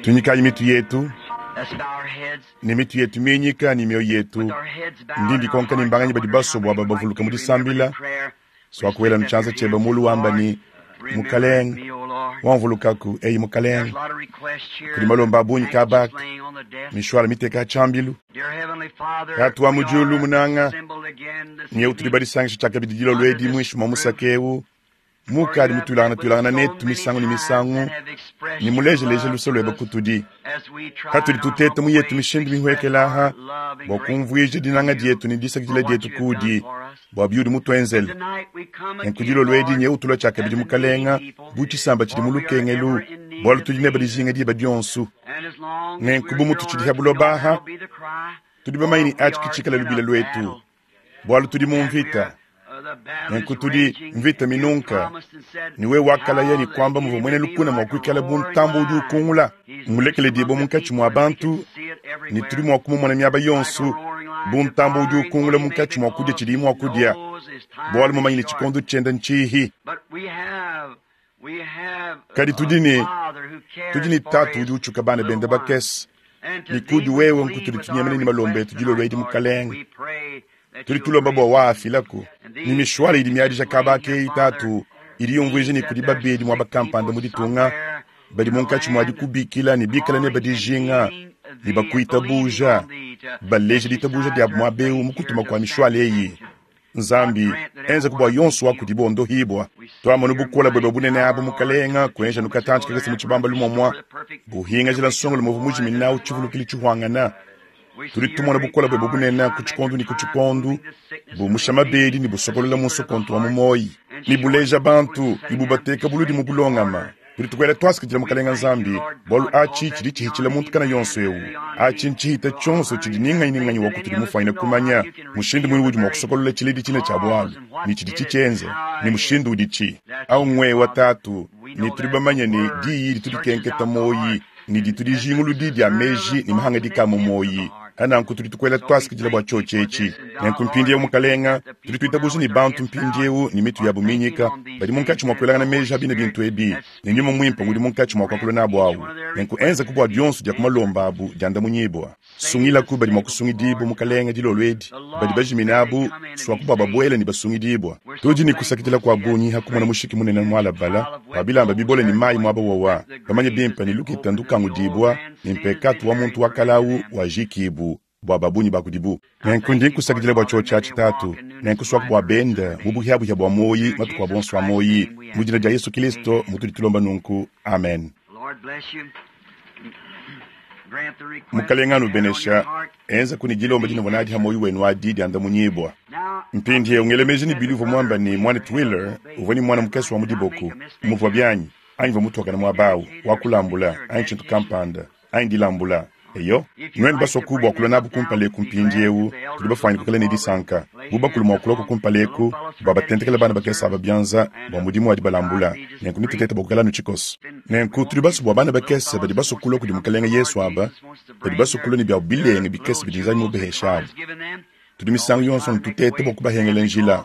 Tunyikayi mitu yetu ne mitu yetu minyika ne mioyo yetu. Ndi ndikonka ne mbanganyi badi basue bua babavuluka mu disambila. Swakuela nu tshianza tshiebe mulu wamba ne, Mukalenge, wamvulukaku, eyi Mukalenge. Kudi malomba a bungi kabaka, mishwala miteka ha tshiambilu. Tatu wa mu diulu munanga, nyewu tudi badisangisha tshiakabidi dilolo edi muinshi mua musaka eu, mukadi mutuilangana tuilangana netu misangu ne misangu ne mulejeleje luse luebe kutudi. Katudi tuteta mu yetu mishindu mihuekela aha bua kumvuija dinanga dietu ne disakidila dietu kudi bua biudi mutuenzele. Nenku dilolo edi nyewu tulua tshiakabidi Mukalenga bu tshisamba tshidi mu lukengelu, bualu tudi nebe dijinga diba dionso. Nenku bu mututshidi ha buloba aha, tudi bamanye ne atshi ke tshikala lubila luetu, bualu tudi mu mvita. Nenku tudi mvita minunka, ne wewe wakalaya ne kuamba muvua muena lukuna mua kuikala bu ntambue udi ukungula. Mmulekele dibue munkatshi mua bantu, ne tudi mua kumumona miaba yonso bu ntambue udi ukungula munkatshi mua kudia tshidiye mua kudia, bualu mumanye ne tshikondo tshiende ntshihi. Kadi tudi ne, tudi ne Tatu udi utshuka bana bende bakese, ne kudi wewe nkutudi tunyemena ne malomba etu dilolo edi, Mukalenge. Tudi tulomba bua waafilaku. Ne mishwala idi miadija kaba aka eyi, Tatu, idi yumvuija ne kudi babedi muaba kampanda mu ditunga badi munkatshi mua dikubikila ne bikala nebe dijinga ne bakuitabuja, baleja ditabuja diabu muaba eu mu kutuma kua mishwala eyi. Nzambi, enzaku bua yonso wa kudibo ondohibua. Tuamonu bukole buebe bunene abu, Mukalenga, kuenja nukatantshi kakese mu tshibambalu muamua, buhingajila nsongolo muvua mujiminawu tshivulukili tshihuangana. Tudi tumona bukole buebe bunene ku tshikondo ne ku tshikondo, bumusha mabedi ne busokolola mu nsokonto wa mu moyi, ne buleja bantu ne bubateka buludi mu bulongama. Tudi tukuela tuasakidila Mukalenga Nzambi, bualu atshi tshidi tshihitshila muntu kana yonso eu. Atshi ntshihita tshionso tshidi ni nganyi ni nganyi wa kutudi mufuanyine kumanya mushindu muine udi mua kusokolola tshiledi tshine tshia bualu, ne tshidi tshitshienze, ne mushindu uditshi. Au ngwewa Tatu, ne tudi bamanye ne diyi ditu dikenketa muoyi, ne ditu dijinguludi dia meji ne mahangadika a mu muoyi. Nanku tudi tukuela tuasakidila bua tshiotshi etshi. Nenku mpindieu, Mukalenga, tudi tuitabuja ne bantu mpindieu ne mitu yabu minyika badi munkatshi mua kuelangana meji a bine bintu ebi, ne Nyuma Muimpe ngudi munkatshi mua kuakula nabu awu. Nenku enzaku bua dionso dia ku malomba abu diandamunyibua. Sungilaku badi mua kusungidibua, Mukalenga, dilolo edi, badi bajimine abu, suaku bua babuele ne basungidibua. Tudi ne kusakidila kua bungi ha kumona mushiki munene mualabala wa bilamba bibole ne mayi muaba wowa, bamanye bimpe ne lukita ndukangudibua ne mpekatu wa muntu wa kale awu wajikibu bua ba bungi ba kudibu. Nenku ndi nkusakidila bua tshiotshi atshi, Tatu, nenku suaku bua benda mu buhiabuhia bua muoyi matuku abu onso a muoyi. Mu dina dia Yesu Kilisto mutudi tulomba nunku. Amen. Mukalenga anubenesha. Enzaku ne dilomba dinuvua nadi ha muoyo wenu adi diandamunyibua. Mpindieu ngela meji ne Billy uvua muamba ne muanetu Wheeler uvua ne muana mukese wa mu diboku. Muvua bianyi, anyi mvua mutuakane muaba au, wa kulambula, anyi tshintu kampanda, anyi dilambula. Eyo, nuenu basoku bua kulua nabu kumpala eku mpindieu, tudi bafuanyine kuikala ne disanka bu bakulu mua kuluaku kumpala eku bua batentekele bana bakese aba bianza bua mudimu wa dibalambula. Nenku netutete bua kuikala anu tshikoso. Nenku tudi basue bua bana bakese badi basue kulua kudi Mukalenge Yesu aba, badi basue kulua ne biabu bilenge bikese bidi Nzambi mubaheshe abu. Tudi misangu yonso anu tuteta bua kubahengela njila,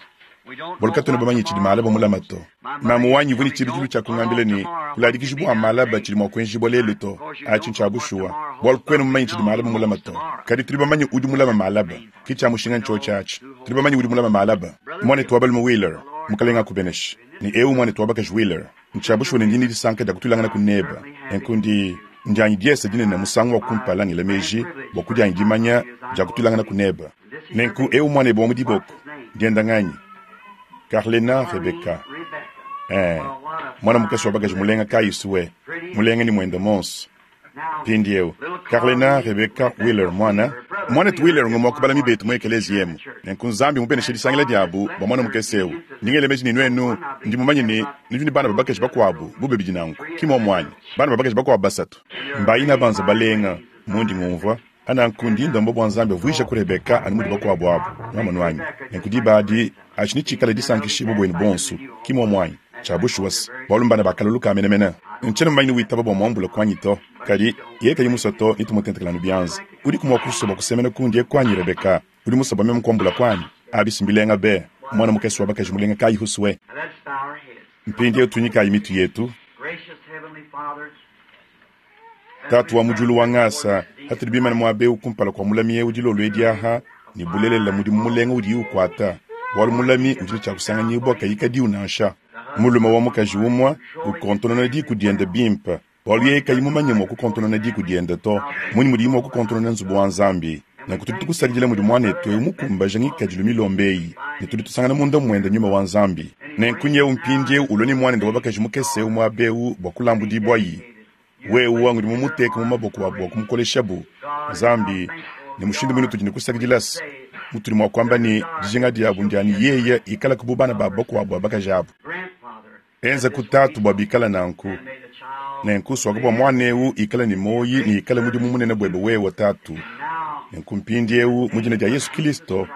bualu katuena bamanye tshidi malaba mulama to. Mamu wanyi uvua ne tshibidilu tshia kungambila ne, Kuladikiji bua malaba tshidi mua kuenjibua lelu to. Atshi ntshia bushuwa, bualu kuena mumanye tshidi malaba mulama to. Kadi tudi bamanye udi mulama malaba. Ke tshia mushinga ntshiotshi atshi. Tudi bamanye udi mulama malaba. Muanetu wa balume Wheeler, Mukalenge akubeneshe. Ne eu muanetu wa bakaji Wheeler. Ntshia bushuwa ne ndi ne disanka dia kutuilangana nebe. Nenku ndi ndianyi diese dinene musangu wa kumpala ngela meji bua kudianyi dimanya dia kutuilangana nebe. Nenku eu muanebe wa mu diboko dienda nganyi? Carlena Rebecca. Eh, mwana mukese wa bakaji mulenga kayi suwe, mulenga ni mwende monso. Mpindieu, Carlena Rebecca Wheeler mwana, muanetu Wheeler ngumue wa ku balami betu mu ekeleziya emu. Nenku Nzambi mubeneshe disangila diabu bua muana mukese eu. Ndi ngela meji ne nuenu, ndi mumanye ne nudi ne bana ba bakaji bakuabu bu babidi nanku, ki muomu anyi? Bana ba bakaji bakuabu basatu. Mbayina banza balenga, mundi ngumvua. Nanku ndi ndomba bua Nzambi avuijaku Rebecca anu mudi bakuabu abu. Nwamonu anyi? Nenku diba adi, atshi netshikale disankishibua buenu bonso, ki muomu anyi? Tshia bushuwa se, bualu mbana ba kalolu ka menemene. Ntshiena mumanye ni witaba bua muambule kuanyi to. Kadi, yeye kayi musue to, netumutentekele anu bianza. Udiku mua kusua bua kusemena kundi eku anyi, Rebecca? Udi musue bua meme kuambula kuanyi? Abi si mbilenga be! Muana mukese wa bakaji mulenga kayi husue! Mpindieu tunyikayi mitu yetu. Tatu wa mu diulu wa ngasa, hatudi bimane muaba eu kumpala kua mulami eu dilolo edi aha, ne bulelela mudimu mulenga udiye ukuata, bualu mulami udi ne tshia kusanganyibua kayi kadiu nansha. Mulume wa mukaji umue ukontonona diku diende bimpe, bualu yeye kayi mumanye mua kukontonona diku diende to, mmunyi mudiye mua kukontonona nzubu wa Nzambi? Nanku tudi tukusakidila mudi muanetu eu mukumbaje ngikadilu milomba eyi, ne tudi tusangana munda muende nyuma wa Nzambi. Nenku nyewu mpindieu ulua ne muanende wa bakaji mukese eu muaba eu bua kulambudibuayi. Wewe ngudi mumuteke mu maboko abu bua kumukoleshabu, Nzambi, ne mushindu muine utudi ne kusakidila se mutudi mua kuamba ne, dijinga diabu ndia ne yeye ikalaku bu bana babu bakuabu ba bakaji abu. Enza ku tatu bua bikale nanku. Nenku suaku bua muana eu ikale ne muoyo ne ikale mudimu munene buebe wewe, tatu. Nenku mpindieu mu dina dia Yesu Kilisto,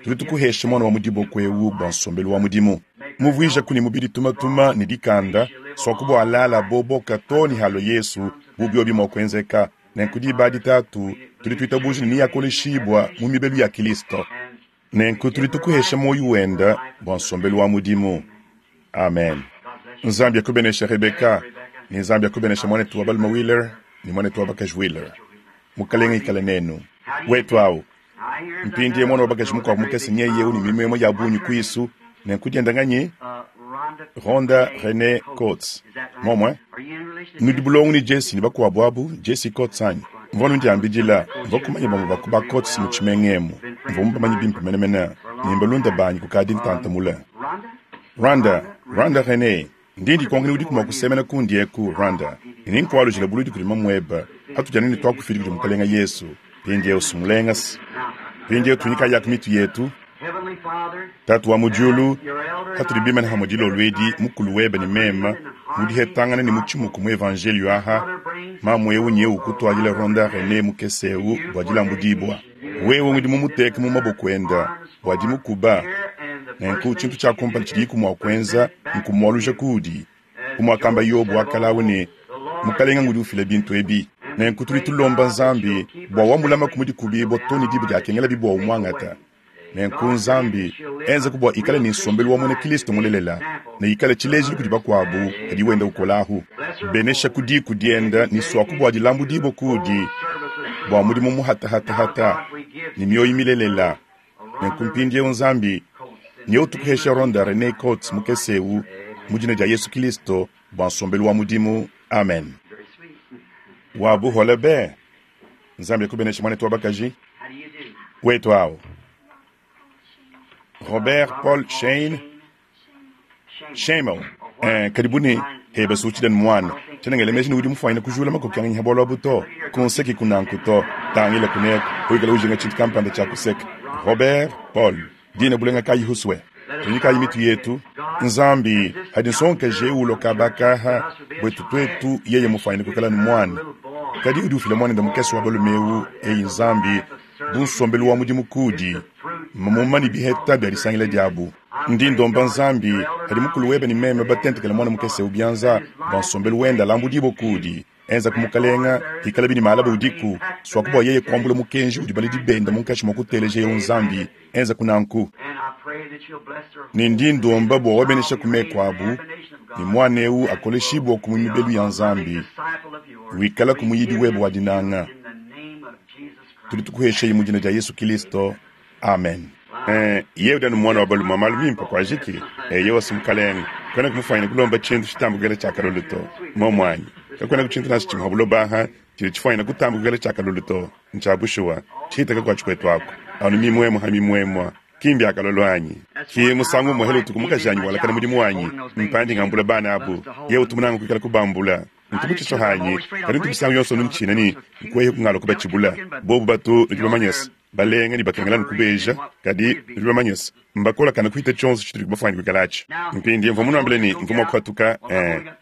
tudi tukuhesha muana wa mu diboko eu bua nsombelu wa mudimu. Muvuijaku ne mubidi tumatuma ne dikanda, suaku bua alala boboka too ne halua Yesu, bu biobi mua kuenzeka. Nenku diba adi, Tatu, tudi tuitabuja ne neakoleshibua mu mibelu ya Kilisto. Nenku tudi tukuhesha muoyo wenda bua nsombelu wa mudimu. Amen. Nzambi akubenesha Rebeka, ne Nzambi akubenesha muanetu wa balume Wheeler ne muanetu wa bakaji Wheeler. Mukalenge ikale nenu. Wetu au. Mpindieu muana wa bakaji mukuabu mukese nyeye eu ne mimuemue ya bungi kuisu, nenku dienda nganyi? Rhonda Rene Coates. Momue? Nudi bulongo ne Jesse ne bakuabu abu, Jesse Coates anyi? Mvua nundiambidila, mvua kumanya bamue ba ku ba Coates mu tshimenga emu. Mvua mubamanye bimpe menemene, ne mbalunda banyi kukadi ntanta mule. Rhonda, Rhonda Rene, ndi ndikonka ni udiku mua kusemena kundi eku, Rhonda, ne nenkualujila buludi kudi mamuebe, patudi anu ne tuakufidi kudi Mukalenga Yesu. Mpindieu sumulengase. Mpindieu tunyikayaku mitu yetu. Tatu wa mu diulu, patudi bimane hamue dilolo edi, mukulu webe ne meme, mu dihetangana ne mu tshimuku mu evanjelio aha, mamu eu nyeu kutuadila Rhonda Rene mukese eu bua dilambudibua. Wewe ngudi mumuteke mu maboko enda bua dimukuba, nenku tshintu tshia kumpala tshidiku mua kuenza nkumualuja kuudi. Bu muakamba Yobo wa kale ne, Mukalenga ngudi ufila bintu ebi. Nenku tudi tulomba Nzambi bua wamulamaku mu dikubibua too ne diba diakengelabi bua umuangata. Nenku Nzambi enzaku bua ikale ne nsombelu wa muena Kristo mulelela ne ikale tshilejilu kudi bakuabu padi wenda ukolahu. Benesha ku diku dienda ne suaku bua dilambudibua kuudi bua mudimu muhatahatahata ne mioyo milelela. Nenku mpindieu Nzambi nyewu tukuhesha Rhonda Rene Coates mukese eu mu dina dia Yesu Kristo bua nsombelu wa mudimu. Amen. Wa buhole be. Nzambi akubenesha muanetu wa bakaji. Wetu au. Robert Paul Shane Shamel. Kadi bu ne heba suutshida ne muana tshiena ngela meji ne udi mufuanyine kujula makoki anyi ha bualu abu to. Kunseki kunanku to. Tangila kuneku wikala ujinga tshintu kampanda tshia kuseka. Robert Paul dina bulenga kayi huswe. Tunyikayi mitu yetu. Nzambi hadi nsongakaji eu ulua kaba kaha buetu tuetu yeye mufuanyine kuikala ne muana. Kadi udi ufila muanende mukese wa balume eu eyi Nzambi bu nsombelu wa mudimu kudi mamuma ne biheta bia disangila diabu. Ndi ndomba Nzambi hadi mukulu webe ne meme batentekele muana mukese eu bianza bua nsombelu wende alambudibue kudi. Enza ku Mukalenga, ikalabi ne malaba udiku, suaku bua yeye kuambula mukenji udi baledi bende munkatshi mua kuteleja eu Nzambi. Enza ku nanku. Ne ndi ndomba bua wabenesha ku meku abu, ne muana eu akoleshibue ku mibelu ya Nzambi, wikala ku muyidi webe wa dinanga. Tudi tukuheshayi mu dina dia Yesu Kilisto. Amen. Yewe udi anu muana wa balume malu mimpe kuajiki. Yewe si mukalenge kwena kumufanyina kulomba tshintu tshitamba kuikala tshia kalolo to. Momwanyi kakwena ku tshintu nansha tshimue ha buloba aha tshidi tshifuanyina kutamba kuikala tshia kalolo to. Ntsha bushuwa tshihitaka kua tshikwetu aku anu mimuemue ha mimuemua. Kimbi akalolo anyi ki musangu umue hela utuku mukajanyi walakana mudimu wanyi mpandi ngambula bana abu yewe utumunanga kuikala kubambula. Ntu mutshiso hanyi kadi ntu misangu yonso ntshina ne nkuehe kungala kubatshibula bobu batu nudi bamanyese balenga ne bakengela nkubeja kadi nudi bamanyese mbakolakana kuhita tshionso tshitudi kubafuanyine kuikalatshi. Mpindie mvua munuambile ne mvua mua kuhatuka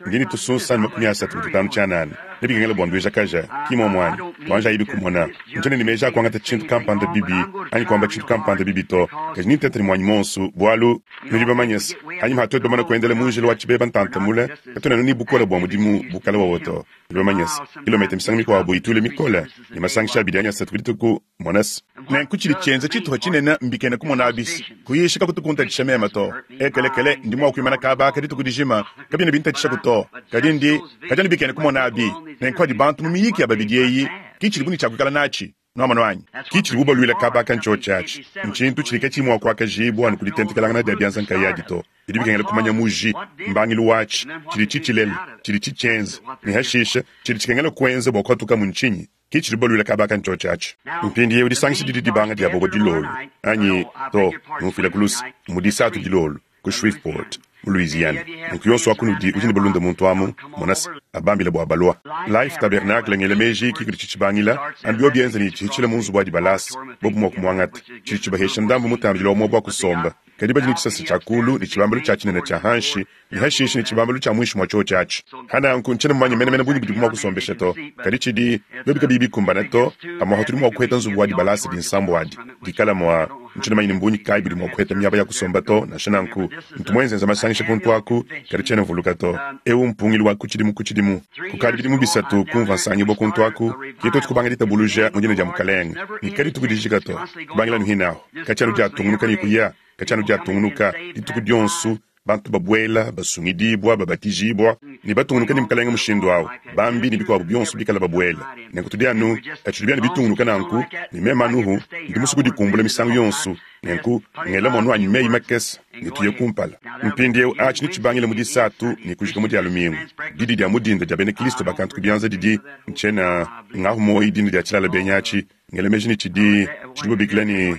ndi ne tusunsa ne 35 tshianana ne bikengela bua ndueja kaja ki muomu anyi tuanji ayibi kumona ntshiena ne meji a kuangata tshintu kampanda bibi anyi kuamba tshintu kampanda bibi to kadi nintete ne muanyi monso bualu nudi bamanyese anyima hatuetu bamana kuendela mu njila wa tshibeba ntanta mule katuena anu ne bukole bua mudimu bukale wawo to. Nudi bamanyese kilometa misangu mikuabu ituile mikole ne masangisha abidi anyi asatu ku dituku monese. Nenku tshidi tshienza tshituha tshinene mbikena kumona abisi kuyisha kakutu kuntatshisha meme to. Ekelekele ndi mua kuimana kaba aka dituku dijima kabiena bintatshishaku to. Kadi ndi kadi anu bikena kumona abi. Nenku padi bantu mu miyiki ya babidi eyi, ki tshidibu ne tshia kuikala natshi. Nwamonu anyi? Ki tshidibu balwila kaaba aka ncyoci aci. Ncintu cidi kaciyi mwa kwakajiibwa anu ku ditentekelangana dya byanza nkayaadi to. Bidi bikengela kumanya muji, mbangilu waci, cidi cicilela, cidi cicyenza, ne hashiishe cidi cikengela kwenza bwa kupatukamu ncinyi. Ki tshidibu balwila kaaba aka ncyoci aci. Mpindyewu disangisha didi dibanga dya bobo dilolu, anyi, to, numfwilaku luse, mmu Disatu dilolu, ku Shreveport, mu Louisiana. Nunku yonso wa kunudi udi ne balunda muntu amu, mona's, abambile bua balua. Life Tabernacle, ngela meji ki kudi tshitshibangila, anu biobi bienza ne tshihitshila mu nzubu wa dibalasa, bobu mua kumuangata. Tshidi tshibahesha ndambu mutambidila wa muaba wa kusomba, kadi badi ne tshisasa tshia kulu ne tshibambalu tshia tshinene tshia hanshi, ne hashishe ne tshibambalu tshia muinshi mua tshiotshi atshi. Hananku, ntshiena mumanye menemene bungi budibu mua kusombesha to, kadi tshidi, biobi kabiyi bikumbana to, pamuapa tudi mua kuheta nzubu wa dibalasa dinsambu adi, dikala mua. Ntshiena mumanye ne mbungi kayi budi mua kuheta miaba ya kusomba to, nansha nanku, ntu muenzenza masangisha kuntu aku, kadi tshiena mvuluka to. Eu mmpungilu wa ku tshidimu ku tshidimu. Kukadi bidimu bisatu kumvua nsangibua kuntu aku, ke tuetu kubanga ditabuluja mu dina dia Mukalenge, ne kadituku dijika to, kubangila anu hine ahu, katshia anu diatungunuka ne kuya, katshia anu diatungunuka, dituku dionso, bantu babuela, basungidibua, babatijibua, ne batungunuka ne Mukalenge mushindu awu, bambi ne bikuabu bionso bikala babuela. Nenku tudi anu, katshidi bianu bitungunuka nanku, ne meme anuhu ndi musue kudikumbula misangu yonso, nenku ngela muanu wanyi meyi makese ne tuye kumpala. Mpindiewu atshi netshibangile mu Disatu ne kujika mu Dia lumingu. Didi dia mu dinda dia bena Kilisto ba kantu ku bianza didi, ntshiena ngahu muoyi dina dia tshilala benyi atshi, ngela meji ne tshidi, tshidibo babikila ne,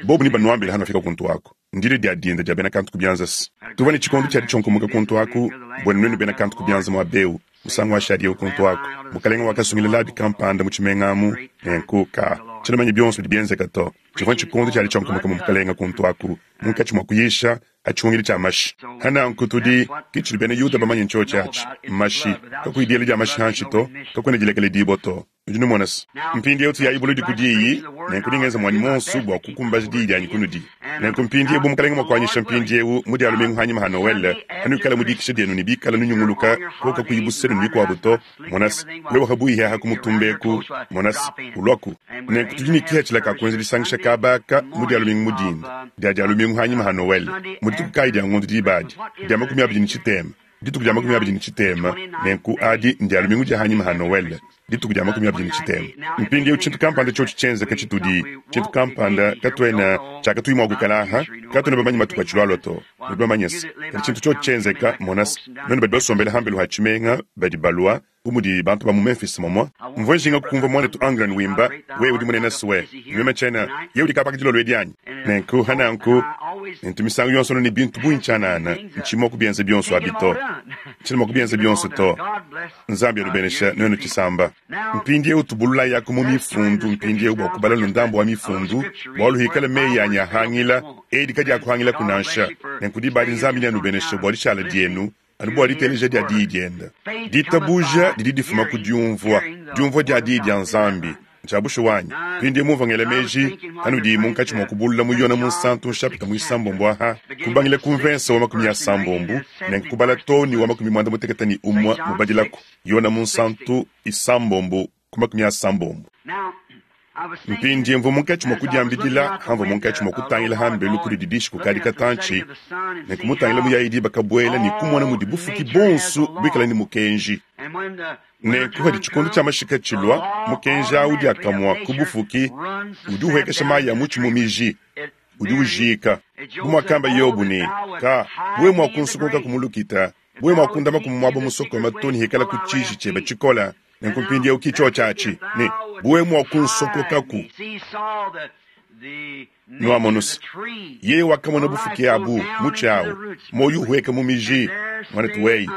bobu nebanuambile hanuafika kuntu aku. Ndile dia dinda dia bena kantu ku bianza. Tuvua ne tshikondo tshia ditshionkomoka kuntu aku, buenu nuenu bena kantu ku bianza muaba eu, musangu washadi eu kuntu aku. Mukalenge wakasungila labi kampanda mu tshimenga amu, nenku ka tshiena manya bionso bidi bienzeka to. Tshivua ntshikondo tshia ditshionkomoka mu Mukalenge kuntu aku, munkatshi mua kuyisha ha tshihungidi tshia mashi. Ha nanku tudi, ke tshidi bena Yuda bamanye ntshiotshi atshi, mashi. Kakuyi diela dia mashi hanshi to, kakuena dilekeledibua to. Nudi numona se, mpindieu tuyayi buludi ku diyi, nenku ndi ngenza muanyi muonso bua kukumbaja diyi dianyi kunudi. Nenku mpindieu bu Mukalenge mua kuanyisha mpindieu mu Dia lumingu hanyima ha Noele, hanuikala mu dikisha dienu ne bikala nunyunguluka ko kakuyi busenu ne bikuabu to, mona se, wewe habuihi aha ku mutumba eku, mona se, uluaku. Nenku tudi ne kihatshila ka kuenza disangisha kaba aka mu Dia lumingu mu dinda dia Dia lumingu hanyima ha Noele, mu dituku kayi dia ngondo diba adi? Dia 28. Dituku dia 23, nenku adi ndia lumingu dia hanyima ha Noele, dituku dia 23. Mpindieu tshintu kampanda tshiotshi tshienzeka tshitudi, tshintu kampanda, katuena, tshiakatuyi mua kuikala aha, katuena bamanye matuku atshilualua to, nudi bamanye se, kadi tshintu tshiotshi tshienzeka, mona se, nuenu badi basombele hambelu ha tshimenga badi balua, bu mudi bantu ba mu Memphis momua. Mvua njinga kukumvua muanetu Ungren wimba, Wewe udi munene swe, ne meme tshiena, Yeye udi kabaka dilolo edi anyi? Nenku, ha nanku, ntu misangu yonso anu ne bintu bungi tshianana, ntshiyi mua kubienza bionso abi to. Ntshiena mua kubienza bionso to. Nzambi anubenesha nuenu tshisamba. Mpindiewu tubululayaku mu Mifundu mpindiewu bua kubala nu ndambu wa Mifundu, bualu hikala meyi anyi ahangila, edi kadiakuhangilaku nansha. Nenku diba adi Nzambi neanubeneshe bua dishala dienu anu bua diteleja dia diyi diende. Ditabuja didi difuma ku diumvua, diumvua dia diyi dia Nzambi. Ntshia bushuwa anyi? Mpindieu mumvua ngela meji, anudi munkatshi mua kubulula mu Yona Munsantu nshapita muisambombo aha, kubangila ku mvensa wa 30 nenku kubala too ne wa 91 mubadilaku, Yona Munsantu isambombo ku 30. Mpindie mvua munkatshi mua kudiambidila hamvua munkatshi mua kutangila hambelu kudi didishi kukadi katantshi, ne kumutangila muyayi diba kabuela ne kumona mudi bufuki bonso buikala ne mukenji. Nenku padi tshikondo tshia mashika tshilua, mukenji au diakamua ku bufuki udi uhuekesha mayi a mutshi mu miji, udi ujika. Bu muakamba Yobo ne, Ka, wewe mua kunsokoka ku mu lukita, wewe mua kundama ku muaba musokome to ne hikala ku tshiji tshiebe tshikola. Nenku mpindieu ki tshiotshi atshi ne, bu wewe mua kunsokokaku. Nuamonu's, yeye wakamona bufuki abu, mutshi awu, muoyo uhueka mu miji, muanetu weyi,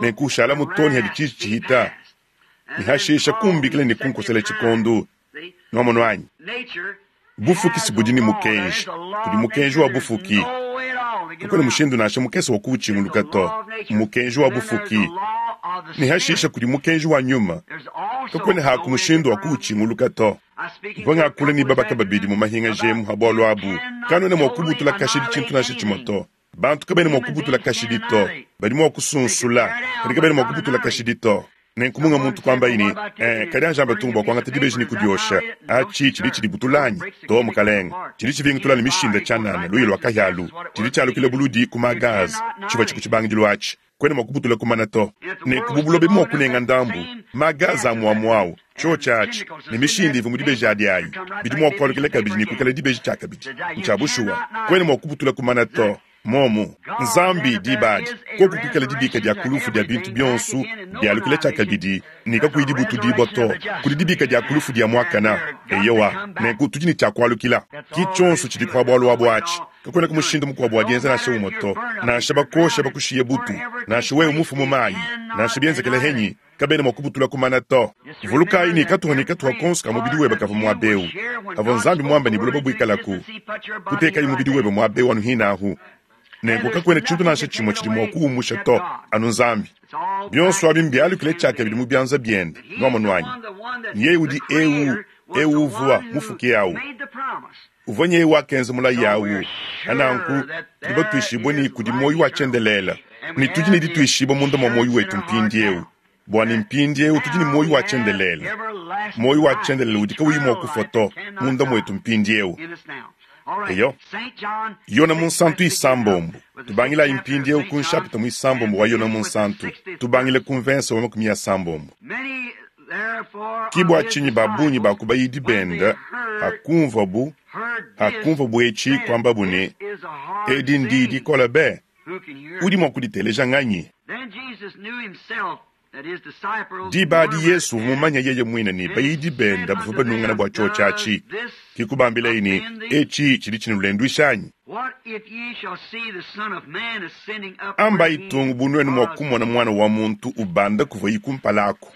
nenku ushalamu too ne hadi tshiji tshihita, ne hashisha kumbikila ne kunkosela tshikondu. Nuamonu anyi? Bufuki si budi ne mukenji, kudi mukenji wa bufuki. Kakuena mushindu nansha mukese wa kuwutshinguluka to. Mmukenji wa bufuki. Ne hashisha kudi mukenji wa nyuma. Kakuena haku mushindu wa kuwutshinguluka to. Mvua ngakula ne babaka babidi mu mahinga emu ha bualu abu. Kanuena mua kubutula kashidi tshintu nansha tshimue to. Bantu kabena mua kubutula kashidi to. Badi mua kusunsula, kadi kabena mua kubutula kashidi to. Nenku munga muntu kuambaye ne, Ee, kadi anji amba tung bua kuangata dibeji ne kudiosha. Aci tshidi tshidibutula anyi? To, mukalenge. Tshidi tshivingutula ne mishinda tshianana, luya lua kahia alu. Tshidi tshialukila buludi ku ma-gaz. Tshivua tshi ku tshibangidilu atshi. Kwena mwa kubutula kumana to. Nenku bu buloba ebu mwa kunenga ndambu, magaza amwamwa awu, cyoci aci, ne mishindu ivwa mu dibeji adi ayi, bidi mwa kwalukila kabidi ne kwikala dibeji cyakabidi. Ncya bushuwa. Kwena mwa kubutula kumana to. Momu. Nzambi, diba adi, koku kwikala dibika dya ku lufu dya bintu byonso, byalukila cyakabidi, ne kakuyi dibutudibwa to, kudi dibika dya ku lufu dya mwakana. Eyowa. Nenku tudi ne cya kwalukila. Ki cyonso cidi kwa bwalu abu aci. Kakwenaku mushindu mukwabo wa dyenza nansha umwe to. Nansha bakosha bakushiye butu, nansha wewe mufue mu mayi, nansha byenzekela henyi, kabena mwa kubutula kumana to. Vulukayi ne katuha ne katuha konso ka mubidi webe kavua muaba eu avua Nzambi muambe ne buloba buikalaku. Kutekayi mubidi webe muaba eu anu hinahu. Nenku kakuena tshintu nansha tshimue tshidi mua kuwumusha to, anu Nzambi. Bionso abi mbialukile tshiakabidi mu bianza biende. Nwamonu anyi? Nyeye udi Eu, Eu uvua mufuke awu. Uvua nyeye wakenza mulayi awu. Pa nanku, tudi batuishibue ne kudi muoyo wa tshiendelele, ne tudi ne dituishibua munda mua muoyo wetu mpindieu, bua ne mpindieu tudi ne muoyo wa tshiendelele, muoyo wa tshiendelele udi kawuyi mua kufua to, munda muetu mpindieu. Eyo. Yona Munsantu isambombo. Tubangilayi mpindieu ku nshapita muisambombo wa Yona Munsantu, tubangile ku mvensa wa 60. Ki bua tshinyi ba bungi ba ku bayidi bende hakumvuabu hakumvuabu etshi kuambabu ne, Edi ndiyi dikole be! Udi mua kuditeleja nganyi? Diba adi Yezu uvua mumanye yeye muine ne, bayidi bende bavua banungana bua tshiotshi atshi. Ke kubambilaye ne, Etshi tshidi tshinulenduisha anyi? Ambayi tung bu nuenu mua kumona Muana wa muntu ubanda kuvuaye kumpala aku.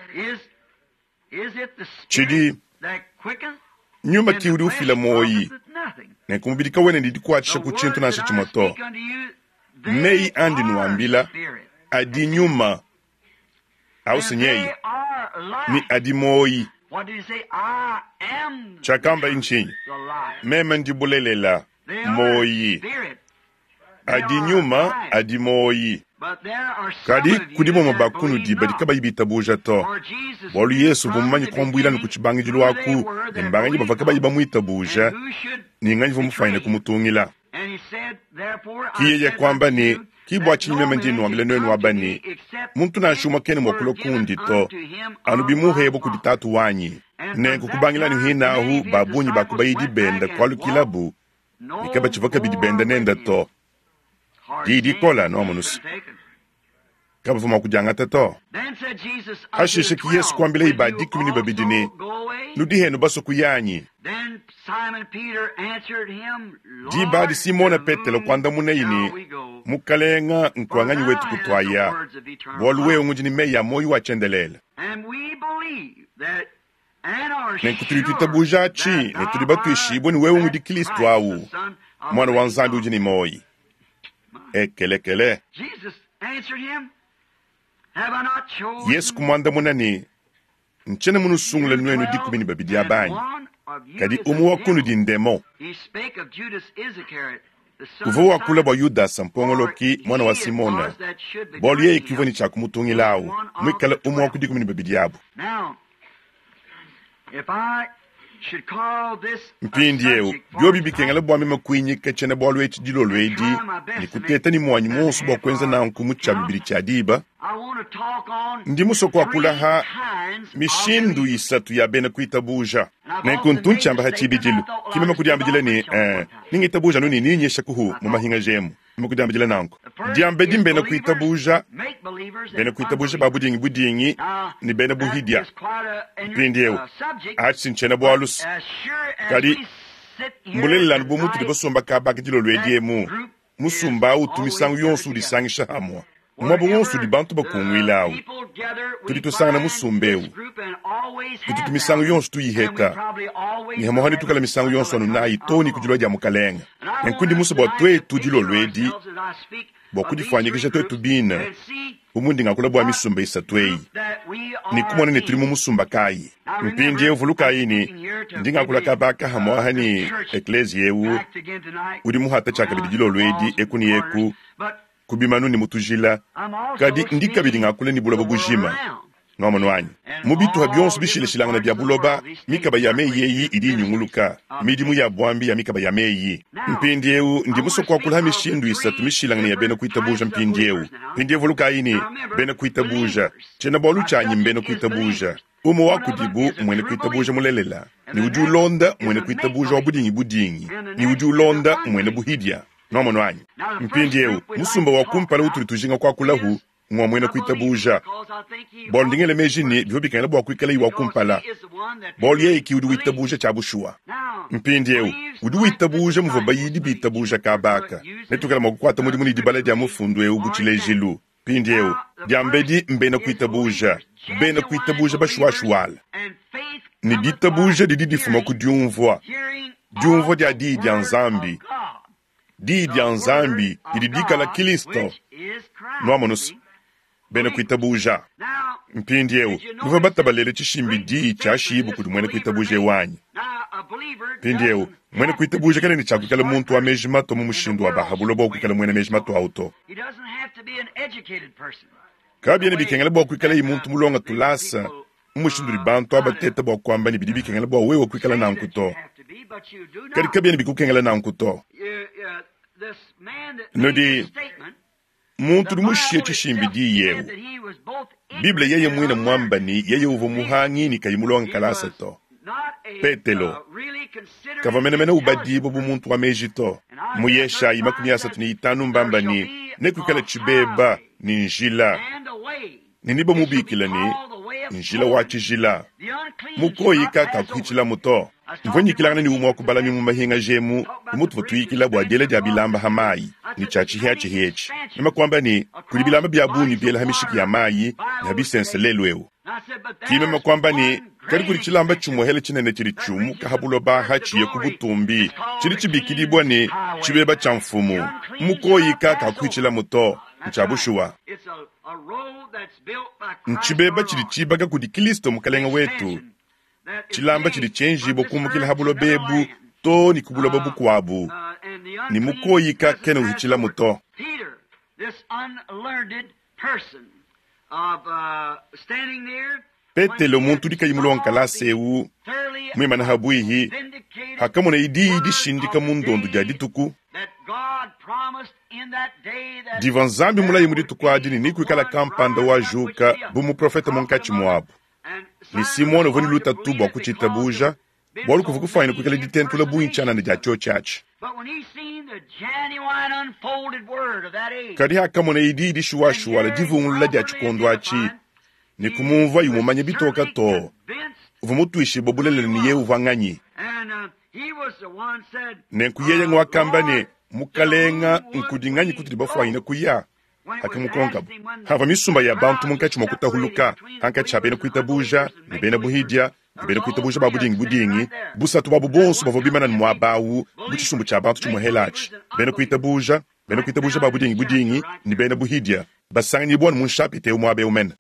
Tshidi nyuma ki udi ufila muoyi, nenku mubidi kawena ne dikuatshisha ku tshintu nansha tshimue to. Meyi andi nuambila adi nyuma, au nyeye, ne adi muoyi. Tshiakambaye ntshinyi? Meme ndi bulelela, muoyi. Adi nyuma, adi muoyi. Kadi kudi bamue ba kunudi badi kabayi bitabuja to, bualu Yesu uvua mumanye kuambuila anu ku tshibangidilu aku ne mbanganyi bavua kabayi bamuitabuja ne nganyi uvua mufuanyine kumutungila. Ki yeye kuamba ne, Ki bua tshinyi meme ndi nnuambila nuenu aba ne, muntu nansha umue kena mua kulua kundi to, anu bimuhebua kudi Tatu wanyi. Nenku kubangila anu hinahu, ba bungi ba ku bayidi bende kualukilabu ne kabatshivua kabidi benda nende to. Diyi dikola, nuamonu's. Kabavua mua kudiangata to. Hashishe ki Yesu kuambilaye ba 12 ne, Nudi henu basue kuya anyi? Diba adi Simona Petelo kuandamunaye ne, Mukalenga, nkua nganyi wetu kutuaya? Bualu wewe ngudi ne meyi a muoyo wa tshiendelele. Nenku tudi tuitabuja atshi ne tudi batuishibue ne wewe ngudi Kristo awu, Muana wa Nzambi udi ne muoyo. Ekelekele. Yesu kumuandamuna ne, Ntshiena munusungule nuenu 12 aba anyi? Kadi umue wa kunudi ndemon. Uvua wakula bua Yudasa mpongoloki, muana wa Simona, bualu yeye ke uvua ne tshia kumutungila awu, muikale umue wa ku 12 abu. Mpindieu, biobi bikengela bua meme kuinyika tshiena-bualu etshi dilolo edi ne kuteta ne muanyi muonso bua kuenza nanku mu tshia-bibidi tshia diba, ndi musue kuakula ha mishindu isatu ya bena kuitabuja. Nenku ntu ntshiamba ha tshibidilu, ki meme kudiambidila ne, eh, ningitabuja anu ne ninyisha kuhu mu mahingaja emu. Meme kudiambidila nanku. Diambedi mbena kuitabuja, bena kuitabuja ba budingi budingi ne bena buhidia. Mpindieu, atshi si ntshiena-bualu kadi mbulelela anu bu mutudi basomba kaba aka dilolo edi emu, musumba au utu misangu yonso udisangisha hamue. Muaba wonso udi bantu bakunguila au, tudi tusangana musumba eu. Tututu misangu yonso tuyiheta, ne hamuha netukala misangu yonso anu nayi too ne ku dilua dia Mukalenge. Nenku ndi musue bua tuetu dilolo edi bua kudifuanyikija tuetu bine bu mundi ngakula bua misumba isatu eyi ne kumona ne tudi mu musumba kayi. Mpindieu vulukayi ne, ndi ngakula kaba aka hamuaha ne ekleziya eu udi muhata tshiakabidi dilolo edi eku ne eku ku bimanu ne mu tujila, kadi ndi kabidi ngakula ne buloba bujima. Nwamonu anyi? Mu bituha bionso bishilashilangane bia buloba, mikaba ya meyi eyi idi inyunguluka, midimu ya buambi ya mikaba ya meyi. Mpindiewu, ndi musue kuakula ha mishindu isatu mishilangane ya bena kuitabuja mpindiewu. Mpindiewu vulukayi ne, bena kuitabuja, tshiena-bualu tshianyi mbena kuitabuja. Umue wa kudibu mmuena kuitabuja mulelela, ne udi ulonda mmuena kuitabuja wa budingibudingi, ne udi ulonda mmuena buhidia. Nwamonu anyi? Mpindiewu, musumba wa kumpala utudi tujinga kuakulahu ng'wa muena kuitabuja, bualu ndi ngela meji ne, bivua bikengela bua kuikalayi wa kumpala, bualu yeye ki udi witabuja tshia bushuwa. Mpindiewu, udi witabuja muvua bayidi bitabuja kaba aka. Netuikale mua kukuata mudimu ne dibala dia mufundu eu bu tshilejilu. Mpindiewu, diambedi mbena kuitabuja, bena kuitabuja bashuwashuwala. Ne ditabuja didi difuma ku diumvua, diumvua dia Diyi dia Nzambi. Diyi dia Nzambi didi dikala Kilisto. Nwamonu's, bena kuitabuja. Mpindiewu, nuvua batabalele tshishimbi diyi tshiashiibua kudi muena kuitabuja ewu anyi? Mpindiewu, muena kuitabuja kena ne tshia kuikala muntu wa meji matua mu mushindu wa ba ha buloba wa kuikala muena meji matua awu to. Kabiena bikengela bua kuikalayi muntu mulonga tulasa mu mushindu udi bantu aba bateta bua kuamba ne bidi bikengela bua wewe kuikala nanku to. Kadi kabiena bikukengela nanku to. Nudi muntu udi mushiye tshishimbi diyi eu. Bible yeye muine muamba ne yeye uvua muhangi ne kayi mulonge kalasa to. Petelo kavua menemene ubadibua bu muntu wa meji to. Mu Yeshayi 35 mbamba ne, nekuikale tshibeba ne njila, ne nebamubikile ne, Njila wa Tshijila. Mukoyi kakakuhitshilamu to. Mvua nyikilangana ne umue wa ku balami mu mahingaja emu bu mutuvua tuyikila bua diela dia bilamba ha mayi ne tshia tshihiatshihia etshi. Meme kuamba ne, Kudi bilamba bia bungi biela ha mishiki ya mayi ne ha bisense lelu eu. Ki meme kuamba ne, Kadi kudi tshilamba tshimuehele tshinene tshidi tshiumuka ha buloba aha tshiye ku butumbi, tshidi tshibikidibua ne, Tshibeba tshia Mfumu. Mukoyi kakakuhitshilamu to. Ntshia bushuwa. Ntshibeba tshidi tshibaka kudi Kilisto Mukelenge wetu, tshilamba tshidi tshienjibua kumukila ha buloba ebu to ne ku buloba bukuabu, ne mukoyi kakena uhitshilamu to. Petelo, muntu udi kayi mulonge kalasa eu, muimane ha buihi, hakamoneye diyi dishindika mu ndondo dia dituku divua Nzambi mulaye mu dituku adi ne nekuikala kampanda wajuka bu muprofete munkatshi muabu, ne Simone uvua ne lutatu bua kutshitabuja, bualu kuvua kufuanyine kuikala ditentula bungi tshianana dia tshiotshi atshi. Kadi hakamoneye diyi dishuwashuwa divungulula dia tshikondo atshi, ne kumumvuaye umumanya bitoka too, uvua mutuishibue bulelela ne yeye uvua nganyi. Nenku yeye nguakamba ne, Mukalenga, nkudi nganyi kutudi bafuanyine kuya? Hakamukonkabu, havua misumba ya bantu munkatshi mua kutahuluka hankatshi ha bena kuitabuja ne bena buhidia ne bena kuitabuja ba budingi-budingi, busatu buabo bonso bavua bimana ne muaba au bu tshisumbu tshia bantu tshimuehela atshi, bena kuitabuja, bena kuitabuja ba budingi-budingi ne bena buhidia, basanganyibua anu mu nshapita eu muaba eu mene.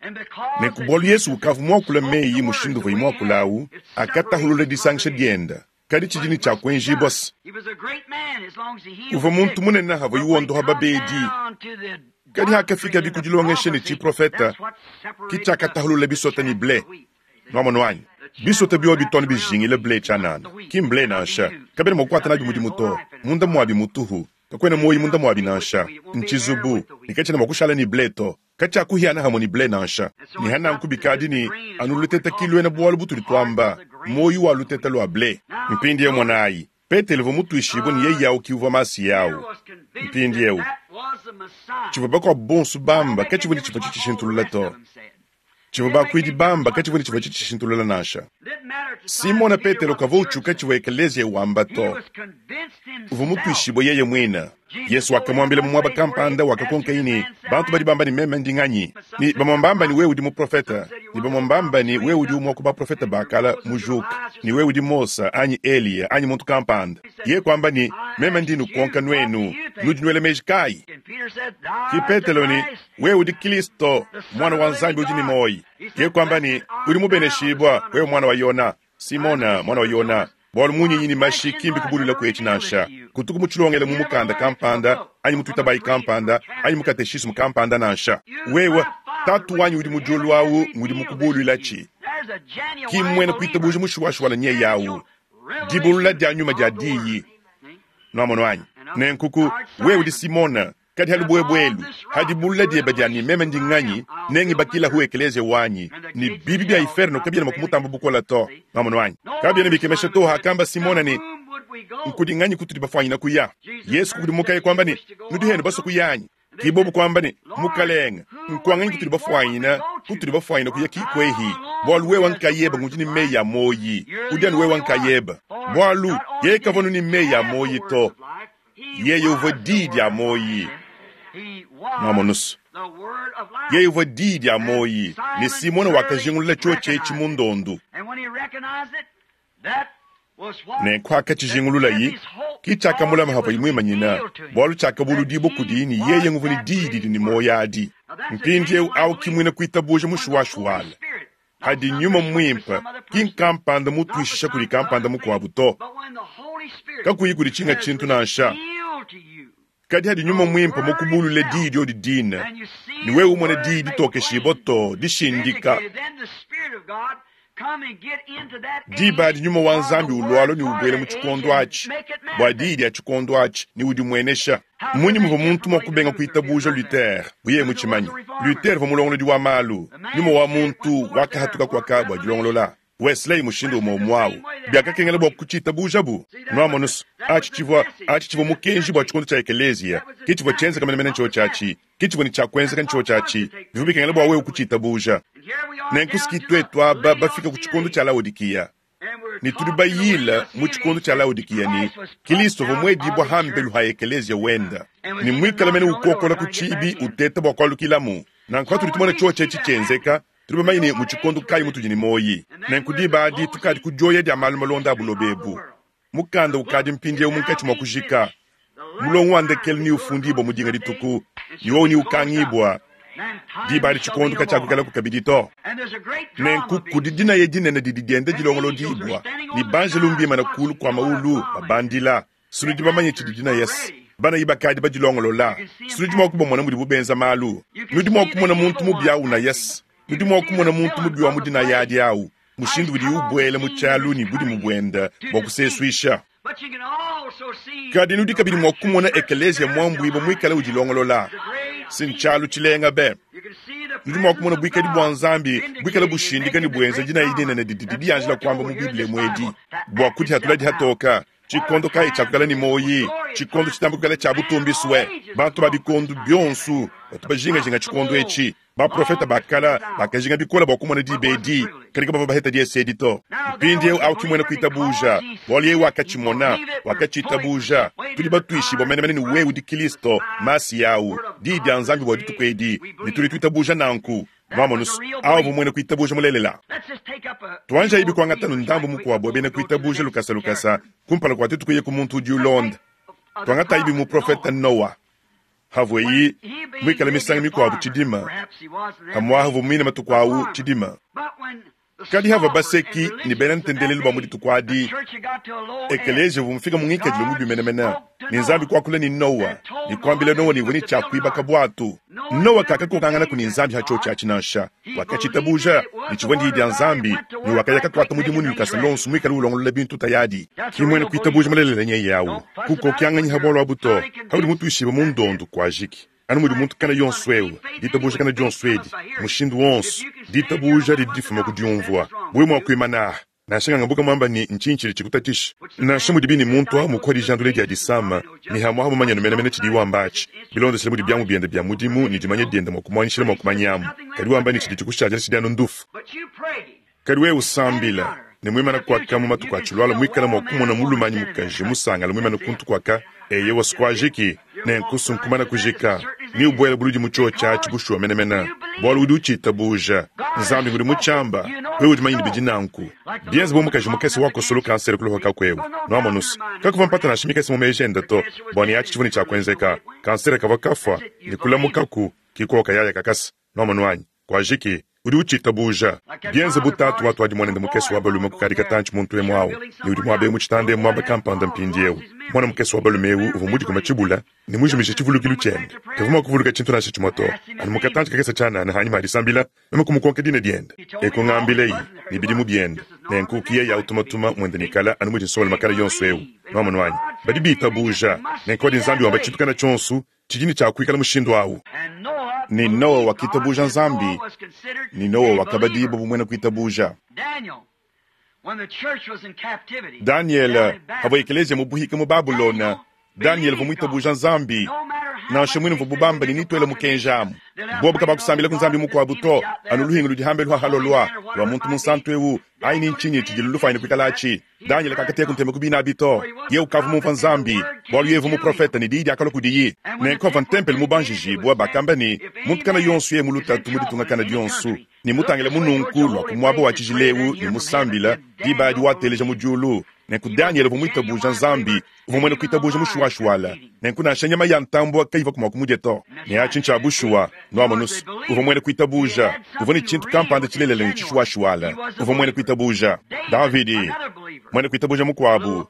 Nenku bualu Yesu ukavua muakula meyi mushindu uvuaye muakula au, akatahulula disangisha dienda. Kadi tshidi ne tshia kuenjibua se, uvua muntu munene havuaye wondoha babedi. Kadi hakafikabi ku dilongesha ne tshiprofete, ke tshiakatahulula bisota ne ble. Nuamonu anyi? Bisota biobi bitu anu bijingila ble tshianana, ki mble nansha. Kabena mua kukuata nabi mudimu to. Munda muabi mutuhu, kakuena muoyo munda muabi nansha. Ntshizubu, ne katshiena mua kushala ne ble to. Katshiakuhiana hamue ne ble nansha. Ne hananku bikadi ne anu luteta ki luena bualu butudi tuamba, muoyo wa luteta lua ble. Mpindieu monayi, Petelo uvua mutuishibue ne yeye au ki uvua Masiya au. Mpindieu, tshivua bakuabu bonso bamba katshivua ne tshivua tshitshishintulula to. Tshivua bakuidi bamba katshivua ne tshivua tshitshishintulula nansha. Simona Petelo kavua utshuka tshivua ekeleziya wamba to. Uvua mutuishibue yeye muine. Yesu wakamuambila mu muaba kampanda, wakakonkaye ne, Bantu badi bamba ne meme ndi nganyi? Ne bamue mbamba ne wewe udi muprofete, ne bamue mbamba ne wewe udi umue wa ku baprofete ba kale mujuke, ne wewe udi Mose anyi Eliya anyi muntu kampanda. Yeye kuamba ne, Meme ndi nukonka nuenu, nudi nuela meji kayi? Ke Petelo ne, Wewe udi Kristo, Muana wa Nzambi udi ne muoyo. Yeye kuamba ne, Udi mubeneshibua, wewe muana wa Yona, Simona, muana wa Yona, bualu munyinyi ne mashi ki mbikubuluila ku etshi nansha. Kutuku mutshilongele mu mukanda kampanda anyi mu tuitabayi kampanda anyi mu kateshismu kampanda nansha. Wewe. Tatu wanyi udi mu diulu awu ngudi mukubuluilatshi. Ki mmuena kuitabuja mushuwashuwala nyeye awu. Dibulula dia nyuma dia Diyi. Nwamonu anyi? Nenku ku, wewe udi Simona, kadi ha lubuebue elu, ha dibulula diebe dia ne meme ndi nganyi, nengibakilahu ekeleziya wanyi, ne bibi bia iferno kabiena mua kumutamba bukole to. Nwamonu anyi? Kabiena bikemesha to hakamba Simona ne, Nkudi nganyi kutudi bafuanyina kuya? Yesu kukudimukaye kuamba ne, Nudi henu basue kuya anyi? Ki bobu kuamba ne, Mukalenge, nkuanganyi kutudi bafuanyina, kutudi bafuanyina kuya ki kuehi? Bualu wewa nkayeba ngudi ne meyi a muoyi, udi anu wewa nkayeba. Bualu, yeye kavua anu ne meyi a muoyi to, yeye uvua Diyi dia muoyi. Nwamonu's? Yeye uvua Diyi dia muoyi, ne Simona wakajingulula cyoci eci mu ndondu. Nenku hakatshijingululayi, ki tshiakamulama havuayi muimanyina, bualu tshiakabuludibua kudiyi ne yeye nguvua ne diyi didi ne muoyo adi. Mpindiewu awu ki muena kuitabuja mushuwashuwala. Hadi Nyuma Muimpe, ki nkampanda mutuishisha kudi kampanda mukuabu to, kakuyi kudi tshinga tshintu nansha. Kadi hadi Nyuma Muimpe mukubulule Diyi diodi dine, ne wewe umona Diyi ditokeshibua too dishindika, diba adi Nyuma wa Nzambi ulualua ne ubuela mu tshikondo atshi, bua Diyi dia tshikondo atshi, ne udimuenesha. Mmunyi muvua muntu mua kubenga kuitabuja Luther bu yeye mutshimanye? Luther uvua mulongolodi wa malu. Nyuma wa muntu wakahatuka kuaka bua dilongolola. Wesley mushindu umue umue au. Biakakengela bua kutshiitabujabu. Nwamonu's, aci civwa, aci civwa mukenji bwa cikondo cya ekeleeziya. Ke civwa cyenzeka menemene ncyoci aci. Ke civwa ne cya kwenzeka ncyoci aci. Bivwa bikengela bwa wewe kuciitabuuja. Nenku's ki twetu aba bafika ku cikondo cya Laodikiya, ne tudi bayiila mu cikondo cya Laodikiya ne Kilisto uvwa mwediibwa hambelu ha ekeleeziya wende, ne mwikale mene ukookola ku ciibi uteeta bwa kwalukilamu. Nanku patudi tumona cyoci eci cyenzeka, Tudi bamanye ne mu tshikondo kayi mutudi ne muoyi. Nenku diba adi tukadi ku dioya dia malu malonda a buloba ebu. Mukanda ukadi mpindieu munkatshi mua kujika. Mulongo wa ndekelu neufundibue mu dinga dituku, ne wowu neukangibua. Diba adi tshikondo katshiakuikalaku kabidi to. Nenku kudi dinaya dinene didi dienda dilongolodibua, ne banjelu mbimane kuulu kua mawulu babandila. Sinudi bamanye tshidi dinaya se banayi bakadi badilongolola. Sinudi mua kubamona mudibu benza malu. Nudi mua kumona muntu mubi au unaya se nudi mua kumona muntu mubi wa mu dinaya adi au, mushindu udiye ubuela mu tshialu ne budimu buende bua kusesuisha. Kadi nudi kabidi mua kumona ekeleziya muambuibue muikale udilongolola. Si ntshialu tshilenga be! Nudi mua kumona buikadi bua Nzambi buikale bushindika ne buenza dinaya dinene didi didianjila kuamba mu Bible emu edi bua kudihatula dihatoka. Tshikondo kayi tshia kuikala ne muoyi? Tshikondo tshitamba kuikala tshia butumbi sue. Bantu ba bikondo bionso batu bajingajinga tshikondo etshi. Baprofete ba kale bakajinga bikole bua kumona diba edi, kadi kabavua baheta diese edi to. Mpindieu au ki muena kuitabuja, bualu yeye wakatshimona, wakatshitabuja. Tudi batuishibue menemene ne wewe udi Kristo, Masiya au, Diyi dia Nzambi bua dituku edi, ne tudi tuitabuja nanku. Nwamonu's, awu uvua muena kuitabuja mulelela. Tuanjayibi kuangata anu ndambu mukuabu wa bena kuitabuja lukasa lukasa kumpala kua tuetu kuya ku muntu udi ulonda. Tuangatayibi muprofete Noa. Havueyi muikale misangu mikuabu tshidima, pamuapa uvua muine matuku awu tshidima. Kadi havua baseki ne bena ntendelelu ba mu dituku adi, ekeleziya uvua mufike mu ngikadilu mubi menemene, ne Nzambi kuakula ne Noa ne kuambila Noa ne uvua ne tshia kuibaka buatu. Noa kakakokanganaku ne Nzambi ha tshiotshi atshi nansha. Wakatshitabuja ne tshivua ndiyi dia Nzambi, ne wakaya kakuata mudimu ne lukasa luonso muikale ulongolola bintu tayadi. Ki muena kuitabuja mulelela nyeye au. Kukokianganyi ha bualu abu to. Haudi mutuishibue mu ndondu, kuajiki. Anu mudi muntu kana yonso eu, ditabuja kana dionso edi, mushindu wonso, ditabuja didi difuma ku diumvua. Wewe mua kuimana aha, nansha nganga mbuka muamba ne, ntshinyi tshidi tshikutatshisha? Nansha mudibi ne muntu awu mukuha dijandula dia disama, ne hamuaha mumanyanu menemene tshidiye wamba atshi, bilondeshile mudi biamu biende bia mudimu ne dimanya diende mua kumuanyishila mua kumanyamu, kadi wamba ne tshidi tshikushadila tshidi anu ndufu. Kadi wewe usambila, ne muimana kuaka mu matuku atshilualua muikale mua kumona mulume anyi mukaji musangale muimane kuntu kuaka, eyowa, sikuajiki, nenku sunkumana kujika, ne ubuele buludi mu tshiotshi atshi bushuwa menemene, bualu udi utshitabuja. Nzambi ngudi mutshiamba, wewe udi manyine bidi nanku. Bienze bu mukaji mukese wakosolu kansere ku luhoka kuewu. Nuamonu's, kakuvua mpata nansha mikese mu meji ende to, bua ne atshi tshivua ne tshia kuenzeka. Kansere kavua kafua, ne kulamukaku, ki kuoka yaya kakasa. Nuamonu anyi? Kuajiki. Udi ucitabuuja. Byenze bu taatu watwadi mwanende mukese wa balume kukaadi katanci muntu emu awu, ne udi mwaba emu citanda emu mwaba kampanda mpindyewu. Mwana mukese wa balume ewu uvwa mudikome cibula ne mujimije civulukilu cyende. Kavwa mwa kuvuluka cintu nansha cimwe to. Anu mu katanci kakese cyanaana hanyima ha disambila, meme kumukonka dina dyende. E kungambileyi ne bidimu byende. Nenku ki yeye awu tumatuma mwende ne kala anu mudi nsongalume kala yonso ewu. Nwamonu anyi? Badi biitabuuja. Nenku padi Nzambi wamba cintu kana cyonso, cidi ne cya kwikala mushindu awu. Ne Nowa wakitabuja Nzambi, ne Nowa wakabadibua bu mwena kwitabuja. Danyele, pavua ekeleziya mu buhika mu Babulona, Danyele uvua muitabuja Nzambi, nansha muine muvuabu bamba ne nituele mukenji amu. Bobu kabakusambila ku nzambi mukuabu to, anu luhingu ludi hambelu ha halolua lua muntu munsantu eu, ayi ni ntshinyi tshidi lulufuanyine kuikala atshi? Danyele kakateka ntema ku bina abi to. Yeye ukavua mumvua Nzambi, bualu yeye uvua muprofete ne diyi diakalua kudiyi. Nenku pavua ntempelo mubanjijibua, bakamba ne, muntu kana yonso yeye mu lutatu mu ditunga kana dionso, ne mutangila mununku lua ku muaba wa tshijila eu ne musambila, diba adi wateleja mu diulu. Nenku Danyele uvua muitabuja Nzambi, uvua muena kuitabuja mushuwashuwala. Nenku nansha nyama ya ntambua kayivua mua kumudia to. Ne atshi ntshia bushuwa, nuamonu's. Uvua muena kuitabuja, uvua ne tshintu kampanda tshilelela ne tshishuwashuwala. Uvua muena kuitabuja. Davidi, muena kuitabuja mukuabu,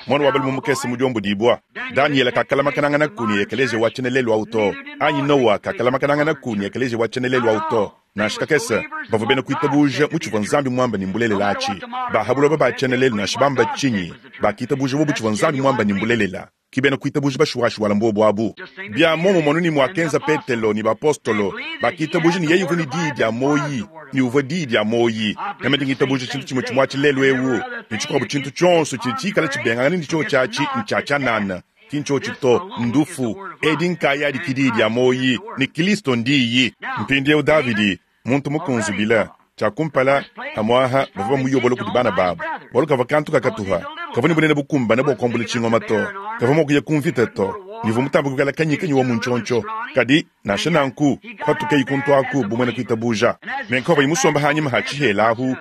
muana wa balume mukese mudiombodibua. Danyele kakalamakananganaku ne ekeleziya wa tshiena lelu au to, anyi Noa kakalamakananganaku ne ekeleziya wa tshiena lelu au to. Nansha kakese, bavua bena kuitabuja mu tshivua Nzambi muambe ne mbulelela atshi. Ba ha buloba ba tshiena lelu nansha bamba tshinyi, bakitabuja bobu tshivua Nzambi muambe ne mbulelela. Ki bena kuitabuja bashuwashuwala mbuobu abu. Bia muomumue anu ne muakenza Petelo ne bapostolo, bakitabuja ne yeye uvua ne Diyi dia muoyi, ne uvua Diyi dia muoyi. Meme ndi ngitabuja tshintu tshimue tshimue atshi lelu eu, ne tshikuabu tshintu tshionso tshidi tshikale tshibengangane ne tshiotshi atshi ntshia tshianana. Ki ntshiotshi to, ndufu. Edi nkayadi ki Diyi dia muoyi, ne Kilisto n'Diyi. Mpindieu Davidi, muntu mukunzubile, tshia kumpala, pamu'aha bavua bamuyobola kudi bana babu, bualu kavua kantu kakatuha, kavua ne bunene bukumbane bua kuambula tshingoma to, kavua mua kuya ku mvita to, ne uvua mutambe kuikala kanyikanyi wa mu ntshiontshio. Kadi, nansha nanku, kupatukayi kuntu aku bu muena kuitabuja. Nenku pavuaye musombe hanyima ha tshihela ahu,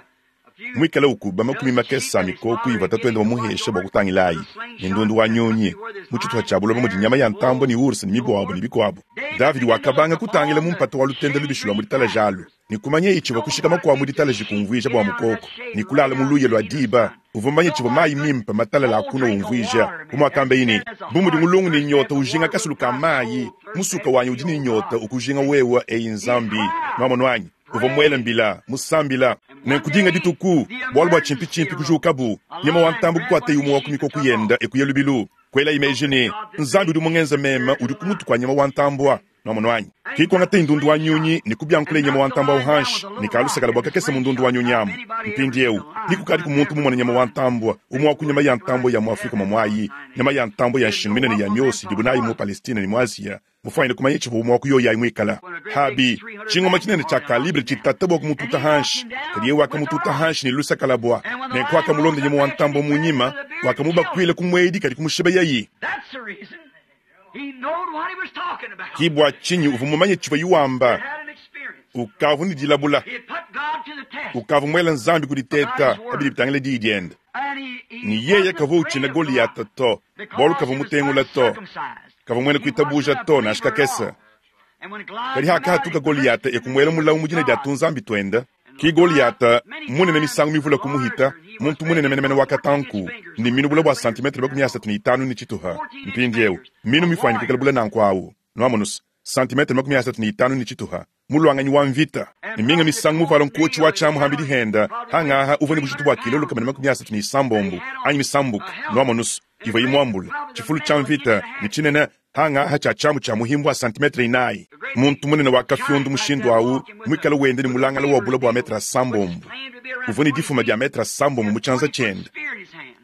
muikale ukuba makumi makese a mikoko ivua tatuende mumuheshe bua kutangilayi, ne ndundu wa nyunyi, mu tshituha tshia buloba mudi nyama ya ntambue ne ours ne mibuabua ne bikuabo. Davidi wakabanga kutangila mu mpata wa lutende lubishi lua mu ditalaji alu, ne kumanyeye tshivua kushikama kua mu ditalaji kumvuija bua mukoko, ne kulala mu luya lua diba. Uvua mumanye tshivua mayi mimpe matalale a kunua umvuija, bu muakambeye ne, Bu mudi mulungu ne nyota ujinga kasulu ka mayi, musuka wanyi udi ne nyota ukujinga wewe, eyi Nzambi. Nuamonu anyi? Uvua muele mbila, musambila. Nenku dinga dituku, bualu bua tshimpitshimpi kujukabu, nyama wa ntambue kukuataye umue wa ku mikoku yende e kuya lubilu. Kuelaye meji ne, Nzambi udi mungenze meme udi ku mutu kua nyama wa ntambua. Nuamonu anyi? Ke kuangataye ndundu wa nyunyi ne kubiankulaye nyama wa ntambua au hanshi ne kalusakala bua kakese mu ndundu wa nyunyi amu. Mpindieu, ni kukadiku muntu mumone nyama wa ntambua, umue wa ku nyama ya ntambua ya mu Afrike muamuayi, nyama ya ntambua ya nshingu minene ya miosi idibu nayi mu Palestine ne mu Asia, mufuanyine kumanya tshivua umue wa ku yoyi ayi muikala. Habi, tshingoma tshinene tshia kalibre tshitata bua kumututa hanshi, kadi yeye wakamututa hanshi ne lusakalabua. Nenku wakamulonda nyama wa ntambue mu nyima, wakamubakuila ku muedi kadi kumushibeyayi. Ki bua tshinyi uvua mumanye tshivuaye wamba. Ukavua ne dilabula. Ukavua muele Nzambi ku diteta pa bidi bitangila diyi diende. Ne yeye kavua utshina Goliyata to, bualu kavua mutengula to. Kavua muena kuitabuja to, nansha kakese. Kadi hakahatuka Goliyata e kumuela mulawu mu dina dia tunzambi tuende. Ki Goliyata, munene misangu mivule kumuhita, muntu munene menemene wa katanku, ne minu bule bua santimetre 35 ne tshituha. Mpindieu, minu mifuanyike kuikala bule nanku awu, nuamonu's, santimetre 35 ne tshituha, muluanganyi wa mvita, ne minga misangu muvuale nkotshi wa tshiamu hambidi henda, hangaha uvua ne bujitu bua kilo 136 anyi misambuka, nuamonu's, ivuaye muambule, tshifulu tshia mvita, ne tshinene hangaha tshia tshiamu tshia muhimbu wa santimetre inayi. Muntu munene wa kafiondu mushindu au, muikale wenda ne mulangala wa bule bua metre asambombo, uvua ne difuma dia metre asambombo mu tshianza tshiende.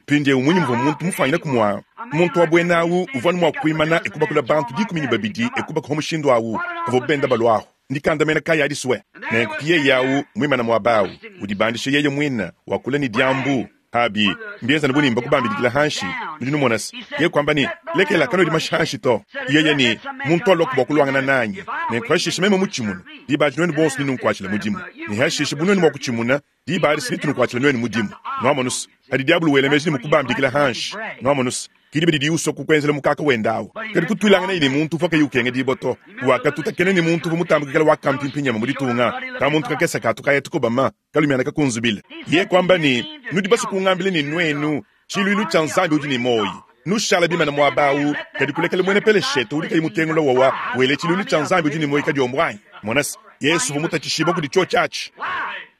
Mpindieu mmunyi muvua muntu mufuanyine kumua muntu wa buena au uvua anu mua kuimana e kubakula bantu 12 e kubakuha mushindu au pavuabu benda baluahu? Ndikandamena kayi adi sue? Nenku ki yeye au muimane muaba au, udibandisha yeye muine, wakula ne diambu. Abi mbienzane bu ne mbakubambidikila hanshi. Nudi numona se, yeye kuamba ne, Lekela, kanuedi mashi hanshi to. Yeye ne, Muntu aluaku bua kuluangana nanyi, nenku hashishe meme mutshimune, diba adi nuenu bonso nenunkuatshile mudimu, ne hashishe bu nuenu mua kutshimuna, diba adi se netunukuatshile nuenu mudimu. Nuamonu's, padi diabolo wela meji ne mukubambidikila hanshi. Nuamonu's? Ki diba didiye usua kukuenzela mukaka wende awu. Kadi kutuilanganaye ne muntu uvua kayi ukengedibua to. Wakatutakena ne muntu uvua mutambe kuikala wa kampimpinyama mu ditunga, kamuntu kakese ka tukaya tukobama, kalumiana kakunzubile. Yeye kuamba ne, Nudi basue kungambila ne nuenu, tshiluilu tshia Nzambi udi ne muoyi, nushala bimane muaba awu, kadi kulekela muena Peleshete udi kayi mutengula wowa wele tshiluilu tshia Nzambi udi ne muoyi kadiombo anyi? Mona se, Yesu uvua mutatshishibua kudi tshiotshi atshi.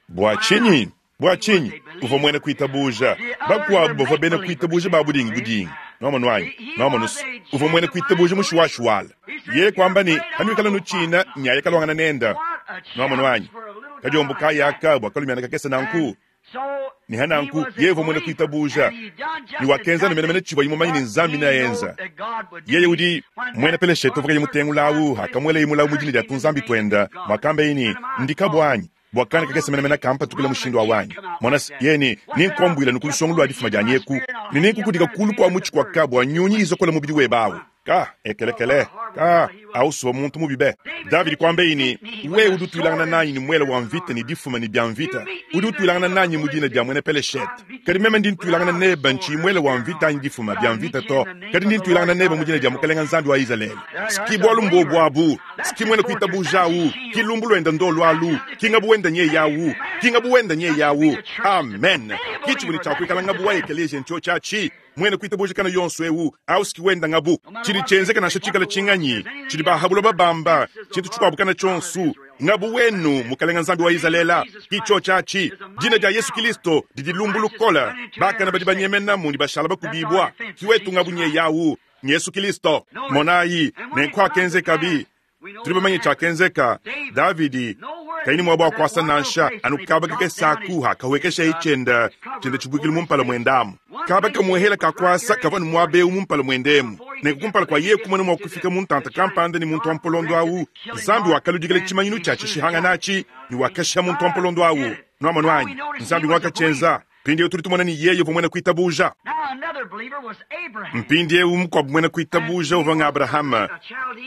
Bua tshinyi? Bua tshinyi? Uvua muena kuitabuja. Bakuabu bavua bena kuitabuja ba budingibudingi. Nwamonu anyi? Nwamonu's, uvua muena kuitabuja mushiwashiwala. Yeye kuamba ne, Panuikala nutshina, nyaye kaluangana nenda. Nwamonu anyi? Kadiombo kayi aka bua kalumiana kakese nanku? Ne ha nanku, yeye uvua muena kuitabuja, ne wakenza anu menemene tshivuaye mumanye ne Nzambi neaenza. Yeye udi muena Peleshete uvua kayi mutengula awu, akamuelaye mulawu mu dina dia tunzambi tuenda, muakambaye ne, Ndi kabua anyi? Bua kana kakese menemene kampatukila mushindu awu anyi? Mona se, yeye ne, Nenkuambuila anu ku lusongo lua difuma dianyi eku, ne nenkukudika kulu kua mutshi kua ka bua nyunyi izokola mubidi webe awu. Ka, ekelekele, ka, awu suvua muntu mubi be. Davidi kuambaye ne, Wewe udi utuilangana nanyi ne muele wa mvita ne difuma ne bia mvita, udi utuilangana nanyi mu dina dia muena Peleshete. Kadi meme ndi ntuilangana nebe ntshiyi muele wa mvita anyi difuma bia mvita to, kadi ndi ntuilangana nebe mu dina dia Mukalenga Nzambi wa Izalele. Ski bualu mbuobu abu, ski muena kuitabuja awu, ki lumbu luenda ndolu alu, ki ngabu wenda nyeye awu, ki ngabu wenda nyeye awu. Amen. Ki tshivua ne tshia kuikala ngabu wa ekeleziya ntshiotshi atshi. Muena kuitabuja kana yonso eu au ski wenda ngabu. Tshidi tshienzeka nansha tshikala tshinganyi, tshidi ba ha buloba bamba, tshintu tshikuabu kana tshionso, ngabu wenu, Mukalenga Nzambi wa Izalele, ki tshiotshi atshi. Dina dia Yesu Kilisto didi lumbu lukole, bakane badi banyemenamu ne bashala bakubibua. Ki wetu ngabu nyeye au. Yesu Kilisto. Monayi, nenku akenzekabi. Tudi bamanye tshiakenzeka. Davidi kayi ne muaba wa kuasa nansha, anu kaba kakese aku akahuekeshaye tshienda tshienda tshibuikilu mu mpala muende amu. Kaba kamuehela ka kuasa kavua ne muaba eu mu mpala muende emu. Nenku kumpala kua yeye kumona mua kufika mu ntanta kampanda ne muntu wa mpolondo au, Nzambi wakaludikila tshimanyinu tshia tshishihangana atshi ne wakashiha muntu wa mpolondo au. Nuamonu anyi? Nzambi nguakatshienza. Mpindieu tudi tumona ne yeye uvua muena kuitabuja. Mpindieu mukuabu muena kuitabuja uvua nga Abrahama,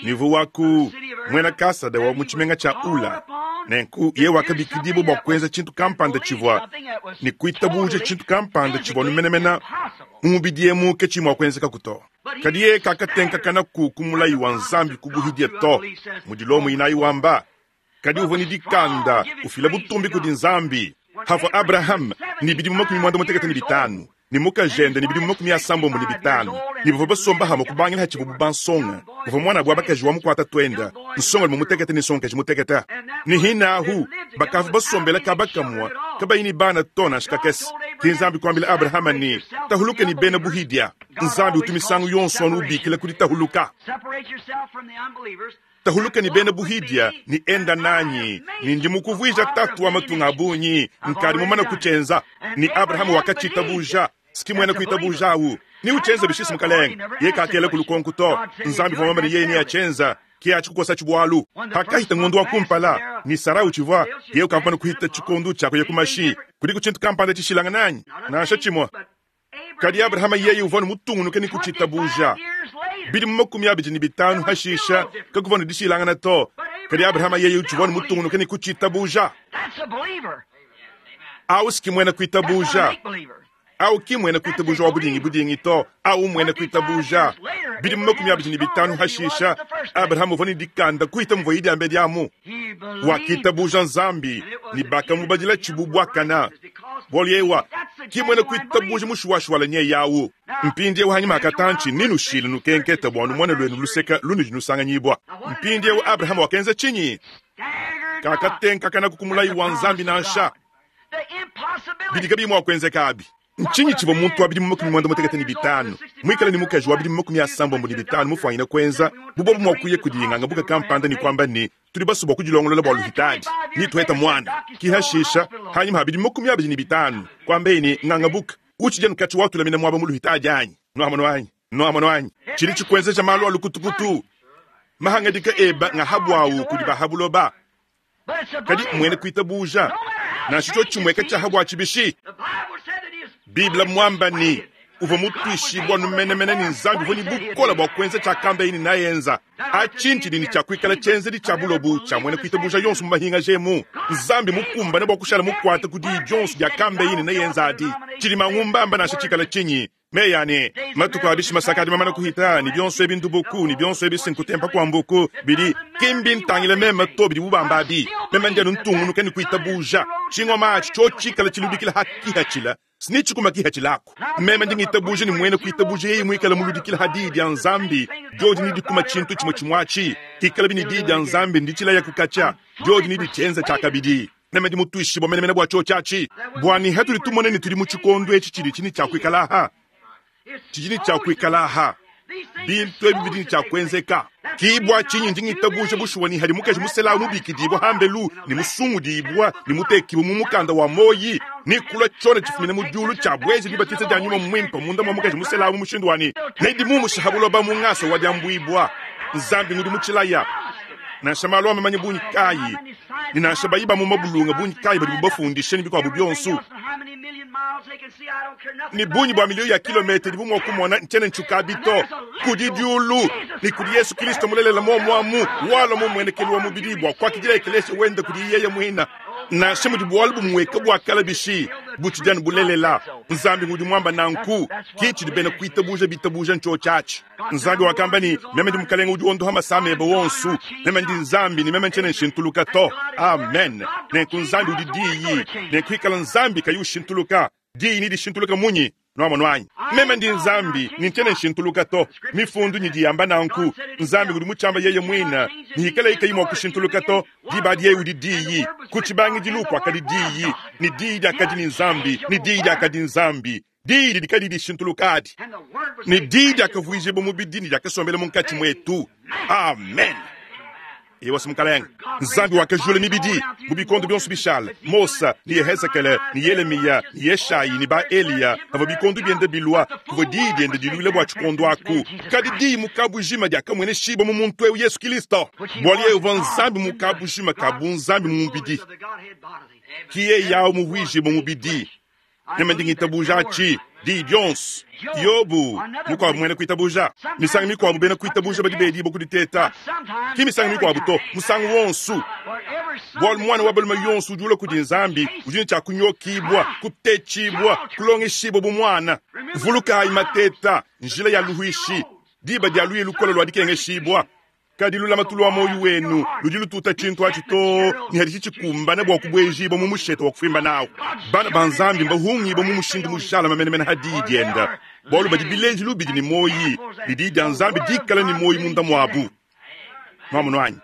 ne uvua wa ku muena Kasada wa mu tshimenga tshia Ula. Nenku yeye wakabikidibua bua kuenza tshintu kampanda tshivua ne kuitabuja tshintu kampanda tshivua anu menemene mu mubidi emu ke tshiyi mua kuenzekaku to. Kadi yeye kakatenkakanaku ku mulayi wa Nzambi ku buhidia to, mudi Lomo inayi wamba. Kadi uvua ne dikanda, ufila butumbi kudi Nzambi. Pavua Abrahame ne bidimu 65, ne mukajende ne bidimu 65, ne bavua basomba hamue kubangila hatshivuabu bansonga, uvua muanabu wa bakaji wa mukuata tuenda, nsongalume mutekete ne nsongakaji mutekete. Ne hinahu bakavua basombela kaba kamue, kabayi ne bana to nansha kakese. Ke Nzambi kuambila Abrahame ne, Tahuluka ne bena buhidia. Nzambi utu misangu yonso anu ubikila ku ditahuluka. Tahuluka ne bena buhidia ne enda nanyi, ne ndi mukuvuija tatu wa matunga a bungi, nkadi mumane kutshienza. Ne Abrahama wakatshitabuja. Ski muena kuitabuja awu. Ne utshienza bishisi mukalenge. Ye kakela ku lukonku to. Nzambi uvua muambe ne yeye neatshienza. Ke atshi kukosatshi bualu. Pakahita ngondo wa kumpala, ne Sara utshivua, yeye ukamana kuhita tshikondo tshia kuya ku mashi. Kudiku tshintu kampanda tshishilangane anyi? Nansha tshimue. Kadi Abrahama yeye uvua mutungunuke ne kutshitabuja. Bidimu 25 hashisha, kakuvua ne dishilangana to. Kadi Abrahama yeye utshivua mutungunuke ne kutshitabuja. Au si muena kuitabuja. Au ki muena kuitabuja wa budingi budingi to. Au muena kuitabuja. Bidimu 25 hashisha, Abrahama uvua ne dikanda kuhita muvua diambedi amu. Wakitabuja Nzambi ne bakamubadila tshibu buakana. Bualu yewa ki muena kuitabuja mushuwashuwala nyeye awu. Mpindiewu hanyima ha katantshi nenushile nukenketa bua numone luenu luseka lunudi nusanganyibua. Mpindiewu Abrahama wakenza tshinyi? Kakatenkakanaku ku mulayi wa Nzambi nansha. Bidi kabiyi mua kuenzeka abi. Ntshinyi tshivua muntu wa bidimu 75 muikale ne mukaji wa bidimu 75 mufuanyine kuenza bu bobu mua kuya kudi ngangabuka kampanda ne kuamba ne, Tudi basue bua kudilongolola bua luhitadi ne tuheta muana? Ki hashisha, hanyima ha bidimu 25, kuambeye ne, Ngangabuka, utshidi anu katshi watulamina muaba mu luhitadi anyi? Nuamono anyi? Nuamono anyi? Tshidi tshikuenzeja malu a lukutukutu. Mahangadika eba nga ha buawu kudi ba ha buloba. Kadi muena kuitabuja, nansha tshiotshi tshimueka tshia ha bua tshibishi, Bible muamba ne, Uvwa mutwishibwe anu menemene ne Nzambi uvwa ne bukole bwa kwenza cyakambaye ne neaenza. Aci ncidi ne cya kwikala cyenzedi cya bulobu cya mwena kwitabuuja yonso mu mahingaja emu. Nzambi mukumbane bwa kushala mukwate ku diyi dyonso dyakambeye ne neyenza adi. Cidi mangumbamba nansha ciikale cinyi. Meyi a ne, Matuku a bishima sakadi mamana kuhita, ne bionso ebi ndubuku, ne bionso ebi si nkutempa kua mbuku, bidi, ki mbintangile meme to bidibu bamba abi. Meme ndi anu ntungunuka ne kuitabuja. Tshingoma atshi tshiotshikala tshiludikila ha kihatshila, si tshikuma kihatshilaku. Meme ndi ngitabuja ne muena kuitabuja yeye muikale muludikila ha Diyi dia Nzambi, diodi nedikuma tshintu tshimue tshimue atshi. Hikalabi ne Diyi dia Nzambi nditshilaya ku katshia, diodi neditshienza tshiakabidi. Meme ndi mutuishibue menemene bua tshiotshi atshi, bua ne hatudi tumona ne tudi mu tshikondo etshi tshidi tshi ne tshia kuikala aha, tshidi ne tshia kuikala aha, bintu ebi bidi ne tshia kuenzeka. Ki bua tshinyi ndi ngitabuja bushuwa ne hadi mukaji musela mubikidibua hambelu ne musungudibua ne mutekibue mu mukanda wa muoyi, ne kulua tshiona tshifumina mu diulu tshia bueja dibatiza dia Nyuma Muimpe munda mua mukaji musela mu mushindu wa ne nedimumushe ha buloba mu ngasa wa diambuibua. Nzambi ngudi mutshilaya. Nansha malu a mamanya bungi kayi, ne nansha bayi ba mu mabulunga bungi kayi badibu bafundishe ne bikuabu bionso, ne bungi bua miliyo ya kilometa idibu mua kumona, ntshiena ntshiukabi to. Kudi diulu ne kudi Yesu Kristo mulelela muomuamu, walua mu mmuenekelu wa mubidi bua kuakidila ekelesia wende kudi yeye muine. Nansha mudi bualu bumueka bua kale bishi, butshidi anu bulelela. Nzambi ngudi muamba nanku. Ke tshidi bena kuitabuja bitabuja ntshiotshi atshi. Nzambi wakamba ne, Meme ndi Mukalenge udi wondoha masama ebe wonso. Meme ndi Nzambi ne meme ntshiena nshintuluka to. Amen. Nenku Nzambi udi Diyi. Nenku ikala Nzambi kayi ushintuluka, Diyi nedishintuluke munyi? Nwamonu anyi? Meme ndi Nzambi ne ntshiena nshintuluka to. Mifundu nyidi yamba nanku. Nzambi udi mutshiamba yeye muine, ne ikalaye kayi mua kushintuluka to, diba adi yeye udi Diyi. Ku tshibangidilu kuakadi Diyi, ne Diyi diakadi ne Nzambi, ne Diyi diakadi Nzambi. Diyi didi kadiyi dishintuluka adi, ne Diyi diakavuijibua mubidi ne diakasombela munkatshi muetu. Amen. Ewa, Mukalenge Nzambi wakajula mibidi mu bikondo bionso bishala. Mose ne Yehezekele ne Yelemiya ne Yeshayi ne ba Eliya pavua bikondo biende bilua, kuvua diyi diende diluila bua tshikondo aku. Kadi diyi mu kabujima diakamueneshibua mu muntu eu Yesu Kristo, bualu yeye uvua Nzambi mu kabujima ka bunzambi mu mubidi. Ki yeye au muvuijibue mubidi. Meme ndi ngitabuja aci, diyi dyonso. Yobu, mukwabo mwena kwitabuja. Misangu mikwabo bena kwitabuja badi beediibwa ku diteeta. Ki misangu mikwabo to, musangu wonso. Bwalu mwana wa balume yonso udi ulwa kudi Nzambi udi ne cya kunyokiibwa, kuteeciibwa, kulongeshiibwa bu mwana. Vulukaayi mateeta, njila ya luhwishi, diba dya lwiyi lukole lwa dikengeshibwa. Kadi lulamatu lua muoyo wenu ludi lututa tshintu atshi too ne haditshi tshikumbana bua kubuejibua mu mushete wa kufuimba nawu. Bana ba Nzambi mbahungibue mu mushindu mujalame menemene ha Diyi diende, bualu badi bilejilu bidi ne muoyi, ne Diyi dia Nzambi dikale ne muoyi munda muabu. Nuamonu anyi?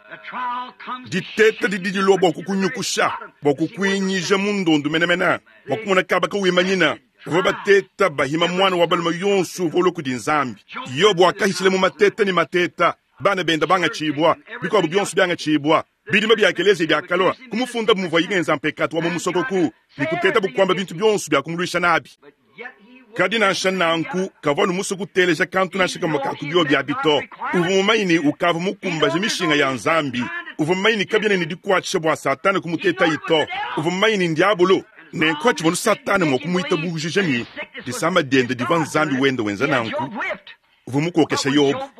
Diteta didi dilua bua kukunyukusha, bua kukuinyija mu ndondu menemene, bua kumona kaba kawimanyina. Bavua bateta bahima muana wa balume yonso uvua ulua kudi Nzambi. Yobo wakahitshila mu mateta ne mateta, bana bende bangatshibua, bikuabu bionso biangatshibua. Bidimba bia ekeleziya biakalua kumufunda bu muvuaye ngenza mpekatu wa mu musokoku ne kutetabu kuamba bintu bionso bia kumuluisha nabi. Kadi nansha nanku, kavua anu musue kuteleja kantu nansha kamue ka ku biobi abi to. Uvua mumanye ne, ukavua mukumbaje mishinga ya Nzambi. Uvua mumanye ne, kabiena ne dikuatshisha bua Satana kumutetayi to. Uvua mumanye ne, n'Diabolo. Nenku hatshivua anu Satana mua kumuitabujija ne, disama diende divua Nzambi wenda wenza nanku, uvua mukokesha Yobo.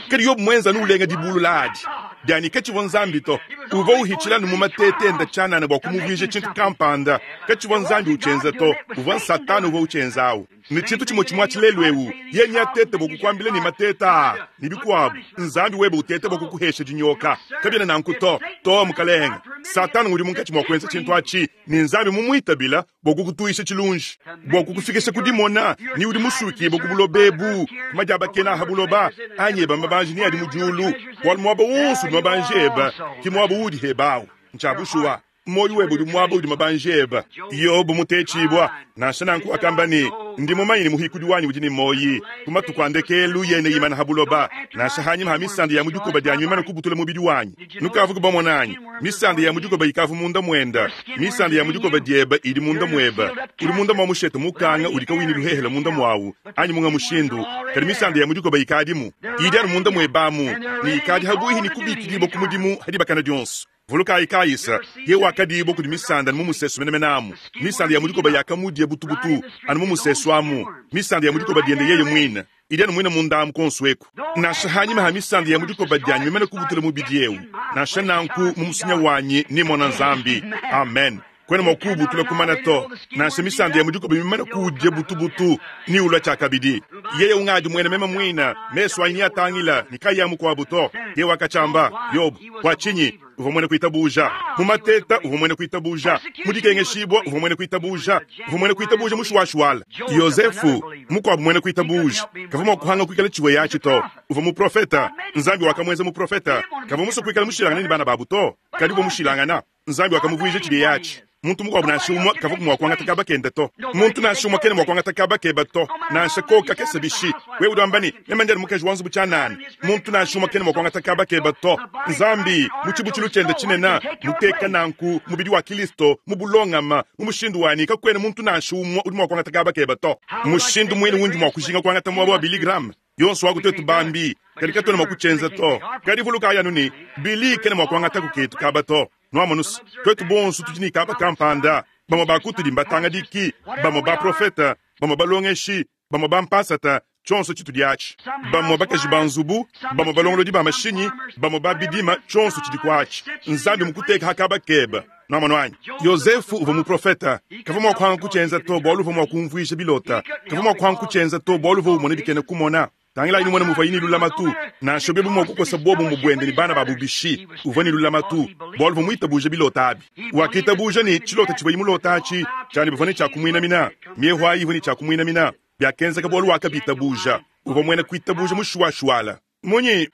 Kadi Yobo muenza anu ulenga dibulula adi dia ne katshivua Nzambi to. Uvua uhitshila anu mu mateta ende tshianana bua kumuvuija tshintu kampanda. Katshivua Nzambi utshienza to, uvua n'Satana uvua utshienza awu. Ne tshintu tshimue tshimue atshi lelu eu, yeye neatete bua kukuambila ne mateta aa ne bikuabu, Nzambi webe utete bua kukuhesha dinyoka. Kabiena nanku to, to mukalenge. Satana ngudi munkatshi mua kuenza tshintu atshi, ne Nzambi mumuitabila bua kukutuisha tshilunji, bua kukufikisha ku dimona ne udi musukibue ku buloba ebu, ku madiabakena a ha buloba, anyi eba mabanji ne adi mu diulu, bualu muaba wonso udi mabanji ebe, ke muaba uudi hebe au. Ntshia bushuwa. Muoyo webe udi muaba udi mabanji ebe. Yobo mutetshibua, nansha nanku wakamba ne, Ndi mumanye ne muhikudi wanyi udi ne muoyi, ku matuku a ndekelu yeye neimane ha buloba, nansha hanyima ha misanda ya mu dikoba dianyi mimane kubutula mubidi wanyi. Nukavuku bamona anyi? Misanda ya mu dikoba ikavua munda muende. Misanda ya mu dikoba diebe idi munda muebe. Udi munda mua mushete mukanga udi kawuyi ne luhehele munda muawu, anyi munga mushindu, kadi misanda ya mu dikoba ikadimu. Idi anu munda muebe amu, ne ikadi ha buihi ne kubikidibua ku mudimu ha dibakana dionso. Vulukayi Kaisa, yeye wakadiibwa kudi misanda anu mu musesu menemene amu. Misanda ya mu dikoba yakamudia butubutu anu mu musesu amu, misanda ya mu dikoba dyende yeye mwine. Idi anu mwine munda amu kwonso eku. Nansha hanyima ha misanda ya mu dikoba dyanyi mimane kubutula mubidi ewu, nansha nanku mu musunya wanyi nemona Nzambi. Amen. Kwena mwa kuwubutula kumana to. Nansha misanda ya mu dikoba mimane kuwudia butubutu, neulua tshiakabidi. Yeye ungadi muena meme muine, mesu anyi neatangila, ne kayi a mukuabu to. Yeye wakatshiamba. Yobo, bua tshinyi? Uvua muena kuitabuja. Mu mateta, uvua muena kuitabuja. Mu dikengeshibua, uvua muena kuitabuja. Uvua muena kuitabuja mushuwashuwala. Yozefu, mukuabu muena kuitabuja, kavua mua kuhanga kuikala tshiweya atshi to. Uvua muprofeta. Nzambi wakamuenza muprofeta. Kavua musue kuikala mushilangane ne bana babu to, kadi uvua mushilangana. Nzambi wakamuvuija tshidiye atshi. Muntu mukuabu nansha umue kavua mua kuangata kaba kende to. Muntu nansha umue kena mua kuangata kaba keba to, nansha koku kakese bishi. Wewe udi wamba ne, Meme ndi anu mukaji wa nzubu tshianana. Muntu nansha umue kena mua kuangata kaba keba to. Nzambi, mu tshibutshilu tshiende tshinene, muteka nanku mubidi wa Kilisto mu bulongama, mu mushindu wa ne kakuena muntu nansha umue udi mua kuangata kaba keba to. Mushindu muine undi mua kujinga kuangata muaba wa Billy Graham, yonso wa ku tuetu bambi, kadi katuena mua kutshienza to. Kadi vulukayi anu ne, Billy kena mua kuangataku ketu kaba to. Nuamonu's, tuetu bonso tudi ne kaba kampanda. Bamue ba kutudi mbatangadiki, bamue baprofete, bamue balongeshi, bamue bampasata, tshionso tshitudi atshi. Bamue bakaji ba nzubu, bamue balongolodi ba mashinyi, bamue ba bidima, tshionso tshidi ku atshi. Nzambi mukuteka ha kaba keba. Nuamonu anyi? Yozefu uvua muprofete. Kavua mua kuhanga kutshienza to, bualu uvua mua kumvuija bilota. Kavua mua kuhanga kutshienza to, bualu uvua umona bikena kumona. Tangilayi numone muvuaye ne lulamatu. Nansha biobi mua kukosa buobumue buende ne bana babu bishi, uvua ne lulamatu bualu uvua muitabuje bilota abi. Wakitabuja ne, tshilota tshivuaye mulote atshi tshia ne bavua ne tshia kumuinamina, miehu ayi ivua ne tshia kumuinamina. Biakenzeka bualu wakabitabuja. Uvua muena kuitabuja mushuwashuwala. Munyi?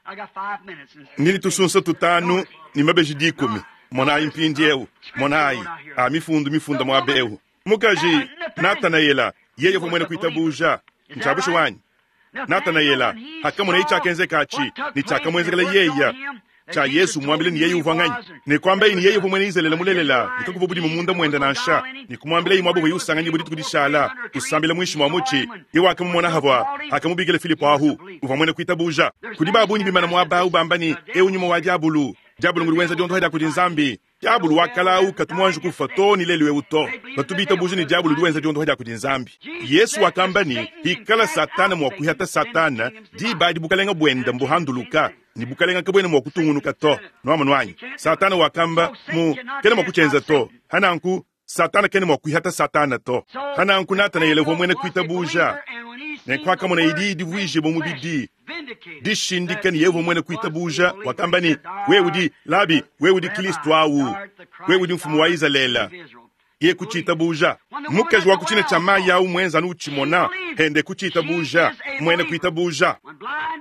Ndi ne tusunsa tutanu ne mabeji dikumi. Monayi mpindieu, monayi, a mifundu mifunda muaba eu. Mukaji Natanaela, yeye uvua muena kuitabuja. Ntshia bushuwa anyi? Natanaela hakamoneye tshiakenzeka atshi ne tshiakamuenzekela yeya, tshia Yesu muambile ne yeye uvua nganyi, ne kuambaye ne yeye uvua muena Izalele mulelela ne kakuvua budimu munda muende nansha, ne kumuambilaye muaba uvuaye usanganyibua dituku dishala, usambila muinshi mua mutshi, yeye wakamumona havua hakamubikila Filipo ahu, uvua muena kuitabuja. Kudi ba bungi bimana muaba au bamba ne, Eu nyuma wa diabulu, diabulu ngudi wenza diondoha dia kudi Nzambi. Diabulu wa kale au katu muanji kufua too ne lelu eu to. Batu bitabuja ne diabulu udi wenza diondoha dia kudi Nzambi. Yesu wakamba ne, Hikala Satana mua kuihata Satana, diba adi bukalenga buende mbuhanduluka, ne bukalenga kabuena mua kutungunuka to. Nuamonu anyi? Satana wakamba mu, kena mua kutshienza to. Hananku, Satana kena mua kuihata Satana to. Hananku Natanaele uvua muena kuitabuja, ne kuakamona idi divuijibua mubidi, dishindika ne yeye uvua muena kuitabuja, wakamba ne, Wewe udi Labi, wewe udi Kilisto awu, wewe udi mfumu wa Izalele. Ye kutshiitabuja. Mukaji wa ku tshina tshia mayi awu muenza anu utshimona, hende kutshiitabuja, muena kuitabuja.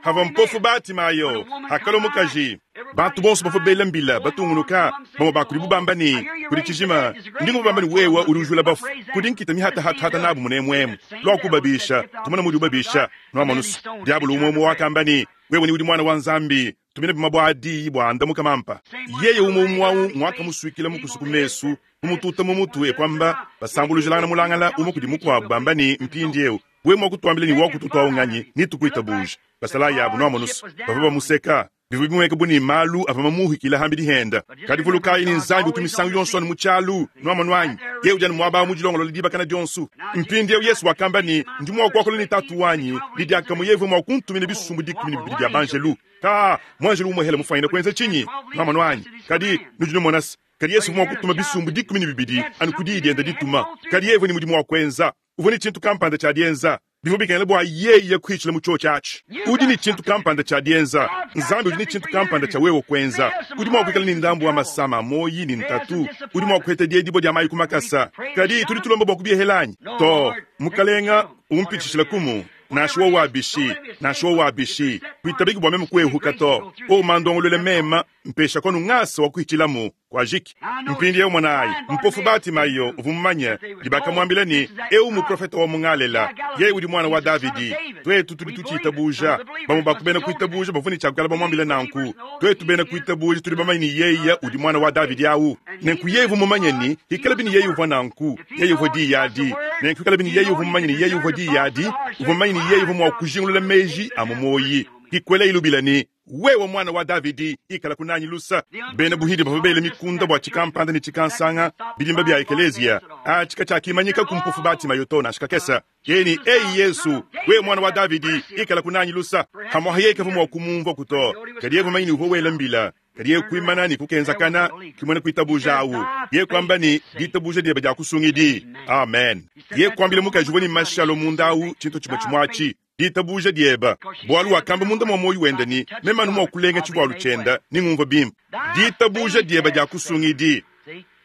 Havua mpofu Batimayo, hakalua mukaji. Bantu bonso bavua bela mbila batungunuka, bamue ba kudibu bamba ne, Kudi tshijima, ndi ngumvua bamba ne wewe udi ujula bafu. Kudi nkita mihatahatahata nabu munemuemu. Lua kubabisha, tumone mudi ubabisha. Nuamonu's, diabolo umue umue wakamba ne, Wewe ni udi Muana wa Nzambi, tumina bimue bua diyi bua andamuka mampa. Yeye umue umue au nguakamusuikila mukusu ku mesu, kumututa mu mutu e kuamba, basambulujilangana mulangala umue kudi mukuabu bamba ne, Mpindieu wewe mua kutuambila ne wakututu au nganyi, netukuitabuje. Basalayi abu, nuamonu's, bavua bamuseka. Bivua bimueneka bu ne malu avua mamuhikile hambidi henda. Kadi vulukayi ne Nzambi utu misangu yonso anu mu tshialu. Nuamonu anyi? Yeye udi anu muaba awu mu dilongolola dibakana dionso. Mpindieu Yesu wakamba ne, Ndi mua kuakula ne Tatu wanyi, ne diakamue yeye uvua mua kuntumina bisumbu 12 bia banjelu. Kaa, muanjelu umuehele mufuanyine kuenza tshinyi? Nuamonu anyi? Kadi nudi numona se, kadi Yesu uvua mua kutuma bisumbu 12 anu ku diyi diende dituma. Kadi yeye uvua ne mudimu wa kuenza. Uvua ne tshintu kampanda tshia dienza. Bivua bikengela bua yeye kuhitshila mu tshiotshi atshi. Udi ne tshintu kampanda tshia dienza. Nzambi udi ne tshintu kampanda tshia wewe kuenza. Udi mua kuikala ne ndambu wa masama a muoyi ne ntatu. Udi mua kuheta diedibua dia mayi ku makasa. Kadi tudi tulomba bua kubiehela anyi? To. Mukalenga, umpitshishila kumu. Nansha wowu a bishi, nansha wowu a bishi, kuitabiki bua meme kuehuka to. O mandongoluele mema, mpesha konu ngasa wa kuhitshilamu. Kuajiki. Mpindieu monayi, mpofu Batimayo uvua mumanye, ne bakamuambila ne, Eu mmuprofete wa mu Ngalela, yeye udi muana wa Davidi. Tuetu tudi tutshiitabuja. Bamue ba ku bena kuitabuja bavua ne tshia kuikala bamuambile nanku. Tuetu bena kuitabuja tudi bamanye ne yeye udi muana wa Davidi awu. Nenku yeye uvua mumanye ne, hikalabi ne yeye uvua nanku, yeye uvua Diyi adi. Nenku hikalabi ne yeye uvua mumanye ne yeye uvua Diyi adi, uvua mumanye ne yeye uvua mua kujingulula meji a mu muoyi. Hikuelayi lubila ne. Wewe Mwana wa Davidi, ikalaku nanyi lusa. Bena buhidi bavua bela mikunda bua tshikampanda ne tshikansanga, bidimba bia ekeleziya. Atshi katshiakimanyika ku mpofu Batimayo to, nansha kakese. Yeye ne, Eyi Yesu, wewe Mwana wa Davidi, ikalaku nanyi lusa. Pamuapa yeye kavua mua kumumvuaku to, kadi yeye uvua mumanye ne uvua wela mbila. Kadi yeye kuimana ne kukenzakana, ki muena kuitabuja awu. Yeye kuamba ne, Ditabuja diebe diakusungidi. Amen. Yeye kuambila mukaji uvua ne mashi alua munda awu tshintu tshimue tshimue atshi. Ditabuja dieba, bualu wakamba munda mua muoyo wende ne, Meme anu mua kulenga tshivualu tshienda, nengumvue bimpe. Ditabuja dieba diakusungidi.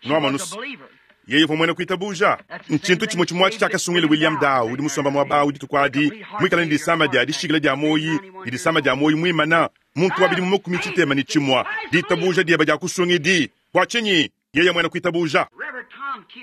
Nuamonus, yeye uvua muena kuitabuja. Ntshintu tshimue tshimue atshi tshiakasungila William Dow, udi musomba muaba awu dituku adi, muikale ne disama dia dishikila dia muoyi, ne disama dia muoyi muimana, muntu wa bidimu 61. Ditabuja dieba diakusungidi. Bua tshinyi? Yeye muena kuitabuja.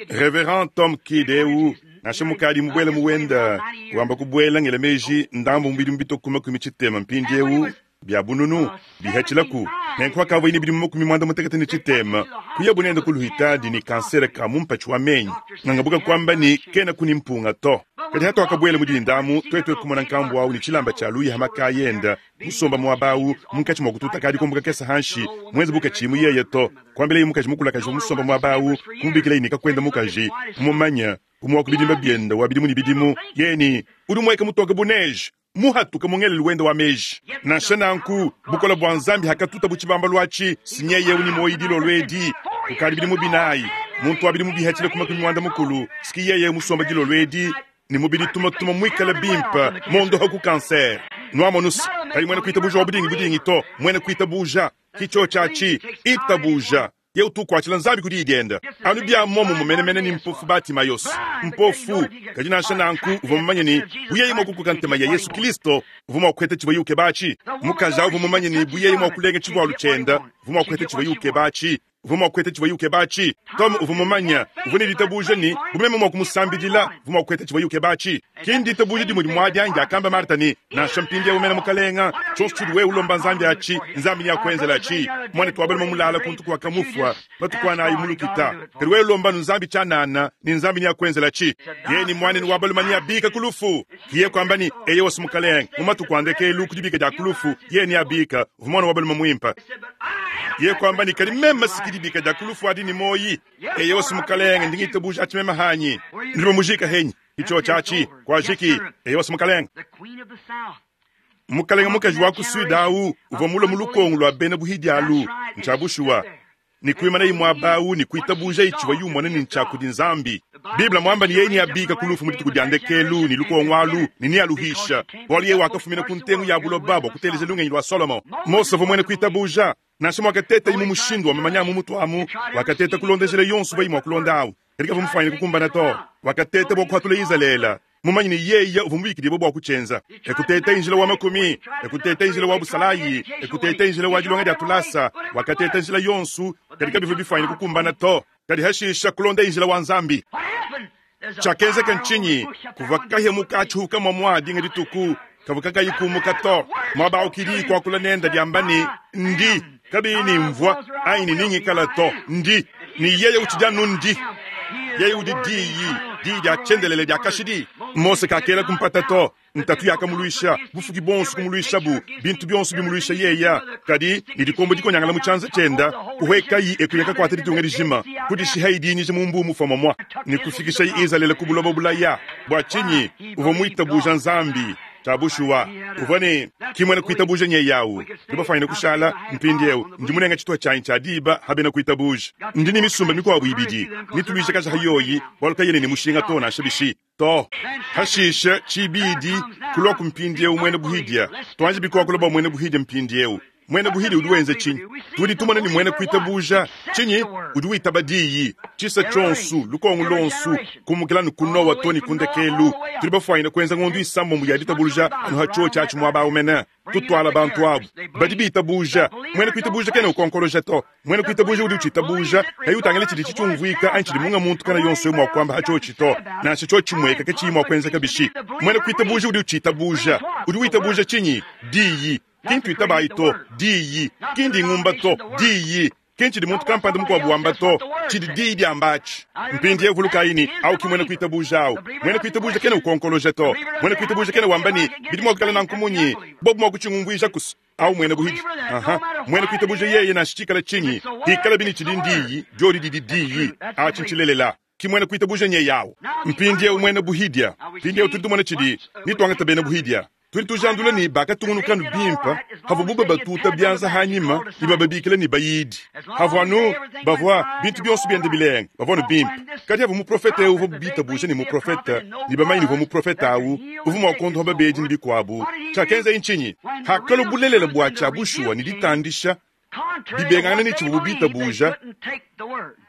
Reverend Tom Kidd eu, nansha mukadi mubuele mu wenda wamba kubuela ngela meji ndambu mu bidimu bitue ku 60 mpindieu bia bununu bihatshilaku, nenku hakavuaye ne bidimu 63 kuyabu nende ku luhitadi ne kansere ka mu mpatshi wa menyi. Ngangabuka kuamba ne kenaku ne mpunga to. Kadi hatuakabuela mu dinda amu, tuetu kumona nkambu au ne tshilamba tshia luya ha makaya enda musomba muaba au munkatshi mua kututa kadi kumbuka kese hanshi, muenze bu katshiyi muyeye to. Kuambilaye mukaji mukulakaji uvua musomba muaba au, kumubikilaye ne kakuenda mukaji, mumumanye, umue wa ku bidimba biende wa bidimu ne bidimu, yeye ne, Udi mueke mutoke bu neige, muhatuke mu ngelelu wende wa meji. Nansha nanku, bukole bua Nzambi hakatuta bu tshibambalu atshi, si nyeye eu ne muoyo dilolo edi kukadi bidimu binayi, muntu wa bidimu bihatshile ku 60, siki yeye musomba dilolo edi ne mubidi tumatuma muikale bimpe, mondoha ku cancer. Nuamonus, kayi muena kuitabuja wa budingi budingi to, muena kuitabuja ki tshiotshi atshi, itabuja. Ye utu ukuatshila Nzambi ku diyi diende. Anu bia muomumue menemene ne mpofu Batimayos, mpofu, kadi nansha nanku uvua mumanye ne, bu yeye mua kukoka ntema ya Yesu Kilisto, uvua mua kupeta tshivuaye ukeba atshi. Mukaji au uvua mumanye ne, bu yeye mua kulenga tshivualu tshiende, uvua mua kupeta tshivuaye ukeba atshi. Uvua mua kupeta tshivuaye ukeba atshi. Tom uvua mumanye, uvua ne ditabuja ne, bu meme mua kumusambidila, uvua mua kupeta tshivuaye ukeba atshi. Ki nditabuja dimue dimue adi anyi diakamba Marta ne, Nansha mpindieu mene Mukalenga, tshionso tshiudi wewe ulomba Nzambi atshi, Nzambi neakuenzele atshi. Muanetu wa balume mulala kuntu kuakamufua matuku anayi mu lukita, kadi wewe lomba anu Nzambi tshianana, ne Nzambi neakuenzele atshi. Yeye ne muanenu wa balume neabike ku lufu. Yeye kuamba ne, Eyowa, Mukalenge, mu matuku a ndekelu ku dibika dia ku lufu, yeye neabike. Uvua muana wa balume muimpe. Yeye kuamba ne, Kadi meme si ki dibika dia ku lufu adi ne muoyi. Eyowa, Mukalenge, ndi ngitabuja atshi meme hanyi. Nudi bamujika henyi? Ki tshiotshi atshi. Kuajiki. Eyowa, Mukalenge. Mukalenge mukaji wa ku sud au uvua mulue mu lukongo lua bena buhidi alu. Ntshia bushuwa. Ne kuimanaye muaba au ne kuitabujaye tshivuaye umona ne ntshia kudi Nzambi. Bible muamba ne yeye neabika ku lufu mu dituku dia ndekelu ne lukongo alu ne nealuhisha, bualu yeye wakafumina ku ntengu ya buloba bua kuteleja lungenyi lua Solomo. Mose uvua muena kuitabuja. Nansha muakatetaye mu mushindu wa mamanya a mu mutu amu, wakateta kulonda njila yonso uvuaye mua kulonda au, kadi kavua mufuanyine kukumbana to. Wakateta bua kuhatula Izalele, mumanye ne yeye uvua mubikidibue bua kutshienza. E kutetaye njila wa makumi, e kutetaye njila wa busalayi, e kutetaye njila wa dilonga dia tulasa. Wakateta njila yonso, kadi kabivua bifuanyine kukumbana to. Kadi hashisha kulondaye njila wa Nzambi. Tshiakenzeka ntshinyi? Kuvua kahia mu katshihu kamue mua dinga dituku, kavua kakayi kumuka to. Muaba au ki diyi kuakula nende diamba ne, Ndi, kabiyi ne mvua anyi ne ningikala to, ndi. Ne yeye utshidi anu ndi. Yeye udi Diyi, Diyi dia tshiendelele dia kashidi. Mose kakelaku mpata to. Ntatu yakamuluisha, bufuki buonso kumuluishabu, bintu bionso bimuluisha yeya. Kadi ne dikombo dikonyangala mu tshianza tshienda, kuhuekayi e kuya kakuata ditunga dijima, kudishihayi dinyija mu mbuu mufua muamua, ne kufikishayi Izalele ku buloba bulaya. Bua tshinyi? Uvua muitabuja Nzambi. Tshia bushuwa, uvua ne ki muena kuitabuja nyeye au. Tudi bafuanyine kushala mpindieu. Ndi munenga tshituha tshianyi tshia diba ha bena kuitabuja. Ndi ne misumba mikuabu ibidi, nituluijakaja ha yoyi, bualu kayena ne mushinga to nansha bishi. To. Hashishe, tshibidi, kuluaku mpindieu muena buhidia. Tuanji bikuakula bua muena buhidia mpindieu. Muena buhidia udi wenza tshinyi? Tudi tumona ne muena kuitabuja tshinyi? Udi witaba diyi, tshisa tshionso, lukongo luonso, kumukila anu ku Noa to ne ku ndekelu. Tudi bafuanyine kuenza ngondo isambombo ya ditabuluja anu ha tshiotshi atshi muaba au mene. Tutuala bantu abu badi bitabuja. Muena kuitabuja kena ukonkoloja to. Muena kuitabuja udi utshitabuja, kayi utangila tshidi tshiumvuika anyi tshidi munga muntu kana yonso mua kuamba ha tshiotshi to, nansha tshiotshi tshimueka katshiyi mua kuenzeka bishi. Muena kuitabuja udi utshitabuja. Udi witabuja tshinyi? Diyi. Ki ntuitabayi to, diyi. Ki ndingumba to, diyi. Ki ntshidi muntu kampanda mukuabu wamba to, tshidi Diyi diamba atshi. Mpindieu vulukayi ne, au ki muena kuitabuja au. Muena kuitabuja kena ukonkoloja to. Muena kuitabuja kena wamba ne, Bidi mua kuikala nanku munyi? Bobu mua kutshingumvuijaku's. Au muena buhidi. Aha. Muena kuitabuja yeye nansha tshikala tshinyi, pikalabi ne tshidi ndiyi, diodi didi Diyi. Atshi ntshilelela. Ki muena kuitabuja nyeye au. Mpindieu muena buhidia. Mpindieu tudi tumona tshidi, ne tuangata bena buhidia. Tudi tujandula ne bakatungunuka anu bimpe pavuabu babatuta bianza hanyima ne bababikila ne bayidi. Havua anu bavua bintu bionso biende bilenga, bavua anu bimpe. Kadi havua muprofete eu uvuabu bitabuje ne muprofete ne bamanye ne uvua muprofete au uvua mua kuondopa babedi ne bikuabu, tshiakenzaye ntshinyi? Hakalua bulelela bua tshia bushuwa ne ditandisha bibengangana ne tshivuabu bitabuja,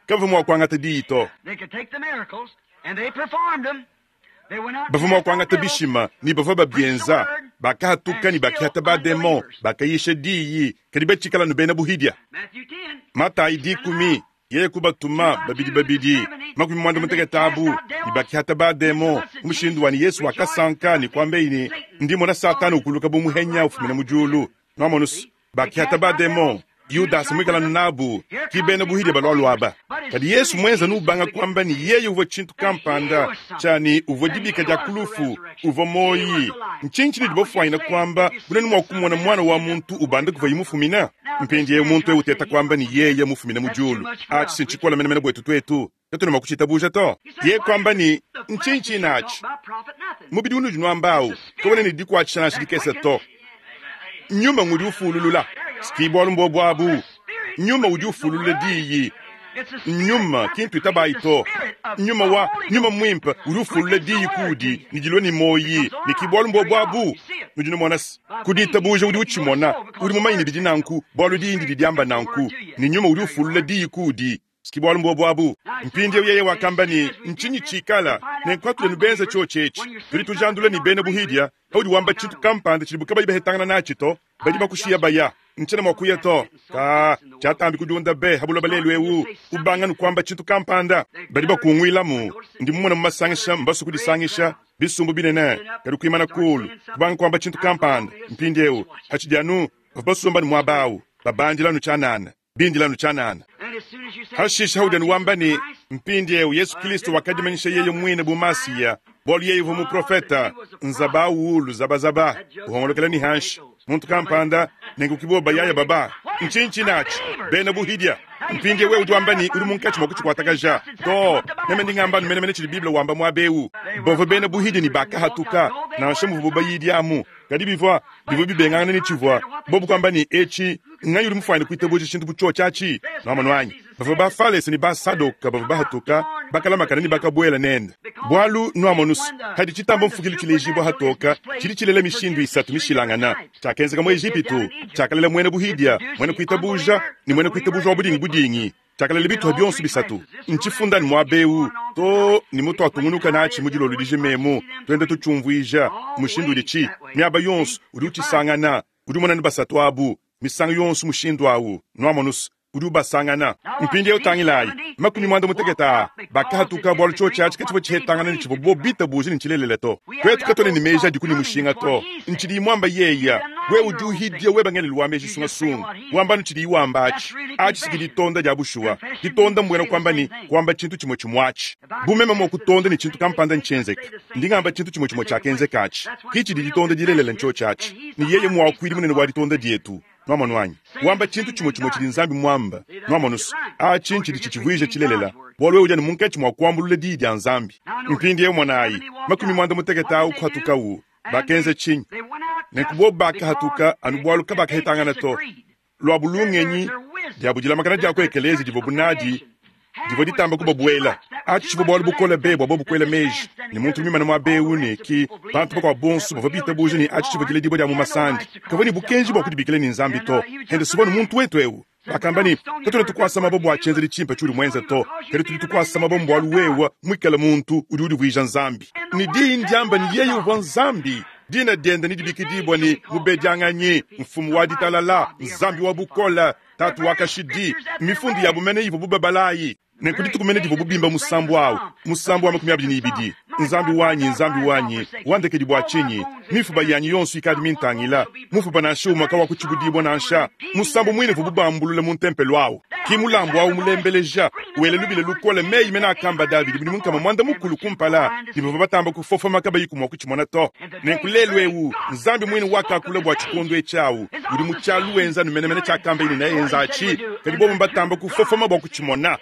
kabavua mua kuangata diyi to. Bavua mua kuangata bishima ne bavua babienza, bakahatuka ne bakihata bademon, bakayisha diyi, kadi batshikala anu bena buhidia. Matayi dikumi, yeye kubatuma babidi babidi, 70 abu, ne bakihata bademon mu mushindu wa ne Yesu wakasanka ne kuambeyi ne, Ndi mona Satana ukuluka bu muhenya ufumina mu diulu. Nuamonus, bakihata bademon, Yudasa muikala anu nabu, ki bena buhidia balualua aba. Kadi Yesu muenza anu ubanga kuamba ne yeye uvua tshintu kampanda, tshia ne uvua dibika dia ku lufu, uvua muoyi. Ntshinyi tshinudi bafuanyina kuamba bu nuenu mua kumona Muana wa muntu ubanda kuvuaye mufumina? Mpindieu muntu eu uteta kuamba ne yeye mufumina mu diulu, atshi si ntshikole menemene buetu tuetu, katuena mua kutshitabuja to. Yeye kuamba ne, Ntshinyi tshine atshi? Mubidi unudi nuamba au kawena ne dikuatshisha nansha dikese to. Nyuma ngudi ufululula. Ki bualu mbuobu abu. Nyuma udi ufululula diyi. Nyuma, ki ntuitabayi to. Nyuma wa Nyuma Muimpe udi ufulula diyi kuudi ne dilua ne muoyi, ne ki bualu mbuobu abu. Nudi numona se, ku ditabuja udi utshimona, udi mumanye ne bidi nanku, bualu diyi ndidi diamba nanku, ne Nyuma udi ufulula diyi kuudi. Ki bualu mbuobu abu. Mpindieu yeye wakamba ne, Ntshinyi tshikala nenku katuena benza tshiotshi etshi? Tudi tujandula ne bena buhidia, paudi wamba tshintu kampanda tshidibu kabayi bahetangana natshi to, badi bakushiya baya. Ntshiena mua kuya to. Ka, tshiatambi kudiunda be ha buloba lelu eu, ubanga nu kuamba tshintu kampanda, badi bakunguilamu. Ndi mumone mu masangisha, mbasue kudisangisha, bisumbu binene, kadi kuimana kulu, kubanga kuamba tshintu kampanda. Mpindieu, hatshidi anu bavua basomba ne muaba au, babandila anu tshianana. Bindila anu tshianana. Hashishe haudi anu wamba ne, Mpindieu Yesu Kristo wakadimanyisha yeye muine bu Masiya, bualu yeye uvua muprofeta, nzaba ulu zabazaba, uhongolokela ne hanshi. Muntu kampanda, nenku ki bobo bayaya baba. Ntshinyi tshinatshi? Bena buhidia. Mpindieu wewe udi wamba ne, udi munkatshi mua kutshikuatakaja. Too, meme ndi ngamba anu menemene tshidi Bible wamba muaba eu. Bavua bena buhidia ne bakahatuka, nansha muvuabo bayidi amu. Kadi bivua bivua bibengangana ne tshivua bobu kuamba ne etshi, Nnganyi udi mufuane kuitabuja tshintu bu tshiotshi atshi? Nuamonu anyi? Bavua Bafalese ne Basadoka bavua bahatuka, bakalamakana ne bakabuela nende. Bualu, nuamonus, padi tshitamba mfukilu tshilejibua hatoka, tshidi tshilela mishindu isatu mishilangana. Tshiakenzeka mu Ejipitu, tshiakalela muena buhidia, muena kuitabuja, ne muena kuitabuja wa budingi budingi. Tshiakalela bituha bionso bisatu. Ntshifunda ne muaba eu to ne mutuatungunuka natshi mu dilolo dijima emu, tuenda tutshiumvuija mushindu uditshi miaba yonso udi utshisangana. Udi umona ne basatu abu misangu yonso mushindu au, nuamonus, udi ubasangana. Mpindieu tangilayi, 70 aa bakahatuka bualu tshiotshi atshi katshivua tshihetangana ne tshivua bobu bitabuje ne ntshilelela to. Tuetu katuena ne meji adiku ne mushinga to. Ntshidiyi muamba yeya, wewe udi uhidia weba ngelelu wa meji sungasunga, wamba anu tshidiyi wamba atshi. Atshi si ditonda dia bushuwa. Ditonda mbuena kuamba ne, kuamba tshintu tshimue tshimue atshi. Bu meme mua kutonda ne tshintu kampanda ntshienzeke, ndi ngamba tshintu tshimue tshimue tshiakenzeka atshi. Ki tshidi ditonda dilelela ntshiotshi atshi. Ne yeye muakuidi munene wa ditonda dietu. Nuamonu anyi? Wamba tshintu tshimue tshimue tshidi Nzambi muamba. Nuamonu's, atshi ntshidi tshitshivuija tshilelela, bualu wewe udi anu munkatshi mua kuambulula Diyi dia Nzambi. Mpindieu monayi, 50 au kuhatukawu. Bakenza tshinyi? Nenku bobu bakahatuka anu bualu kabakahetangana to. Luabu lungenyi, diabu dilamakana dia ku ekeleziya divuabu nadi divua ditamba kubabuela. Atshi tshivua bualu bukole be bua bobu kuela meji ne, muntu muimane muaba eu ne ki bantu bakuabu bonso bavua bitabuja ne, atshi tshivua diledibua dia mu masandi. Kavua ne bukenji bua kudibikila ne, Nzambi to. Hende suvua anu muntu wetu eu. Bakamba ne, Katuena tukuasa mabue bua tshienzedi tshimpe tshiudi muenze to, kadi tudi tukuasa mabue mbualu wewe muikale muntu udi udivuija Nzambi. Ne diyi ndiamba ne, yeye uvua Nzambi. Dina diende nedibikidibue ne, Mubedianganyi, Mfumu wa Ditalala, Nzambi wa Bukole, Tatu wa kashidi. Mifundu yabu mene ivuabu babala ayi. Nenku dituku mene divuabu bimba musambu au, musambu wa 22, Nzambi wanyi, Nzambi wanyi, wandekedi bua tshinyi? Mifuba yanyi yonso ikadi mintangila, mufuba nansha umue kawakutshibudibua nansha. Musambu muine uvuabu bambulula mu ntempelo au ki mulambu au mulembeleja, wela lubila lukole meyi mene akamba Davidi bidimu nkama muanda mukulu kumpala, ne bavua batamba kufofoma kabayiku mua kutshimona to. Nenku lelu eu Nzambi muine wakakula bua tshikondo etshi au udi mu tshialu wenza anu menemene tshiakambaye ne neenza atshi, kadi bobu mbatamba kufofoma bua kutshimona.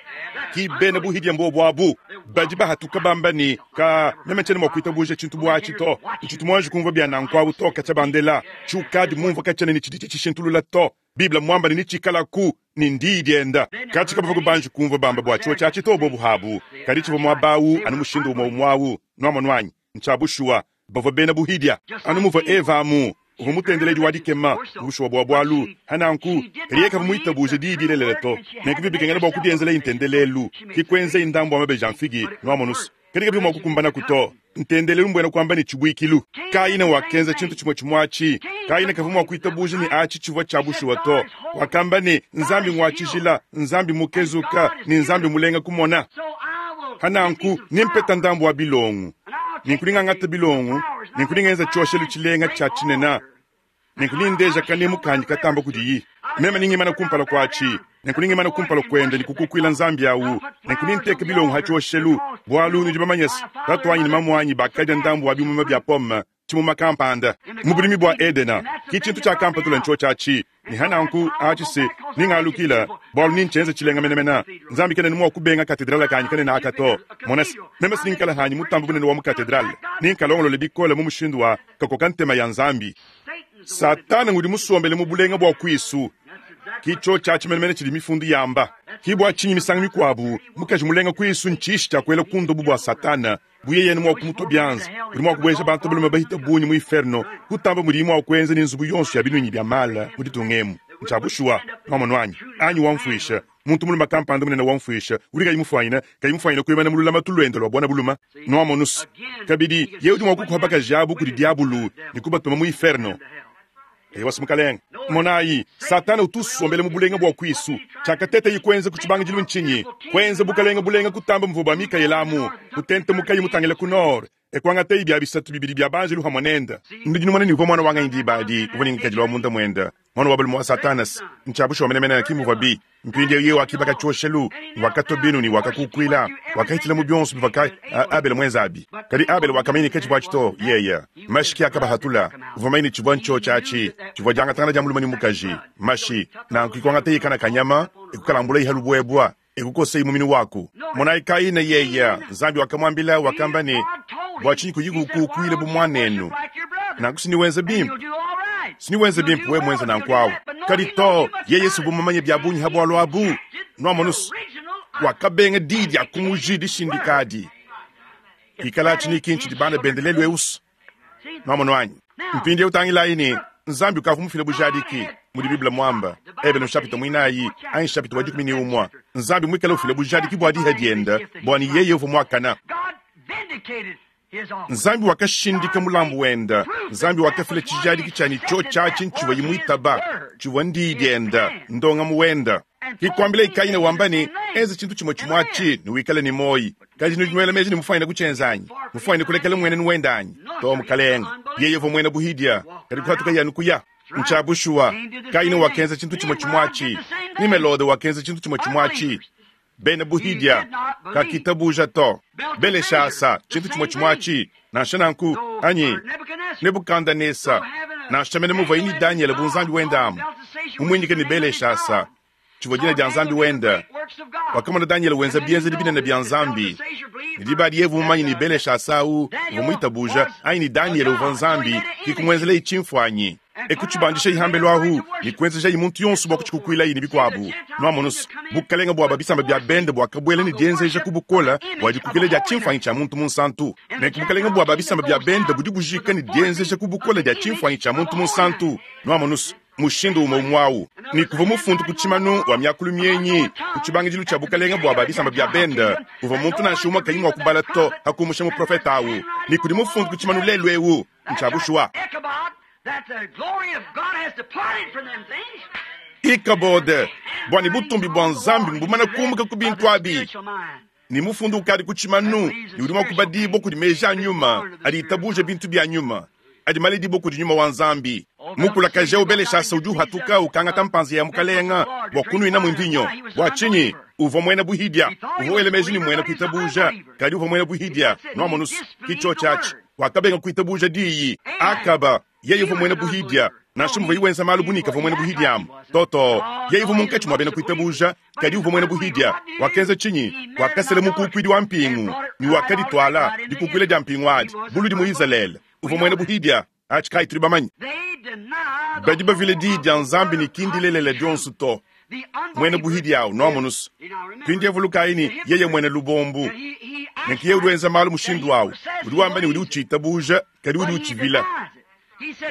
Ki bena buhidia mbobu abu badi bahatuka bamba ne, Ka, meme tshiena mua kuitabuja tshintu bu atshi to. Ntshitu muanji kumvua bia nanku awu to katshia bandela. Tshiukadi mumvua katshiena ne tshidi tshitshishintulula to. Bible mmuamba ne, netshikalaku, ne ndiyi dienda. Katshi kabavua banji kumvua bamba bua tshiotshi atshi to bobu abu, kadi tshivua muaba awu anu mushindu umue umue awu. Nuamonu anyi? Ntshia bushuwa. Bavua bena buhidia. Anu muvua Eva amu, uvua mutendeledi wa dikema, bushuwa bua bualu. Pa nanku, kadi yeye kavua muitabuje diyi dilelela to. Nenku bivua bikengela bua kudienzelaye ntendelelu, ke kuenzaye ndambu wa mabeji a mfigi, nuamonu's. Kadi kabivua mua kukumbanaku to. Ntendelelu mbuena kuamba ne tshibuikilu. Kaina wakenza tshintu tshimue tshimue atshi. Kaina kavua mua kuitabuja ne atshi tshivua tshia bushuwa to. Wakamba ne, Nzambi ngua tshijila, Nzambi mukezuka, ne Nzambi mulenga kumona. Pa nanku, nempeta ndambu wa bilongo. Nenku nengangate bilongo, nenku nengenza tshioshelu tshilenga tshia tshinene, nenku nendeja kanemu kanyi katamba kudiyi. Meme nengimana kumpala kuatshi, nenku nengimana kumpala kuende ne kukukuila Nzambi awu, nenku nenteke bilongo ha tshioshelu, bualu nudi bamanye se, tatuanyi ne mamuanyi bakadia ndambu wa bimuma bia pomme, tshimuma kampanda, mu budimi bua Edena. Ki tshintu tshiakampatula ntshiotshi atshi. Ne ha nanku, atshi se, nengalukila, bualu nentshienze tshilenga menemene. Nzambi kena mua kubenga katedrale kanyi kanene aka to. Mona se, meme si nengikale hanyi mutambe bunene wa mu katedrale. Nenkalongolole bikole mu mushindu wa kakoka ntema ya Nzambi. Satana ngudi musombele mu bulenga bua kuisu. Ki tshiotshi atshi menemene tshidi Mifundu yamba. Ki bua tshinyi misangu mikuabu mukaji mulenga kuisu ntshishi tshia kuela ku ndobo bua Satana. Bu yeye mua kumutua bianza, udi mua kubueja bantu balume bahita bungi mu inferno kutamba mudiye mua kuenza ne nzubu yonso ya binuinyi bia mala mu ditunga emu. Ntshia bushuwa, nwamonu anyi? Anyi wamfuisha, muntu mulume kampanda munene wamfuisha, udi kayi mufuanyine, kayi mufuanyine kuimana mu lulamatu luende lua buana bulume. Nwamonu's? Kabidi, yeye udi mua kukuha bakaji abu kudi diabulu ne kubatuma mu inferno. Eyowa, Mukalenge. Monayi, Satana utu usombela mu bulenga bua kuisu. Tshiakatetaye kuenza ku tshibangidilu ntshinyi? Kuenza bukalenge bulenga kutamba muvua bua Mikaele amu, kutentemukaye mutangile ku nord, e kuangataye bia bisatu bibidi bia banjelu pamue nende. Nudi numona ne, uvua muana wa nganyi diba adi? Uvua ne ngikadilu wa munda muende, muana wa balume wa Satana. Ntshia bushuwa menemene, ki muvuabi. Mpindieu yeye wakibaka tshioshelu, wakatua binu ne wakakukuila, wakahitshila mu bionso bivua Abele muenze abi. Kadi Abele wakamanya ne katshivua atshi to, yeye. Mashi ke akabahatula. Uvua mumanye ne tshivua ntshiotshi atshi, tshivua diangatangana dia mulume ne mukaji, mashi. Nanku kuangataye kana ka nyama, e kukalambulaye ha lubuebua, e kukoseye muminu waku. Monayi Kaina yeye, Nzambi wakamuambila, wakamba ne, Bua tshinyi kuyi kukukuila bu muanenu? Nanku si niwenza bimpe. Siniwenze bimpe wewe muenze nanku awu. Kadi to, yeye si uvua mumanye bia bungi ha bualu abu. Nuamonu's, wakabenga diyi dia ku muji dishindika adi. Ikalatshi ni ki ntshidi bana bende lelu eu's. Nuamonu anyi? Mpindieu tangilayi ne, Nzambi ukavua mufile bujadiki, mudi Bible muamba, Ebele nshapita muinayi anyi nshapita wa dikumi ne umue, Nzambi muikale ufila bujadiki bua diha diende bua ne yeye uvua muakana. Nzambi wakashindika mulambu wende. Nzambi wakafila tshijadiki tshia ne tshiotshi atshi ntshivuaye muitaba, tshivua ndiyi diende, ndongamu wende. Ke kuambilaye Kayina wamba ne, Enza tshintu tshimue tshimue atshi ne wikale ne muoyi. Kadi nudi nuela meji ne mufuanyine kutshienza anyi? Mufuanyine kulekela mmuenenu wende anyi? Too, mukalenge. Yeye uvua muena buhidia, kadi kuhatukaye anu kuya. Ntshia bushuwa, Kayina wakenza tshintu tshimue tshimue atshi. Nimelode wakenza tshintu tshimue tshimue atshi. Bena buhidia kakitabuja to. Beleshasa, tshintu tshimue tshimue atshi. Nansha nanku, anyi Nebukandanesa, nansha mene muvuaye ne Danyele bu nzambi wende amu, mumuinyike ne Beleshasa, tshivua dina dia nzambi wende, wakamona Danyele wenza bienzedi binene bia Nzambi. Ne diba adi yeye uvua mumanye ne Beleshasa au uvua muitabuja, anyi ne Danyele uvua nzambi, ke kumuenzelaye tshimfuanyi. E kutshibandishayi hambelu ahu, ne kuenzejayi muntu yonso bua kutshikukuilayi ne bikuabu. Nuamonu's, bukalenge bua ba bisamba bia bende buakabuela ne dienzeja ku bukole bua dikukila dia tshimfuanyi tshia muntu munsantu. Nenku bukalenge bua ba bisamba bia bende budi bujika ne dienzeja ku bukole dia tshimfuanyi tshia muntu munsantu. Nuamonu's, mushindu umue umue au. Ne kuvua mufundu ku tshimanu wa miakulu mienyi ku tshibangidilu tshia bukalenge bua ba bisamba bia bende, uvua muntu nansha umue kayi mua kubala to, pa kumusha muprofete au. Ne kudi mufundu ku tshimanu lelu eu. Ntshia bushuwa. Ikabode, bua ne butumbi bua Nzambi mbumane kumuka ku bintu abi. Ne mufundu ukadi ku tshimanu ne udi mua kubadibua kudi meji a nyuma adi itabuja bintu bia nyuma adi maledibua kudi nyuma wa Nzambi. Mukulakaje eu Beleshasa udi uhatuka ukangata mpanza ya mukalenga bua kunuinamu mvinyo. Bua tshinyi? Uvua muena buhidia. Uvua wela meji ne muena kuitabuja, kadi uvua muena buhidia. Nuamonus, ki tshiotshi atshi. Wakabenga kuitabuja diyi. Akaba, yeye uvua muena buhidia. Nansha muvuaye wenza malu bu ne kavua muena buhidia amu. To, to. Yeye uvua munkatshi mua bena kuitabuja, kadi uvua muena buhidia. Wakenza tshinyi? Wakasela mukukuidi wa mpingu, ne wakadituala, dikukuila dia mpingu adi, buludi mu Izalele. Uvua muena buhidia. Atshi kayi tudi bamanye. Badi bavila diyi dia Nzambi ne ki ndilelela dionso to. Muena buhidia au, nuamonus. Mpindieu vulukayi ne, yeye muena lubombu. Nenku yeye udi wenza malu mushindu au. Udi wamba ne udi utshitabuja, kadi udi utshivila.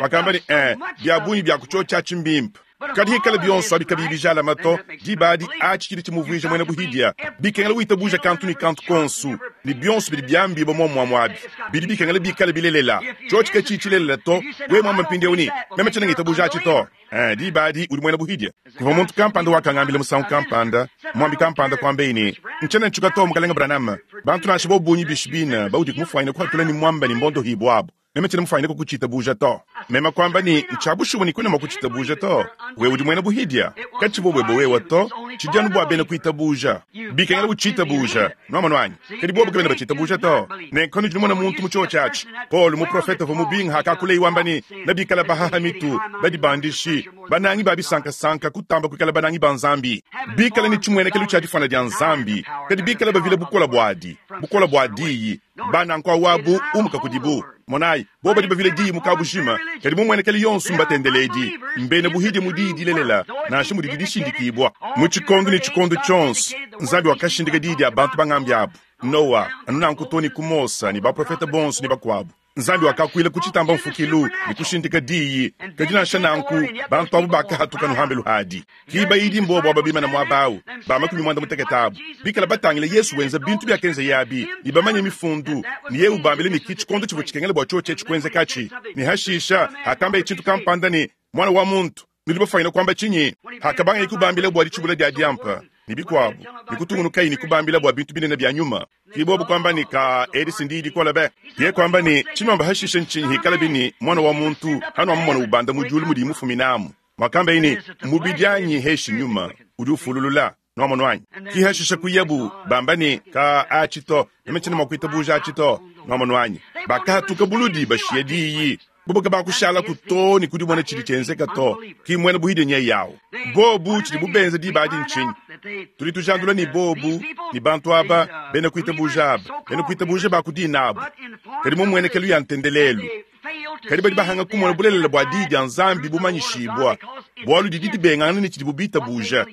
Wakamba ne, Ee, bia bungi bia ku tshiotshi atshi mbimpe. Kadi hikala bionso abi kabiyi bijalama to, diba adi atshi tshidi tshimuvuija muena buhidia. Bikengela witabuja kantu ne kantu konsu, ne bionso bidi biambibua muomuamua abi, bidi bikengela bikale bilelela. Tshiotshi katshiyi tshilelela to, wewe muamba mpindieu ne, Meme tshiena ngitabuja atshi to. Ee, diba adi udi muena buhidia. Kuvua muntu kampanda wakangambila musangu kampanda, muambi kampanda kuambeyi ne, Ntshiena ntshuka to, Mukalenge Branham. Bantu nansha bobu bungi bishi bine baudi kumufuanyina kuhatula ne muamba ne mbondohibua abu. Meme tshiena mufwanyine kukucitabuuja to. Meme kwamba ne, Ncya bushuwa ne kwena mwa kucitabuuja to. Wewe udi mwena buhidya. Kacivwa bwebe wewe to. Cidi anu bwa beena kwitabuuja. Bikengela ucitabuuja. Nwamonu anyi? Kadi bobo kabena bacitabuuja to. Nenku panudi numona muntu mu cyoci aci, Polo, muprofeta uvwa mubinga hakakuleyi wamba ne, Nebikale bahaha mitu, badibandishi, banangi ba bisankasanka kutamba kwikala banangi ba Nzambi, bikale ne cimwenekelu cya difwana dya Nzambi, kadi bikale bavila bukole bwadi, bukole bwa Diyi. Ba nanku awu umuka kudibu. Monayi, bobo badi bavila diyi mu kabujima, kadi mu muenekelu yonso mbatendeledi, mbena buhidie mu diyi dilelela, nansha mudidi dishindikibua. Mu tshikondo ne tshikondo tshionso, Nzambi wakashindika diyi dia bantu bangambi abu, Noa, anu nanku too ne ku Mose ne baprofete bonso ne bakuabu. Nzambi wakakuila ku tshitamba mfukilu ne kushindika diyi, kadi nansha nanku, bantu abu bakahatuka nuhambelu hadi. Ki bayidi mbobo aba bimana muaba au, ba makumi muanda mutekete abu, bikala batangila Yesu wenza bintu biakenzeye abi, ne bamanye Mifundu, ne yeye ubambila ne ki tshikondo tshivua tshikengela bua tshiotshi etshi kuenzekatshi. Ne hashisha, hakambaye tshintu kampanda ne, Muana wa muntu, nudi bafuanyine kuamba tshinyi? Hakabangaye kubambila bua ditshibula dia diampa, ne bikuabu, ne kutungunukaye ne kubambila bua bintu binene bia nyuma. Ki bobu kuamba ne, Kaa, edi si ndiyi dikole be! Yeye kuamba ne, Tshinuamba hashishe ntshinyi hikalabi ne, Muana wa muntu hanuamumona ubanda mu diulu mudiye mufuminamu? Muakambaye ne, Mubidi anyi heshi nyuma udi ufululula. Nuamonu anyi? Ki hashisha kuyabu bamba ne, Ka atshi to, meme tshiena mua kuitabuja atshi to. Nuamonu anyi? Bakahatuka buludi bashiya diyi. Bobo kabakushalaku to ne kudimona tshidi tshienzeka to. Ki muena buhidie nyeye awu. Bobu tshidibu benza diba adi ntshinyi? Tudi tujandula ne bobu ne bantu aba bena kuitabuja aba, bena kuitabuja ba ku dina abu, kadi mu mmuenekelu ya ntendelelu. Kadi badi bahanga kumona bulelela bua Diyi dia Nzambi bumanyishibua, bualu didi dibengangana ne tshidibu bitabuja.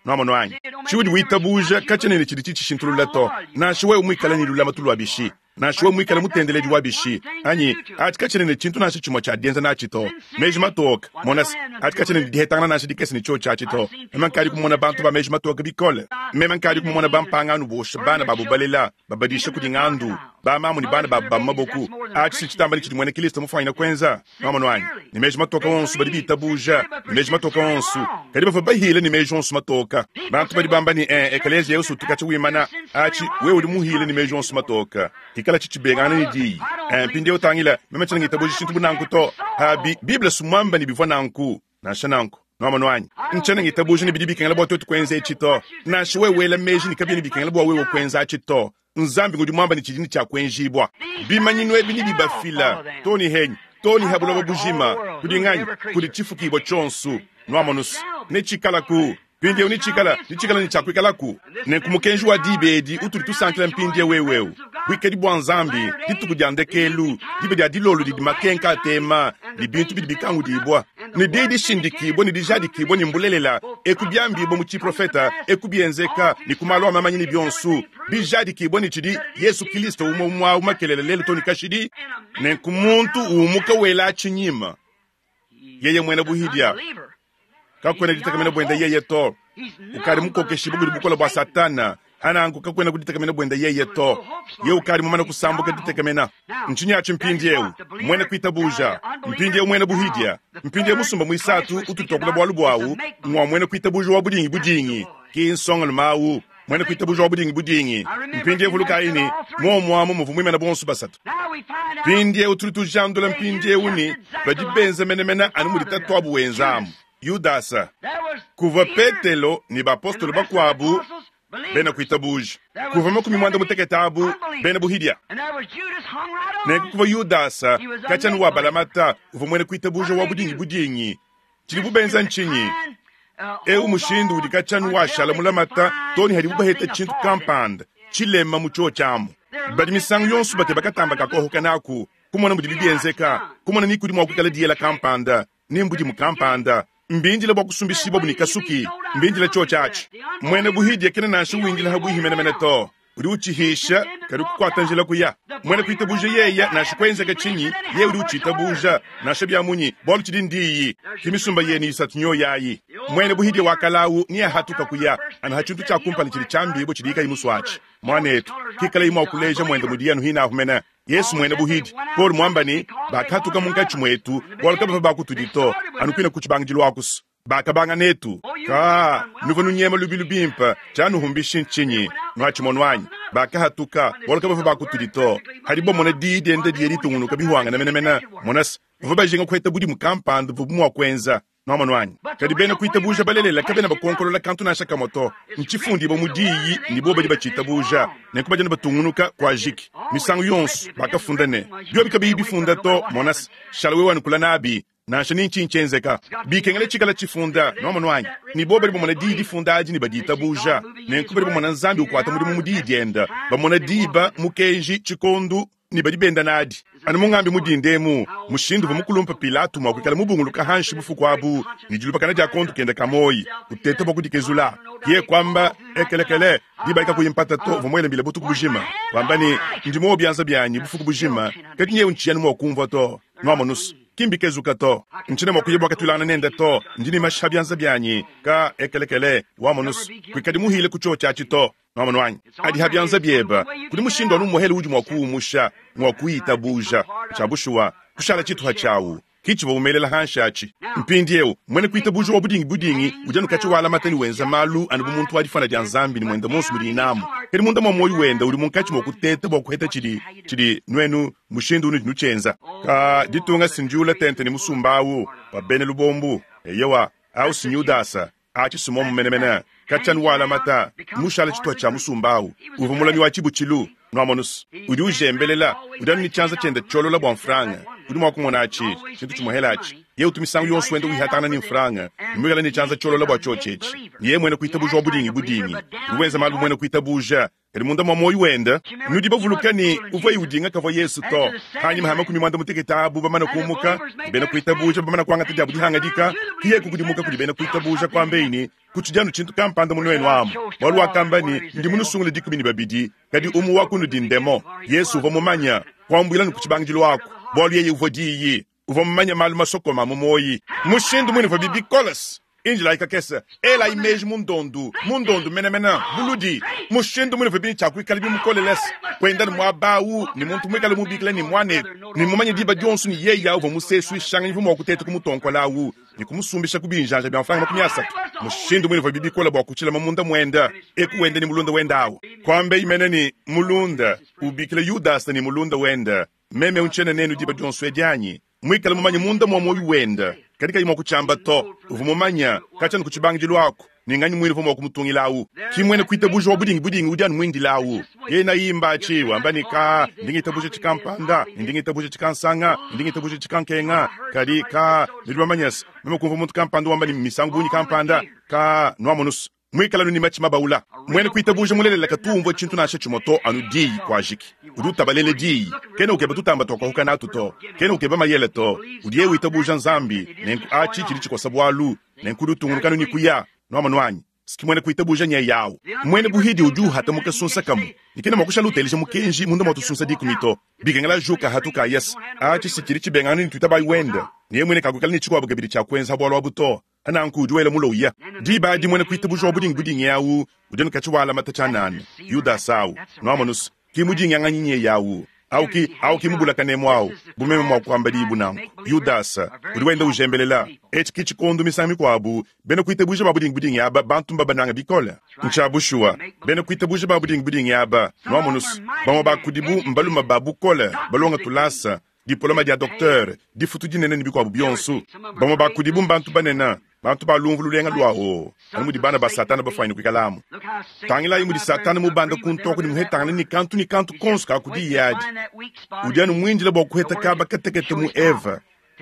Nuamonu anyi? Tshiudi witabuja katshiena ne tshidi tshitshishintulula to, nansha wewe muikale ne lulamatu lua bishi, nansha wewe muikale mutendeledi wa bishi, anyi atshi katshiena ne tshintu nansha tshimue tshia dienza natshi to. Meji matoke, mona se, atshi katshiena ne dihetangana nansha dikese ne tshiotshi atshi to. Meme nkadi kumona bantu ba meji matoke bikole. Meme nkadi kumona bampangano bosha bana babu balela, babadisha kudi ngandu, bamamu ne bana babu ba mu maboku. Atshi si tshitamba ne tshidi muena Kilisto mufuanyine kuenza. Nwamonu anyi? Ne meji matoka onso badi bitabuja, ne meji matoka onso, kadi bavua bahile ne meji onso matoka. Bantu badi bamba ne, eh, ekeleziya yonso utu katshia wimana. Atshi, wewe udi muhile ne meji onso matoka. Hikala tshi tshibengangana ne diyi. Eh, mpindieu tangila, meme tshiena ngitabuja tshintu bu nanku to. Pabi, Bible si muamba ne bivua nanku. Nansha nanku, nwamonu anyi? Ntshiena ngitabuja ne bidi bikengela bua tuetu kuenza etshi to. Nansha wewe wela meji ne kabiena bikengela bua wewe kuenza atshi to. Nzambi ngudi muamba ne tshidi ne tshia kuenjibua. Bimanyinu ebi nebibafila, too ne henyi, too ne ha buloba bujima. Kudi nganyi? Kudi tshifukibua tshionso. Nwamonu's, netshikalaku mpindieu, netshikala, netshikala ne tshia kuikalaku. Nenku mukenji wa diba edi utudi tusankila mpindieu eu eu, buikadi bua Nzambi, dituku dia ndekelu, diba dia dilolo didi makenka atema, ne bintu bidi bikangudibua, ne diyi dishindikibua ne dijadikibua ne mbulelela, eku biambibua mu tshiprofeta, eku bienzeka, ne ku malu a mamanyi ne bionso bijadikibua ne tshidi Yesu Kilisto umue umue au makelela lelu too ne kashidi. Nenku muntu umuka wela tshinyima, yeye muena buhidia, kakuena ditekemena buende yeye to. Ukadi mukokeshibue kudi bukole bua Satana, ananku kakuena kuditekemena buende yeye to. Ye ukadi mumane kusambuka ditekemena. Ntshinyi atshi mpindieu? Muena kuitabuja, mpindieu muena buhidia, mpindieu musumba muisatu utudi tuakula bualu buawu ngua muena kuitabuja wa budingi budingi, ki nsongalume au. Muena kuitabuja wa budingi budingi. Mpindiewu vulukayi ne, muomu amu muvua muimane bonso basatu. Mpindiewu tudi tujandula mpindiewu ne, badi benza menemene anu mudi tatuabu wenza amu. Yudasa. Kuvua Petelo ne bapostolo bakuabu bena kuitabuja. Kuvua 50 abu bena buhidia. Nenku kuvua Yudasa, katshia anu wa balamata, uvua muena kuitabuja wa budingi budingi. Tshidibu benza ntshinyi? Eu mushindu udi katshia anu washala mulamata too ne hadibu baheta tshintu kampanda tshilema mu tshiotshi amu. Badi misangu yonso bakeba katamba ka kohoka naku, kumona mudibi bienzeka, kumona ni kudi mua kuikala diyela kampanda, ni mbudimu kampanda. Mbindile bua kusumbishibua ne kasuki, mbindile tshiotshi atshi. Muena buhidia kena nansha windila habuihi menemene to. Udi utshihisha, kadi kukuata njila kuya. Muena kuitabuja yeya, nansha kuenzeka tshinyi, yeye udi utshitabuja, nansha bia munyi, bualu tshidi ndiyi. Ki misumba yenu isatu nyoyi ayi. Muena buhidia wa kalawu neahatuka kuya, anu ha tshintu tshia kumpala tshidi tshiambibua tshidi kayi musuatshi. Muanetu, kikalayi mua kuleja muende mudiye anu hinahu mene. Yesu muena buhidi. Paulo muamba ne, bakahatuka munkatshi muetu, bualu kabavua ba kutudi to, anu kuine ku tshibangidilu akusu. Bakabanga netu. Ka, nuvua nunyema lubilu bimpe, tshianuhumbishi ntshinyi? Nuatshimono anyi? Bakahatuka, bualu kabavua ba kutudi to. Hadibo bamona diyi diende diye ditungunuka bihuangane menemene, monase, bavua bajinga kuheta budimu kampanda buvuabu mua kuenza. Nuamonu anyi? Kadi bena kuitabuja balelela kabena bakonkolola kantu nansha kamue to. Ntshifundibue mu Diyi ne bobu badi batshitabuja, nenku badi anu batungunuka. Kuajiki. Misangu yonso bakafunda ne, Biobi kabiyi bifunda to, monase, shala wewe anu kula nabi, nansha ni ntshinyi tshienzeka. Bikengela tshikala tshifunda. Nuamonu anyi? Ne bobu badi bamona Diyi difunda adi ne baditabuja, nenku badi bamona Nzambi ukuata mudimu mu Diyi diende, bamona diba, mukenji, tshikondu, ne badi benda nadi. Anu mungambi mu dinda emu, mushindu uvua mukulumpe Pilato mua kuikala mubunguluka hanshi bufuku abu ne dilubakana dia kondo kende ka muoyi, uteta bua kudikezula. Yeye kuamba, Ekelekele, diba adi kakuyi mpata to, uvua muele mbila butuku bujima, wamba ne, Ndi muowe bianza bianyi bufuku bujima, kadi nyewu ntshiyi anu mua kumvua to. Nuamonu's, ki mbikezuka to. Ntshiena mua kuya bua katuilangana nende to. Ndi ne mashi ha bianza bianyi. Ka, ekelekele, wamonu's, kuikadi muhile ku tshiotshi atshi to. Nuamonu anyi? Adi ha bianza bieba. Kudi mushindu anu umuehele udi mua kuumusha, ngua kuyitabuja. Tshia bushuwa, kushala tshituha tshiawu, ki tshivua umelela hanshi atshi. Mpindieu, muena kuitabuja wa budingi budingi udi anu katshia walamata ne wenza malu anu bu muntu wa difuana dia Nzambi ne muende muonso mudiyi namu, kadi munda mua muoyo wende udi munkatshi mua kuteta bua kuheta tshidi, tshidi, nuenu, mushindu unudi nutshienza. Ka, ditunga si ndiula tente ne musumba awu wa bena lubombu. Eyowa, awu si n'Yudasa. Atshi si muomu menemene. Katshia anu walamata, mmushale tshituha tshia musumba awu. Uvua mulami wa tshibutshilu. Nuamonus, udi ujembelela, udi anu ne tshianza tshiende tshiolola bua mfranga. Udi mua kumona atshi, tshintu tshimuhela atshi. Yeye utu misangu yonso wenda wihatangana ne mfranga, ne muikale ne tshianza tshiolola bua tshiotshi etshi. Ne yeye muena kuitabuja wa budingi budingi. Udi wenza malu bu muena kuitabuja, kadi munda mua muoyo wende, nudi bavuluka ne, uvuaye udinga kavua Yesu to. Panyima ha 50 abu bamane kumuka, ne bena kuitabuja bamane kuangata diabu dihangadika, ke yeye kukudimuka kudi bena kuitabuja, kuambeyi ne, Kutshidi anu tshintu kampanda mu nuenu amu. Bualu wakamba ne, Ndi munusungule 12, kadi umue wa kunudi ndemon. Yesu uvua mumanye, kuambuila ne ku tshibangidilu aku, bualu yeye uvua Diyi. Uvua mumanye malu masokome a mu muoyi. Mushindu muine uvuabi bikole. Indilayi kakese, elayi meji mu ndondu, mu ndondu menemene, buludi. Mushindu muine uvuabi ne tshia kuikala bimukolele kuenda ne muaba awu, ne muntu muikale mubikila ne muanetu, ne mumanye diba dionso ne yeye awu uvua musesuishanganyi uvua mua kuteta kumutonkola awu ne kumusumbisha ku binjanja bia mfranga 30. Mushindu muine uvuabi bikole bua kutshilama munda muende, eku wenda ne mulunda wende awu. Kuambeyi mene ne, Mulunda, ubikila Yudasa ne mulunda wende. Meme eu ntshiena nenu diba dionso edi anyi? Muikale mumanye munda mua muoyo wende, kadi kayi mua kutshiamba to. Uvua mumanye katshia anu ku tshibangidilu aku ne nganyi muine uvua mua kumutungila au. Ki muena kuitabuja wa budingi budingi udi anu muindile au. Yena imba atshi wamba ne, Ka, ndi ngitabuja tshikampanda, ne ndi ngitabuja tshikansanga, ne ndi ngitabuja tshikankenga. Kadi, ka, nudi bamanye se, meme kumvua muntu kampanda wamba ne misangu bungi kampanda, ka, nuamonus. Muikale anu ne matshi mabaula. Muena kuitabuja mulelela katu umvua tshintu nansha tshimue to, anu Diyi. Kuajiki. Udi utabalela Diyi. Kena ukeba tutamba tua kuahuka natu to. Kena ukeba mayele to. Udiye witabuja n'Nzambi, nenku atshi tshidi tshikosa bualu, nenku udi utungunuka anu ne kuya. Nuamonu anyi? S'ki muena kuitabuja nyeye awu. Muena buhidi udi uhata mu kasunsa kamue, ne kena mua kushala uteleja mukenji munda mua tusunsa dikumi to. Bikengela ajuka hatuka ayese. Atshi si tshidi tshibengangana ne tuitabayi wende, ne yeye muine kakuikala ne tshikuabu kabidi tshia kuenza ha bualu abu to. Nanku udi wela mulowu ya. Diba adi muena kuitabuja wa budingi budingi awu udi anu katshi walamata tshianana, Yudasa awu. Nuamonu's, ki mudingianganyi nyeye awu. Awu ki, awu ki mubulakanemu awu, bu meme mwa kwamba diyi bu nanku. Yudasa, udi wenda ujembelela. Eci ki cikondo misangu mikwabo, bena kwitabuuja baa budingibudingi aba, bantu mbabanange bikole. Ncya bushuwa, bena kwitabuuja baa budingibudingi aba, nwamonu's, bamwe baa kudibu mbalume baa bukole, balonga tulaasa, dipoloma dya docteur, difutu dinene ne bikwabo byonso. Bamwe baa kudibu mbantu banene, bantu baa lumvu lulenga lwa oo, anu mudi bana baa Sataana bafwanyine kwikalamu. Tangilaayi mudi Sataana mubanda kuntooku ne muhetangane ne kantu ne kantu konso ka ku diyi adi. Udi anu mwindile bwa kuheta kaaba katekete mu Eva,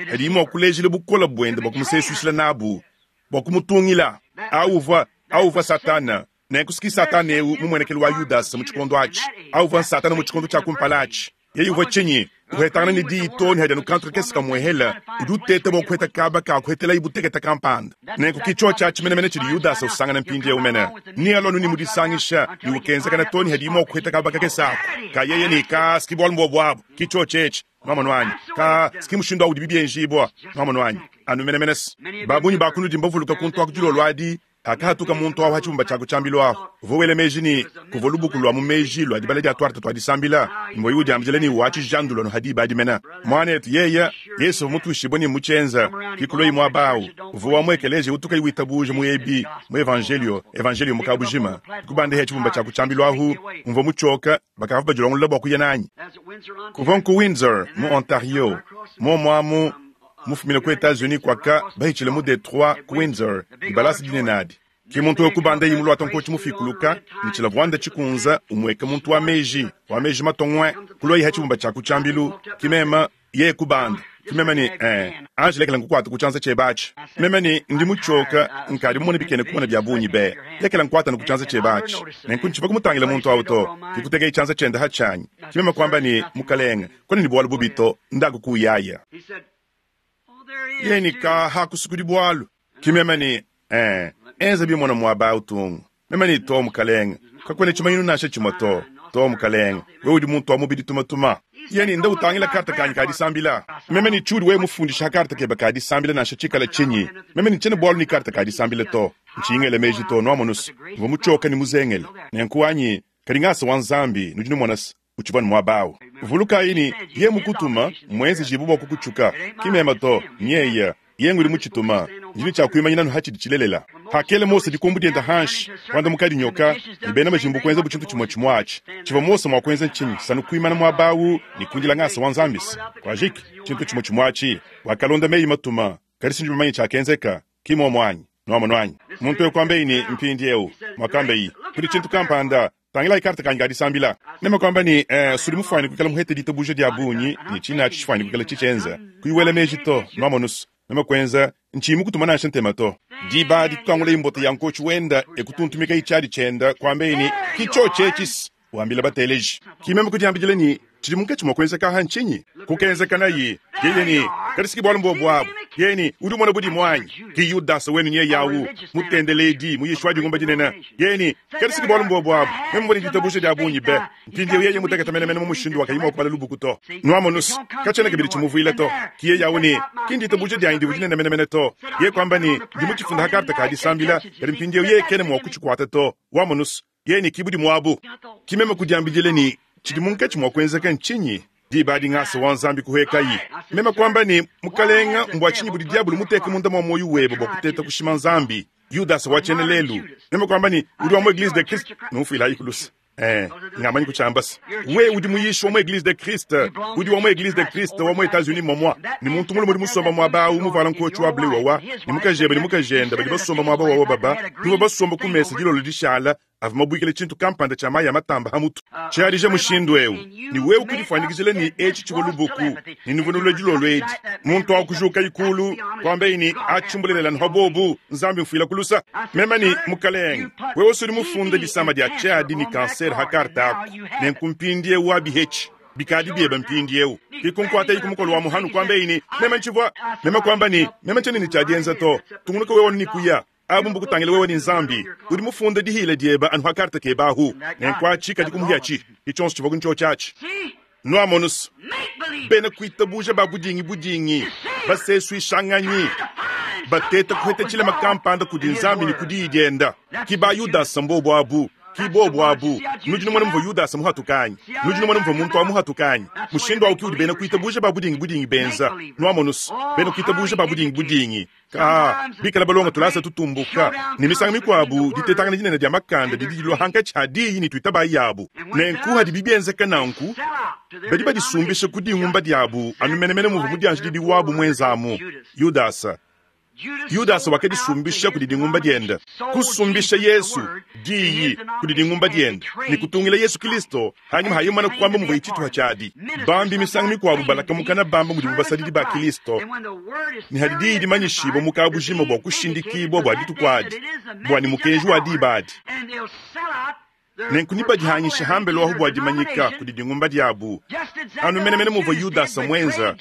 kadiyi mwa kuleejila bukole bwende bwa kumuseeswishila naabu, bwa kumutungila. Awu uvwa, awu uvwa Sataana. Nenku s'ki Sataana ewu mu mwenekelu wa Yudasa mu tshikondo atshi. Awu uvwa n'Sataana mu tshikondo tshia kumpala atshi. Yeye uvwa tshinyi? Uhetangana ne diyi too ne hadi anu kantu kakese kamuehela, udi uteta bua kuheta kaba ka kuhetelayi butekete kampanda. Nenku ki tshiotshi atshi menemene tshidi Yudasa usangana mpindiewu mene. Nealua anu ne mu disangisha ne ukenzakana too ne hadiyi mua kuheta kaba kakese aku ka yeye ne, Kaa, s'ki bualu mbuobu abu. Ki tshiotshi etshi. Nwamonu anyi? Kaa, s'ki mushindu awu udibi bienjibua. Nwamonu anyi? Anu menemene's. Ba bungi ba kunudi mbavuluka kuntu aku dilolo adi, Pakahatuka muntu awu ha tshibumba tshia ku tshiambilu ahu, uvua wela meji ne, kuvua lubuku lua mu meji lua dibala dia tuarte tua disambila, mbueyi udiambidila ne watshijandu anu ha diba adi mene. Muanetu yeya, Yesu uvua mutuishibue ne mmutshienza, ki kuluayi muaba awu, uvua wa mu ekeleziya utu kayi witabuja mu ebi, mu evanjelio, evanjelio mu kabujima. Kubandehe tshibumba tshia ku tshiambilu ahu, mvua mutshioka, bakavua badilongolola bua kuya nanyi. Kuvua nku Windsor, mu Ontario, muomu amu, mufumine ku Etats-Unis kuaka bahitshile mu Detroit ku Windsor dibalasa dinene adi. Ke muntu eu kubandaye muluata nkotshi mufikuluka ne tshilavuanda tshikunza umueka muntu wa meji, wa meji matongwe, kuluaye ha tshibumba tshia ku tshiambilu, ki meme yeye kubanda, ki meme ne, eh, anji lekela nkukuata ku tshianza tshiebe atshi. Meme ne, ndi mutshioka, nkadi mumone bikena kumona bia bungi be, lekela nkuatane ku tshianza tshiebe atshi. Nenku ntshivua kumutangila muntu au to, ke kutekeye tshianza tshiende ha tshianyi, ki meme kuamba ne, Mukalenge, Kuena ne bualu bubi to, ndaku kuyaya. Yeye ne, Ka hakusukudi bualu. Ki meme ne, Ee, enza bimona muaba awu tungu. Meme ne, To, mukalenge, kakuena tshimanyinu nansha tshimue to. To, mukalenge, wewe udi muntu wa mubidi tumatuma. Yeye ne, Nda utangila karte kanyi ka disambila. Meme ne, Tshiudi wewe mufundisha ha karte kebe ka disambila nansha tshikala tshinyi? Meme ne, Tshiena bualu ne karte ka disambila to. Ntshiyi ngela meji to, nwamonu's, mvua mutshioka ne muzengele. Nenku anyi, kadi ngasa wa Nzambi, nudi numona's, utshivua ne muaba awu. Vulukayi ne, Yeye mukutuma, mmuenzejibue bua kukutshuka. Ki meme to, nyeye. Yeye ngudi mutshituma. Ndi ne tshia kuimanyina anu ha tshidi tshilelela. Hakela Mose dikombo diende hanshi, kuandamukadi nyoka, ne bena majimbu kuenzabu tshintu tshimue tshimue atshi. Tshivua Mose mua kuenza ntshinyi? Sanu kuimana muaba awu ne kuindila ngasa wa Nzambi-se. Kuajiki, tshintu tshimue tshimue atshi. Wakalonda meyi matuma, kadi si ndi mumanye tshiakenzeka. Ki muomu anyi? Nuamonu anyi? Muntu eu kuambeyi ne, Mpindiewu, muakambeyi, kudi tshintu kampanda. Tangilayi karte kanyi ka disambila. Meme kuamba ne, Eh, sudi mufwanyine kwikala muhete ditabuja dya bungi, ne ciine aci cifwanyine kwikala cicyenza. Kuyi wela meji to, nwamonu's. Meme kwenza, nciyi mukutuma nansha ntema to. Diba adi kukangulaye mbota ya nkoci wenda e kutuntumikaye cyadi cyenda, kwambaye ne, Ki cyoci eci's! Wambila bateleji. Ki meme kudyambidila ne, Cidi munkaci mwa kwenzeka aha ncinyi? Kukenzekanayi. Yeye ne, Kadi s'ki bwalu mbwobu abu. Yeye ne, Udi umona budimu anyi? Ki Yudasa wenu nyeye awu, mutendeleedi, muyishi wa dingumba dinene. Yeye ne, Kadi s'ki bwalu mbwobu abu. Meme mvwa ne ditabuja dya bungi be. Mpindyewu yeye mutekete menemene mu mushindu wa kayi mwa kubala lubuku to. Nwamonu's, kacyena kabidi cimuvwila to. Ki yeye awu ne, Ki nditabuja dyanyi divwa dinene menemene to. Yeye kwamba ne, Ndi mucifunda ha karte ka disambila, kadi mpindyewu yeye kena mwa kucikwata to. Wamonu's, Yeye ne ki budimu abu. Ki meme kudiambidila ne, Tshidi munkatshi mua kuenzeka ntshinyi? Diba adi ngasa wa Nzambi kuhuekayi. Meme kuamba ne, Mukalenga, mbua tshinyi budi diabulu muteke munda mua muoyo webe bua kuteta kushima Nzambi? Yudasa wa tshiena lelu. Meme kuamba ne, Udi wa mu Eglise de Christ. Numfuilayi ku luse. Eh, ngamanyi kutshiamba se, wewe udi muyishi wa mu Eglise de Christ, udi wa mu Eglise de Christ wa mu Etats-Unis momua, ne muntu mulume udi musomba muaba awu muvuala nkotshi wa bleu wawa, ne mukajebe ne mukajende badi basomba muaba wawa baba, nuvua basomba ku mesa dilolo dishala avua mabuikile tshintu kampanda tshia mayi a matamba ha mutu. Tshiadija mushindu eu, ne wewe kudifuanyikijila ne etshi tshivua lubuku, ne nuvua nulue dilolo edi. Muntu au kujukayi kulu, kuambaye ne, Atshi mbulelela nuha bobu, Nzambi mfuila ku lusa. Meme ne, Mukalenge, wewe sudi mufunda disama dia tshiadi ne kansere ha karte aku, nenku mpindieu abihetshi. Bikadi biebe mpindieu. Kikunkuatayi ku mukolo wa muhanu, kuambaye ne, Meme ntshivua. Meme kuamba ne, Meme tshiena ne tshia dienza to. Tungunuka wewe anu ne kuya. Abu mbukutangila wewe ne Nzambi. Udi mufunde dihila diebe anu ha karte kebe ahu. Nenku atshi kadi kumuhi atshi. Ki tshionso tshivua ku atshi. Nuamonu's, bena kuitabuja ba budingi budingi, basesuishanganyi, bateta kuheta tshilema kampanda kudi Nzambi ne ku Diyi dienda. Ki ba Yudasa mbobo abu. Ki bobu abu. Nudi numona muvua Yudasa muhatuka anyi? Nudi numona muvua muntu awu muhatuka anyi? Mushindu awu ki udi bena kuitabuja ba budingi-budingi benza. Nwamonu's, bena kuitabuja ba budingi-budingi. Kaa, bikala balonga tulasa tutumbuka, ne misangu mikuabu ditetangana dinene dia makanda didi dilua hankatshi ha diyi ne tuitabayi yabu. Nenku hadibi bienzeka nanku, badi badisumbisha ku dingumba diabu anu menemene muvua mudianjididi wabu muenzamu, Yudasa. Yudasa wakadisumbisha kudi dingumba diende, kusumbisha Yesu, Diyi, kudi dingumba diende, ne kutungila Yesu Kilisto hanyima ha yeye kuamba muvua tshituha tshiadi. Bambi misangu mikuabu balakamukana bamba mudibu basadidi ba Kilisto, ne hadi diyi dimanyishibua mu kabujima bua kushindikibua bua dituku adi, bua ne mukenji wa diba adi. Nenku nebadihangishe hambelu ahu bua dimanyika kudi dingumba diabu, anu menemene muvua Yudasa muenza,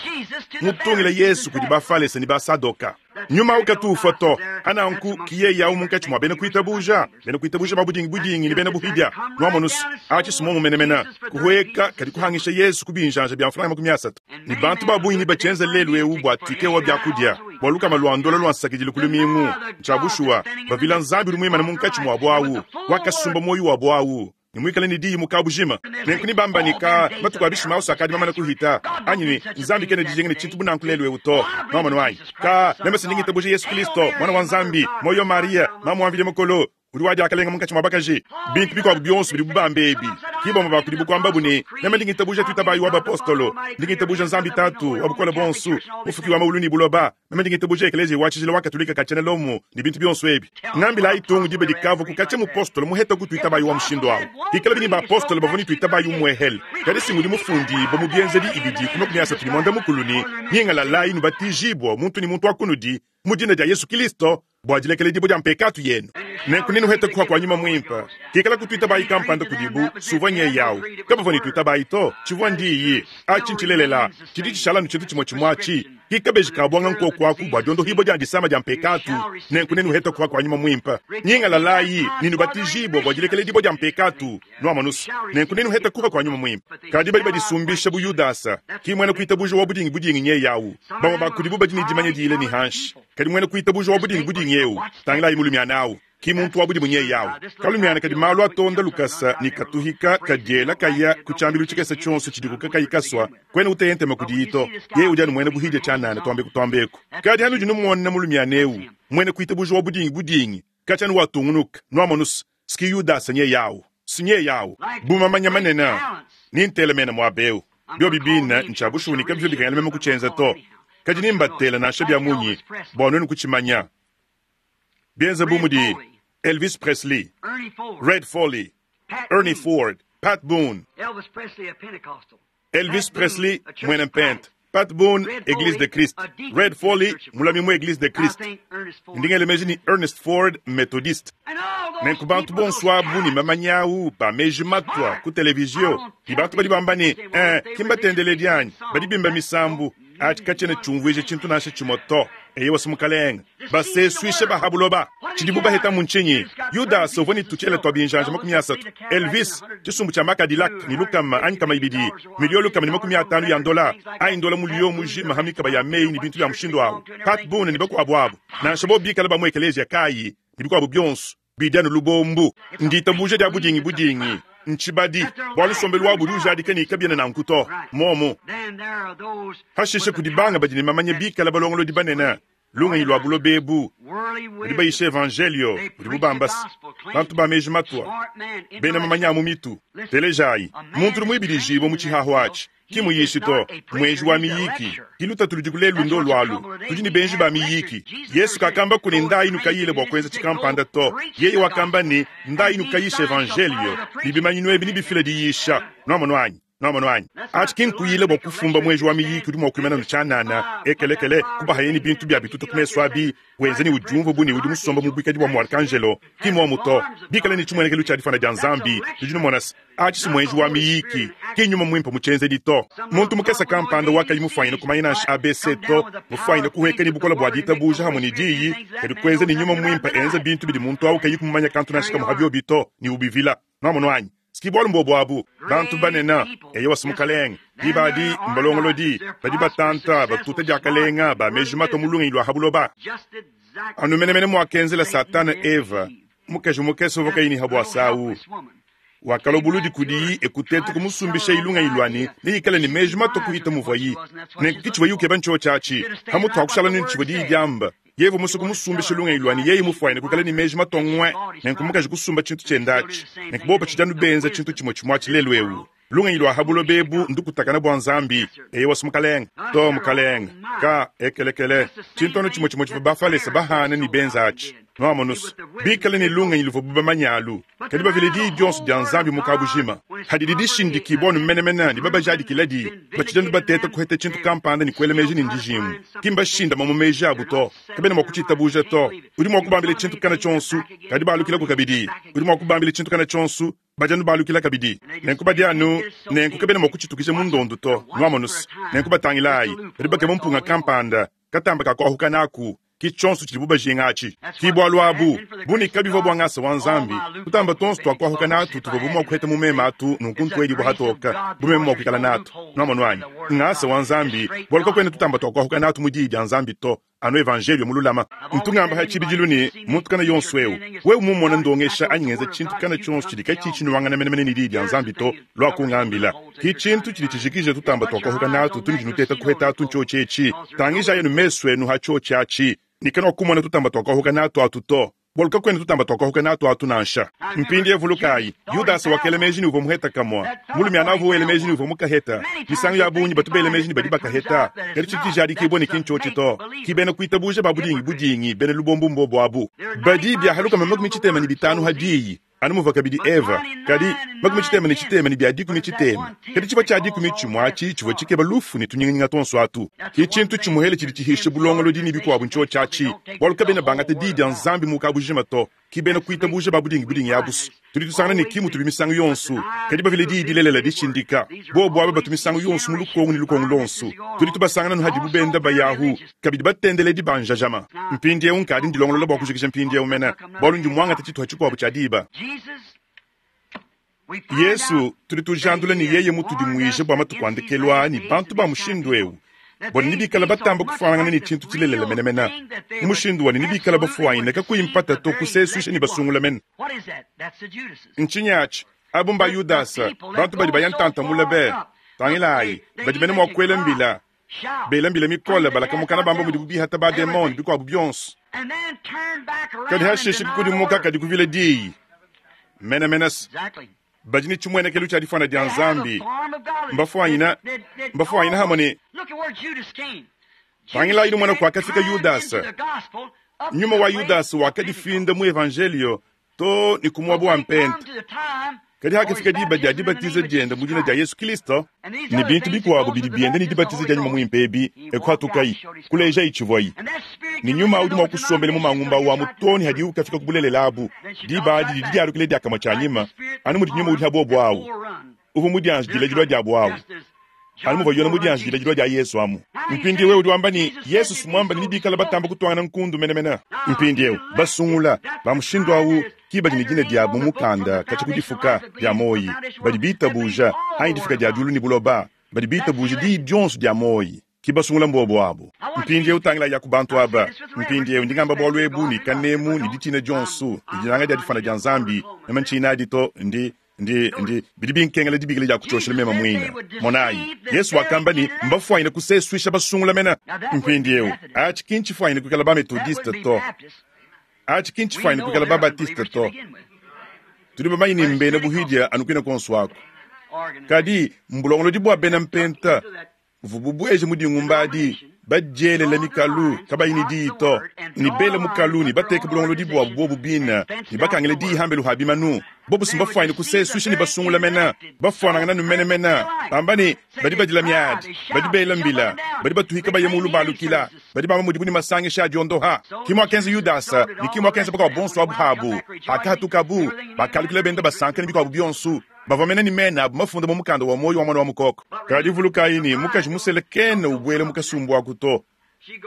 mutungila Yesu kudi Bafalese ne Basadoka. Nyuma au katu ufua to. Ananku ki yeye au munkatshi mua bena kuitabuja, bena kuitabuja ba budingi budingi ne bena buhidia. Nuamonus, atshi simomu menemene, kuhueka kadi kuhangisha Yesu ku binjanja bia mfranga 30. Ne bantu ba bungi nebatshienza lelu eu bua tike wa biakudia, bua lukama lua ndola lua nsakidilu ku lumingu. Ntshia bushuwa, bavila Nzambi udi muimane munkatshi muabu au, wakasumba muoyo wabu au, ne muikale ne diyi mu kabujima. Nenku nebamba ne, Ka matuku a bishima onso akadi mamane kuhita, anyi ne, Nzambi kena dijinga ne tshintu bu nanku lelu eu to. Nuamonu anyi? Ka meme se ndi ngitabuja Yesu Kilisto, Muana wa Nzambi, muoyo wa Mariya, mamu wa Mvidi Mukulu, udi wa diakalenga munkatshi mua bakaji. Bintu bikuabu bionso bidibu bamba ebi, ki bamue ba kudibu kuambabu ne, Meme ndi ngitabuja tuitabayi wa bapostolo, ndi ngitabuja Nzambi Tatu wa Bukole Buonso, Mufuki wa mawulu ne buloba, meme ndi ngitabuja Ekeleziya wa Tshijila wa Katolika ka tshiena Lomo ne bintu bionso ebi. Ngambilayi tung diba dikavua ku katshia mupostolo muheta ku tuitabayi wa mushindu au. Hikalabi ne bapostolo bavua ne tuitabayi umuehele, kadi si ngudi mufundibua mu Bienzedi ibidi ku 35 ne, Nyingalalayi nubatijibua muntu ne muntu wa kunudi mu dina dia Yesu Kilisto bua dilekeledibua dia mpekatu yenu, nenku nenuhete kuha kua Nyuma Muimpe. Kikala kutuitabayi kampanda kudibu, suvua nyeyi au. Kabavua ne tuitabayi to, tshivua ndiyi. Atshi ntshilelela, tshidi tshishala anu tshintu tshimue tshimue atshi. Ki kabeji ka buanga nkoku aku bua diondohibua dia disama dia mpekatu, nenku nenuhete kuha kua Nyuma Muimpe. Nyingalalayi ne nubatijibue bua dilekeledibua dia mpekatu, nuamonus, nenku nenuhete kuha kua Nyuma Muimpe. Kadi badi badisumbisha bu Yudasa, ki muena kuitabuja wa budingi budingi nyeyi au. Bamue ba kudibu badi ne dimanya diyile ne hanshi. Kadi muena kuitabuja wa budingi budingi eu, tangilayi mulumiana au, ki muntu wa budimu nyeyi au. Kalumiana kadi malu atonda lukasa ne katuhika kadiela kaya ku tshiambilu tshikese tshionso tshidiku kakayi kasua, kuena uteya ntema kudiyi to. Yeye udi anu muena buhidia tshianana, tuambeku tuambeku. Kadi hanudi numona mulumiana eu, muena kuitabuja wa budingi budingi, katshia anu watungunuka, nuamonus, ski Yudasa nyeyi au, si nyeyi au. Bu mamanya manene, ni ntela mena muaba eu. Biobi bine ntshia bushuwa ne kabivua bikengela meme kutshienza to. Kadi ni mbatela nansha bia munyi bua nuenu kutshimanya. Bienza bu mudi Elvis Presley, Red Foley, Ernie Ford, Pat Boone. Elvis Presley, muena mpente, Pat Boone, Eglise de Christ, Red Foley, mulami mu Eglise de Christ. Ndi ngela meji ne Ernest Ford, Methodiste. Nenku bantu bonso abu ne mamanya au ba meji matua ku televizio, ne bantu badi bamba ne, eh, ki mbatendeledi anyi, badi bimba misambu. Atshi katshiena tshiumvuija tshintu nansha tshimue to. Eyowa, si Mukalenge. Basesuishe ba ha buloba. Tshidibu bahetamu ntshinyi? Yudasa uvua ne tutshiele tua binjanja 30, Elvis, tshisumbu tshia makadilak ne lukama anyi kama ibidi, miliyo 150 ya ndola, anyi ndola muliyo mujima ha mikaba ya meyi ne bintu bia mushindu au, Pat Boone ne bakuabu abu, nansha bobu bikale ba mu ekeleziya kayi, ne bikuabu bionso, bidi anu lubombu. Nditabuja dia budingi budingi, ntshibadi, bualu nsombelu wabu udi ujadika ne kabiena nanku to. Muomu. Hashishe kudi banga badi ne mamanya bikale balongolodi banene, lungenyi lua buloba ebu, badi bayisha evanjelio udibu bamba se, bantu ba meji matua, bena mamanya a mu mitu. Telejayi, muntu udi muibidijibue mu tshihahu atshi, ki muyishi to, muenji wa miyiki. Ki lutatu ludiku lelu ndolu alu, tudi ne benji ba miyiki. Yesu kakambaku ne ndayi nukayile bua kuenza tshikampanda to. Yeye wakamba ne ndayi nukayishe evanjelio, ne bimanyinu ebi nebifile diyisha. Nuamonu anyi? Nuamonu anyi? Atshi ki nkuyila bua kufumba muenji wa miyiki udi mua kuimana nu tshianana, ekelekele, kubahaye ne bintu bia bituta ku mesu abi, wenza ne udiumvua bu ne udi musomba mu buikadi bua muarkanjelo. Ki muomu to. Bikale ne tshimuenekelu tshia difuana dia Nzambi, nudi numona se, atshi si muenji wa miyiki, ki nyuma muimpe mu tshienzedi to. Muntu mukese kampanda wakayi mufuanyine kumanya nansha ABC to, mufuanyine kuhueka ne bukole bua ditabuja hamue ne diyi, kadi kuenza ne nyuma muimpe enza bintu bidi muntu au kayi kumumanya kantu nansha kamue ha biobi to, ne ubivila. Nuamonu anyi? Ski bualu mbuobu abu, bantu banene, eyowa si Mukalenge, diba adi mbalongolodi, badi batanta, batuta diakalenga, ba meji matua mu lungenyi lua ha buloba. Anu menemene muakenzela Satana Eva. Mukaji mukese uvua kayi ne habwasa awu wakalua buludi kudiyi e kuteta kumusumbisha lungenyi lua ne, neikale ne meji matue kuhita muvuayi. Nenku ke tshivuaye ukeba ntshiotshi atshi. Pamutu pa kushala ne tshivua diyi diamba, yeye uvua musue kumusumbisha lungenyi lua ne, yeye mufuanyine kuikala ne meji matue ngwe. Nenku mukaji kusumba tshintu tshiende atshi. Nenku bobu batshidi anu benza tshintu tshimue tshimue atshi lelu'eu. Lungenyi lua ha buloba ebu ndukutakana bua Nzambi. Eyowa, Mukalenge. To, mukalenge. Ka, ekelekele. Tshintu anu tshimue tshimue tshivua Bafalese bahana ne benza atshi. Nuamonu's, bikale ne lungenyi luvuabu bamanye alu, kadi bavile diyi dionso dia Nzambi mu kabujima. Hadidi dishindikibua anu menemene ne babajadikiladi, batshidi anu bateta kuheta tshintu kampanda ne kuela meji ne ndijingu. Ki mbashindama mu meji abu to. Kabena mua kutshitabuja to. Udi mua kubambila tshintu kana tshionso, kadi balukilaku kabidi. Udi mua kubambila tshintu kana tshionso, Badi anu balukila kabidi. Nenku badi anu, nenku kabena mua kutshitukija mu ndondu to. Nwamonu's? Nenku batangilaayi, badi bakeba mpunga kampanda, katamba ka kwahuka naaku. Ki cyonso cidibu bajinga aci. Ki bwalu abu, bu ne kabivwa bwa ngasa wa Nzambi, tutamba twonso twa kwahuka naatu tuvwabu mwa kuheta mu meme atu, nunku ntwedibwa hatooka, bu meme mwa kwikala naatu. Nwamonu anyi? Ngasa wa Nzambi, bwalu kakwena tutamba twa kwahuka naatu mu Diyi dya Nzambi to. Anu evanjeliyo mululama. Ntu ngamba ha tshibidilu ne, muntu kana yonso eu, wewe mumona ndongesha anyi ngenza tshintu kana tshionso tshidi katshiyi tshinuangana menemene ne Diyi dia Nzambi to, lua kungambila. Ki tshintu tshidi tshijikija tutamba tuakahuka natu tunudi nuteta kuheta atu ntshiotshi etshi. Tangijayi anu mesu enu ha tshiotshi atshi, ne kanuakumona tutamba tuakahuka natu atu to. Bualu kakuena tutamba tuakahuka natu atu nansha. Mpindieu vulukayi, Yudasa wakela meji ne uvua muheta kamua. Mulumiana uvua wela meji ne uvua mukaheta. Misangu ya bungi batu bela meji ne badi bakaheta, kadi tshidi tshijadikibua ne ki ntshiotshi to. Ki bena kuitabuja ba budingi budingi, bena lubombo mbobo abu. Badi biaha lukama 65 ha diyi, anu muvua kabidi Eva, kadi 63 ne bia dikumi tshitema. Kadi tshivua tshia dikumi tshimue atshi tshivua tshikeba lufu ne tunyinganyinga tuonso atu. Ke tshintu tshimuele tshidi tshihisha bulongolodi ne bikuabu ntshiotshi atshi, bualu kabena bangata Diyi dia Nzambi mu kabujima to. Ki bena kuitabuja ba budingi budingi abu's. Tudi tusangana ne ki mutubi misangu yonso, kadi bavile Diyi dilelela dishindika. Bobu aba batu misangu yonso mu lukongu ne lukongu luonso. Tudi tubasangana anu hadibu benda bayahu, kabidi batendeledi ba njajama. Mpindieu nkadi ndilongolola bua kujikija mpindieu mene, bualu ndi muangate tshituha tshikuabu tshia diba. Yesu, tudi tujandula ne yeye mutudimuije bua matuku a ndekelu aa ne bantu ba mushindu eu, bua ne nebikale batamba kufuanangana ne tshintu tshilelela menemene, mu mushindu wa ne nebikale bafuanyine kakuyi mpata to kusesuisha ne basungula mene. Ntshinyi atshi? Abu mba Yudasa, bantu badi baya ntanta mule be. Tangilayi, badi mene mua kuela mbila, bela mbila mikole, balaka mukana bamba mudibu bihata ba-demon ne bikuabu bionso. Kadi hashishe kukudimuka kadi kuvila diyi menemene. Badi ne tshimuenekelu tshia difuana dia Nzambi, mbafuanyina mbafuanyina hamue ne. Tangilayi numona kuakafika Yudasa. Nyuma wa Yudasa wakadifinda mu Evanjeliyo too ne ku muaba wa mpenta. Kadi hakafika diba dia dibatiza diende mu dina dia Yesu Kristo, ne bintu bikuabo bidi bienda ne dibatiza dia Nyuma Muimpe ebi, e kuhatukayi, kulejayi tshivuayi. Ne Nyuma udi mua kusombela mu mangumba awu amu too ne hadiwu kafika ku bulelela abu. Diba adi didi dialukila diakamue tshianyima, anu mudi Nyuma udi ha bobo awu. Uvua mudianjidile dilua diabu awu, anu muvua Yona mudianjidile dilua dia Yesu amu. Mpindieu wewe udi wamba ne, Yesu si muamba ne nebikale batamba kutuangana nkundu menemene. Mpindieu, basungula ba mushindu awu ki badi ne dina diabu mu mukanda katshia ku difuka dia muoyi, badi bitabuja, anyi difuka dia diulu ne buloba, badi bitabuja diyi dionso dia muoyi. Ki basungula mbobo abu. Mpindiewu tangilayi ya ku bantu aba. Mpindiewu ndi ngamba bualu ebu ne kanemu ne ditshina dionsu, ne dinanga dia difana dia Nzambi. Meme ntshiyi nadi to, ndi, ndi, ndi, bidi binkengela dibikila dia kutshioshela meme muine. Monayi, Yesu wakamba ne, Mbafuanyine kusesuisha basungula mene. Mpindiewu, atshi ki ntshifuanyine kuikala ba-Methodiste to. Atshi ki ntshifuanyine kuikala ba-Baptiste to. Tudi bamanye ne mbena buhidia anu kuine kuonso aku. Kadi mbulongolodi bua bena Mpenta buvua bubueje mu dingumba adi, badielela mikalu, kabayi ne diyi to, ne bela mukalu ne bateke bulongolodi buabu buobu bine, ne bakangila diyi hambelu ha bimanu. Bobu si mbafuanyine kusesuisha ne basungula mene, bafuanangana nu menemene, bamba ne, badi badila miadi, badi bela mbila, badi batuhika baya mulu balukila, badi bamba mudibu ne masangisha a diondoha. Ki muakenza Yudasa, ne ki muakenza bakuabu bonso abu pabu. Pakahatukabu, bakalukila benda basanka ne bikuabu bionso. Bavua mene ne mena abu mafunda mu mukanda wa muoyo wa Muana wa Mukoko. Kadi vulukayi ne, mukaji musele kena ubuela mu kasumbu aku to.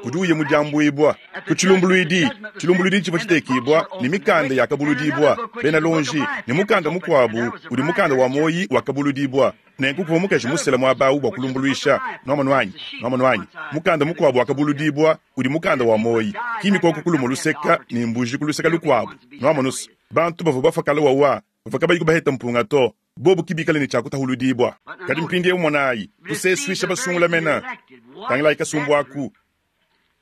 Udi uya mu diambuibua ku tshilumbuluidi. Tshilumbuluidi tshivua tshitekibua, ne mikanda yakabuludibua, bena luonji, ne mukanda mukuabu udi mukanda wa muoyi wakabuludibua. Nenku kuvua mukaji musele muaba au bua kulumbuluisha. Nuamonu anyi? Nuamonu anyi? Mukanda mukuabu wakabuludibua udi mukanda wa muoyi, ki mikoko ku lumue luseka ne mbuji ku luseka lukuabu. Nuamonu's? Bantu bavua bafua kale wawa bavua kabayiku baheta mpunga to, bobu ki bikale ne tshia kutahuludibua. Kadi mpindieu monayi, kusesuisha basungula mena. Tangilayi kasumbu aku.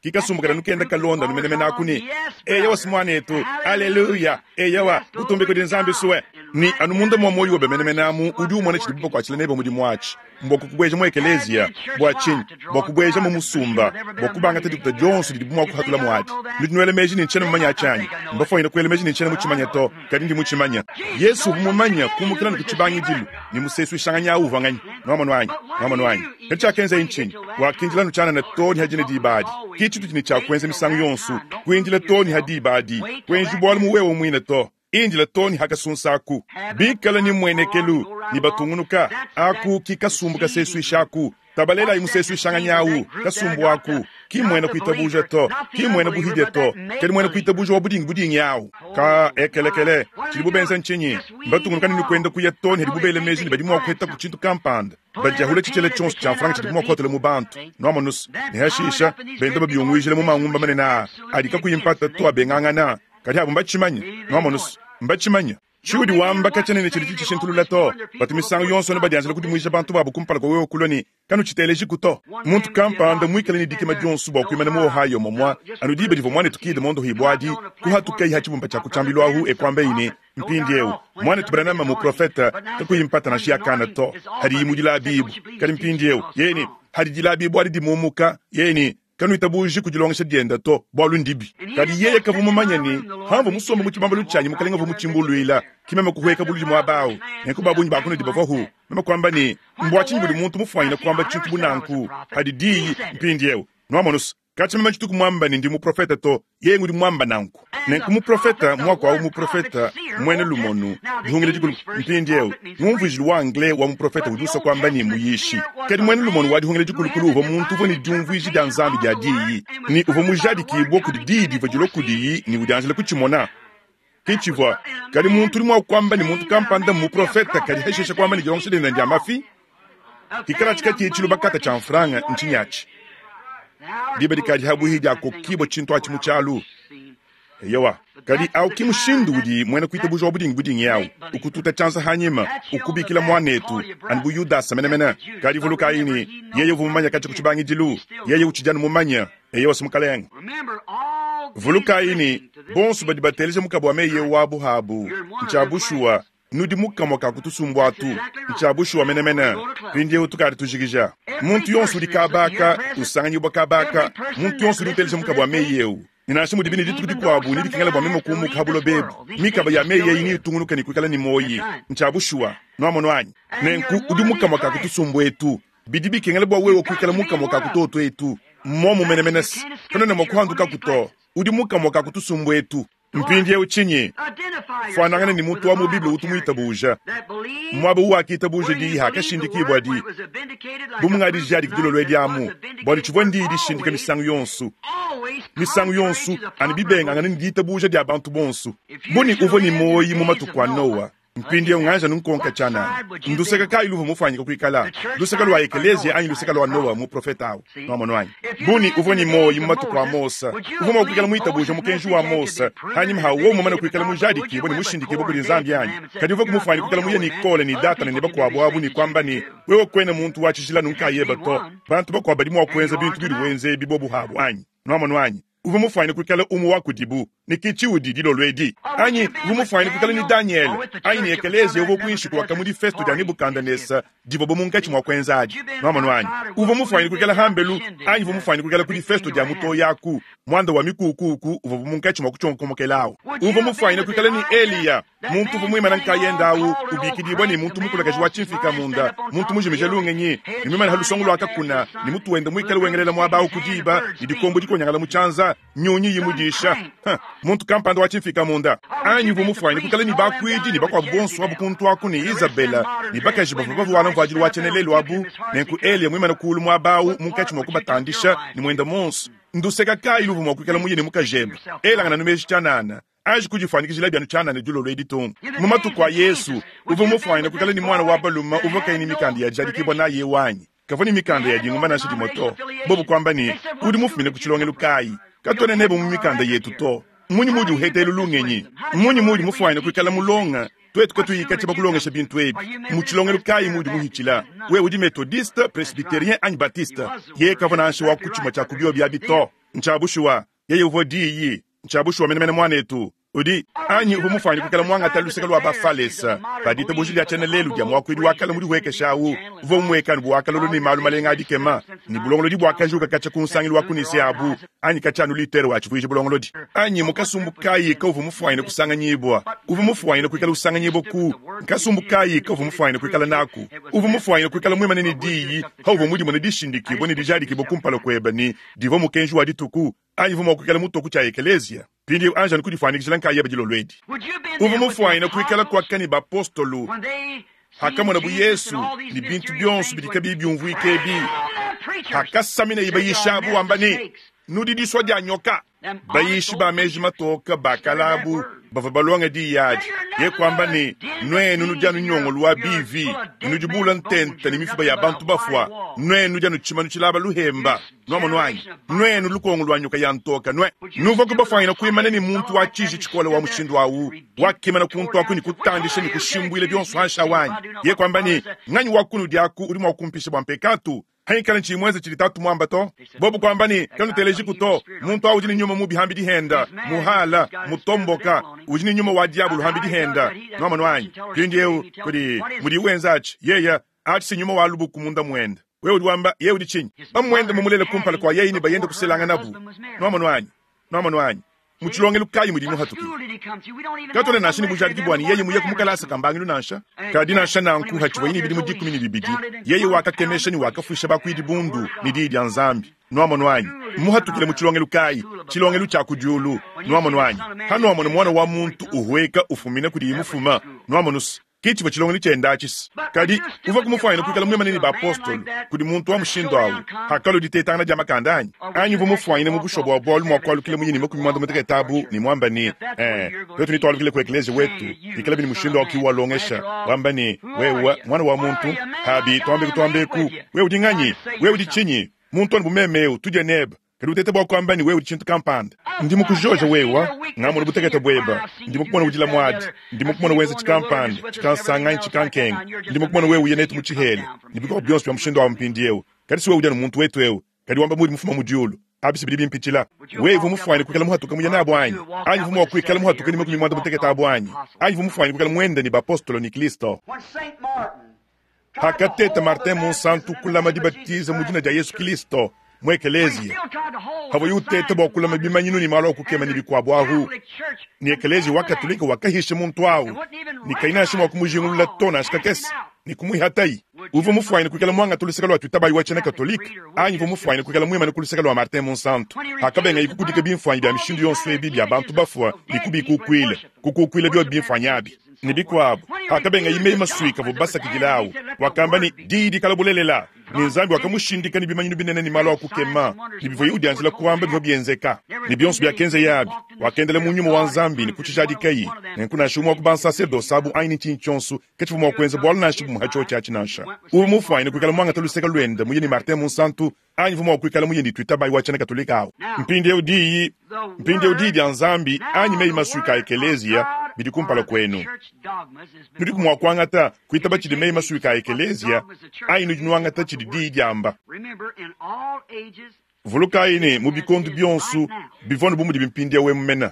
Ki kasumbu kada nukenda kalonda anu menemene aku ne, Eyowa, si muanetu, aleluya, eyowa, butumbi kudi Nzambi sue. Ne anu munda mua muoyo webe menemene amu udi umona tshidibu bakuatshila nebe mudimu atshi. Mbua kukubueja mu ekeleziya. Bua tshinyi? Bua kubueja mu musumba, bua kubangata dikuta dionso didibu mua kuhatula muadi. Nudi nuela meji ne ntshiena mumanye atshi anyi? Mbafuanyine kuela meji ne ntshiena mutshimanye to, kadi ndi mutshimanye. Yesu uvua mumanye kumukila anu ku tshibangidilu ne musesuishanganyi au uvua nganyi. Nuamonu anyi? Nuamonu anyi? Kadi tshiakenzaye ntshinyi? Wakindila anu tshianana too ne ha dine diba adi. Ke tshitudi ne tshia kuenza misangu yonso, kuindila too ne ha diba adi. Kuenji bualu mu wewe muine to. Indila too ne ha kasunsa aku. Bikala ne mmuenekelu ne batungunuka, aku ki kasumbu kasesuisha aku. Tabalelayi musesuishanganyi au, kasumbu aku. Ki mmuena kuitabuja to, ki mmuena buhidia to, kadi muena kuitabuja wa budingi budingi au. Ka ekelekele, tshidibu benza ntshinyi? Mbatungunuka ne kuenda kuya too ne hadibu bela meji ne badi mua kuhetaku tshintu kampanda. Badiahula tshitshela tshionso tshia mfranga tshidibu mua kuhatula mu bantu. Nuamonus, ne hashisha, benda babiunguijila mu mangumba manene aa adi kakuyi mpata to abengangana. Kadi abu mbatshimanye. Nuamonus, mbatshimanye. Tshiudi wamba katshiena ne tshidi tshishintulula to. Batu misangu yonso anu badianjila kudimuija bantu babu kumpala kua wewe kulua ne, Kanutshitelejiku to. Muntu kampanda muikale ne dikima dionso bua kuimana mu Ohio momua anu diba divua muanetu Kidd mondohibua adi, kuhatukayi ha tshibumba tshia ku tshiambilu ahu e kuambayi ne, Mpindieu, muanetu Branham mmuprofete, kakuyi mpata nansha ya kana to, hadiyi mu dilabibu. Kadi mpindieu, yeye ne, hadi dilabibu adi dimumuka, yeye ne, Kanuitabuji ku dilongesha diende to, bualu ndibi. Kadi yeye kavua mumanye ne, pamvua musombe mu tshibambalu tshianyi Mukalenge uvua mutshimbuluila, ke meme kuhueka buludi muaba au. Nenku ba bungi ba kunudi bavuahu. Meme kuamba ne, Mbua tshinyi budi muntu mufuanyine kuamba tshintu bu nanku? Padi diyi, mpindieu, nuamonu's, katshia meme tshituku muamba ne ndi muprofete to, yeye ngudi muamba nanku. Nenku muprofete, muaku awu muprofete, muena lumonu, Dihungila Dikulu. Mpindieu, ngumvuijilu wa Anglais wa muprofete udi usua kuamba ne, muyishi. Kadi muena lumonu wa Dihungila Dikulukulu uvua muntu uvua ne diumvuija dia Nzambi dia Diyi, ne uvua mujadikibue kudi Diyi divua dilua kudiyi ne udianjila kutshimona. Ke tshivua. Kadi muntu udi mua kuamba ne, muntu kampanda mmuprofete, kadi hashishe kuamba ne, dilongesha diende ndia mafi. Hikalatshi katshiyi tshilubakata tshia mfranga, ntshinyi atshi? Diba dikadi habuihi dia kokibua tshintu atshi mu tshialu. Eyowa, kadi au ki mushindu udi muena kuitabuja wa budingi budingi au ukututa tshianza hanyima, ukubikila muanetu, anu bu Yudasa menemene. Kadi vulukayi ne, yeye uvua mumanye katshia ku tshibangidilu, yeye utshidi anu mumanye. Eyowa, si Mukalenge. Vulukayi ne, bonso badi bateleja mukaba wa meyi eu wabu habu, ntshia bushuwa, Nudi mu kamue ka ku tusumbu atu. Ntshia bushuwa menemene. Mpindieu tukadi tujikija. Muntu yonso udi kaba aka usanganyibua kaba aka, muntu yonso udi uteleja mukaba wa meyi eu. Ne nansha mudibi ne dituku dikuabu nedikengela bua meme kumuka ha buloba ebu, mikaba ya meyi eyi neyitungunuke ne kuikala ne muoyi. Ntshia bushuwa. Nuamonu anyi? Nenku udi mu kamue ka ku tusumbu etu. Bidi bikengela bua wewe kuikala mu kamue ka ku tuotu etu. Mmuomu menemene. Katuena mua kuhandukaku to. Udi mu kamue ka ku tusumbu etu. Mpindieu tshinyi? Fuanangana ne muntu wa mu Bible utu muitabuja. Muaba uwakitabuja diyi hakashindikibua di, bu mungadijadiki dilolo edi amu, bualu tshivua ndiyi dishindika misangu yonso, misangu yonso, anu bibengangana ne ditabuja dia bantu bonso. Bu ne uvua ne muoyi mu matuku a Noa, Mpindieu nganja nunkonka tshianana, nduseka kayi luvua mufuanyike kuikala, luseka lua ekeleziya anyi luseka lua Noa muprofete au? Nuamonu anyi? Bu ne uvua ne muoyo mu matuku a Mose, uvua mua kuikala muitabuja mukenji wa Mose hanyima ha wowu mumane kuikala mujadikibue ne mushindikibue kudi Nzambi anyi? Kadi uvuaku mufuanyike kuikala muye ne Kole ne Datana ne bakuabu abu ne kuamba ne, Wewe kuena muntu wa tshijila nunkayeba to, bantu bakuabu badi mua kuenza bintu biudi wenza ebi bobu habu anyi? Nuamonu anyi? Uvua mufuanyine kuikala umue wa kudibu, ne ke tshiudi dilolo edi. Anyi uvua mufuanyine kuikala ne Danyele, anyi ne ekeleziya uvua kuinshi kua mu difesto dia Nebukadenesa divuabu munkatshi mua kuenza adi. Nuamonu anyi? Uvua mufuanyine kuikala hambelu, anyi uvua mufuanyine kuikala ku difesto dia mutoyi aku, muanda wa mikuukuuku uvuabu munkatshi mua kutshionkomokela awu. Uvua mufuanyine kuikala ne Eliya, Muntu uvua muimane nkayende au ubikidibua ne muntu mukulakaji wa tshimfika-munda, muntu mujimije lungenyi, ne muimane ha lusongo lua kakuna, ne mutu wende muikale wengelela muaba au ku diba, ne dikombo dikonyangala mu tshianza, nyunyi imudisha. Huh, muntu kampanda wa tshimfika-munda! Anyi uvua mufuanyine kuikala ne bakuidi ne bakuabu bonso abu kuntu aku ne Izabela ne bakaji bavua bavuala mvuadilu wa tshiena-lelu abu, nenku Eliya muimane kuulu muaba au munkatshi mua kubatandisha ne muende muonso. Nduseka kayi luvua mua kuikala muye ne mukajebe? Elangana nu meji tshianana. Anji kudifuanyikijilabi anu tshianana dilolo edi to. Mu matuku a Yezu, uvua mufuanyine kuikala ne muana wa balume uvua kayi ne mikanda ya dijadikibua nayi eu anyi? Kavua ne mikanda ya dingumba nansha dimue to. Bobu kuamba ne, Udi mufumine ku tshilongelu kayi? Katuena nebe mu mikanda yetu to. Mmunyi muudi uheta elu lungenyi? Mmunyi muudi mufuanyine kuikala mulonga, tuetu katuyi katshia bakulongesha bintu ebi? Mu tshilongelu kayi muudi muhitshila? Wewe udi Methodiste, Presbyterien anyi Baptiste? Yeye kavua nansha wa ku tshimue tshia ku biobi abi to. Ntshia bushuwa, yeye uvua Diyi. Ntshia bushuwa menemene, muanetu. Udi anyi uvua mufuanyine kuikala muangata luseke lua Bafalesa ba ditabuja dia tshiena lelu dia muakuidi wa kale mudihuekesha au, uvua umueka anu bu wa kalolo ne malu malenga a dikema, ne bulongolodi buakajuka katshia ku nsangilu wa ku Nicee abu, anyi katshia anu Luther watshivuija bulongolodi. Anyi mu kasumbu kayi kauvua mufuanyine kusanganyibua? Uvua mufuanyine kuikala usanganyibua ku nkasumbu kayi kauvua mufuanyine kuikala naku? Uvua mufuanyine kuikala muimane ne diyi pauvua mudimone dishindikibua ne dijadikibua kumpala kuebe ne, divua mukenji wa dituku, anyi uvua mua kuikala mutoku tshia ekeleziya? Mpindieu anji anu kudifuanyikijila nkayebe dilolo edi. Uvua mufuanyine kuikala kuaka ne bapostolo pakamonabu Yesu ne bintu bionso bidi kabiyi biumvuika ebi, pakasaminaye bayishi abu wamba ne, Nudi disua dia nyoka. Bayishi ba meji matoke ba kale abu bavua balonge diyi adi, ye kuamba ne, Nuenu nudi anu nyongolo wa bivi, nudi buula ntente ne mifuba ya bantu bafua, nuenu nudi anu tshimanu tshilaba luhemba. Nuamonu anyi? Nuenu lukongo lua nyoka ya ntoka nue! Nuvuaku bafuanyine kuimana ne muntu wa tshiji tshikole wa mushindu au, wakimana kuntu aku ne kutandisha ne kushimbuila bionso hanshi awu anyi? Ye kuamba ne, Nganyi wa kunudi aku udi mua kumpisha bua mpekatu, hangikala ntshiyi muenze tshidi Tatu muamba to? Bobu kuamba ne, Kanutelejiku to, muntu au udi ne nyuma mubi hambi dihenda, muhala, mutomboka, udi ne nyuma wa diabolo hambi dihenda. Nuamonu anyi? Mpindieu, kudi mudiye wenza atshi, yeye atshi si nyuma wa lubuku munda muende. Wewe udi wamba, Yeye udi tshinyi? Mamuende mumulele kumpala kua yeye ne bayende kuselanganabu. Nuamonu anyi? Nuamonu anyi? Mu tshilongelu kayi mudi muhatuke? Katuena nansha ne bujadiki bua ne yeye muye ku mukalasa ka mbangilu nansha. Kadi nansha nanku, hatshivuaye ne bidimu 12, yeye wakakemesha ne wakafuisha bakuidi bundu ne diyi dia Nzambi. Nuamonu anyi? Mmuhatukile mu tshilongelu kayi? Tshilongelu tshia ku diulu. Nuamonu anyi? Hanuamona Muana wa muntu uhueka ufumina kudiye mufuma, nuamonu's, Ke tshivua tshilongelu tshiende atshi. Kadi uvuaku mufuanyine kuikala muimane ne bapostolo kudi muntu wa mushindu au hakalua ditetangana dia makanda anyi? Anyi uvua mufuanyine mu bushuwa bua bualu mua kualukila muye ne 60 abu ne muamba ne, Ee, tuetu netualukile ku ekleziya wetu, bikalabi ne mushindu au ki walongesha, wamba ne, Wewe, muana wa muntu, pabi tuambeku tuambeku, wewe udi nganyi? Wewe udi tshinyi? Muntu anu bu meme eu, tudie nebe. Kadi utete bua kuamba ne wewe udi tshintu kampanda. Ndi mukujoja wewa, ngamona butekete bueba. Ndi mukumona udila muadi. Ndi mukumona wenza tshikampanda, tshikansanga anyi tshikankenga. Ndi mukumona wewe uya netu mu tshihela, ne bikuabu bionso bia mushindu awu mpindieu. Kadi si wewe udi anu muntu wetu eu, kadi wamba muudi mufuma mu diulu. Abi si bidi bimpitshila. Wewe uvua mufuane kuikala muhatuke muye nabu anyi? Anyi uvua mua kuikala muhatuke ne 60 abu anyi? Anyi uvua mufuane kuikala muende ne bapostolo ne Kristo? Hakateta Martin Munsantu kulama dibatiza mu dina dia Yesu Kilisto mu ekeleziya, havuaye uteta bua kulama bimanyinu ne malu a kukema ne bikuabu ahu, ne ekeleziya wa Katolike wakahisha muntu au ne kayi nansha mua kumujingulula to nansha kakese ne kumuihatayi. Uvua mufuanyine kuikala muangate luseke lua tuitabayi wa tshiena Katolike anyi uvua mufuanyine kuikala muimane ku luseke lua Martin Munsantu hakabengaye kukudika bimfuanyi bia mishindu yonso ebi bia bantu bafua ne kubikukuila, kukukuila biobi bimfuanyi abi? Ne bikuabu, pakabengaye meyi masuika avua basakidila au, wakamba ne, Diyi dikala bulelela, ne Nzambi wakamushindika ne bimanyinu binene ne malu a kukema, ne bivuaye udianjila kuamba bivua bienzeka, ne bionso biakenzeye abi, wakendela mu nyuma wa Nzambi ne kutshijadikaye. Nenku nansha umue wa ku bansaserdose abu anyi ne tshinyi tshionso katshivua mua kuenza bualu nansha bumue ha tshiotshi atshi nansha. Uvua mufuanyine kuikala muangate luseke luende muye ne Martin Munsantu anyi uvua mua kuikala muye ne tuitabayi wa tshiena Katolike au. Mpindieu diyi, mpindieu diyi dia Nzambi anyi meyi masuika a ekeleziya bidi kumpala kuenu. Nudiku mua kuangata kuitaba tshidi meyi masuika a ekeleziya anyi nudi nuangata tshidi diyi diamba? Vulukayi ne, mu bikondo bionso bivua anu bu mudibi mpindieu emu mene.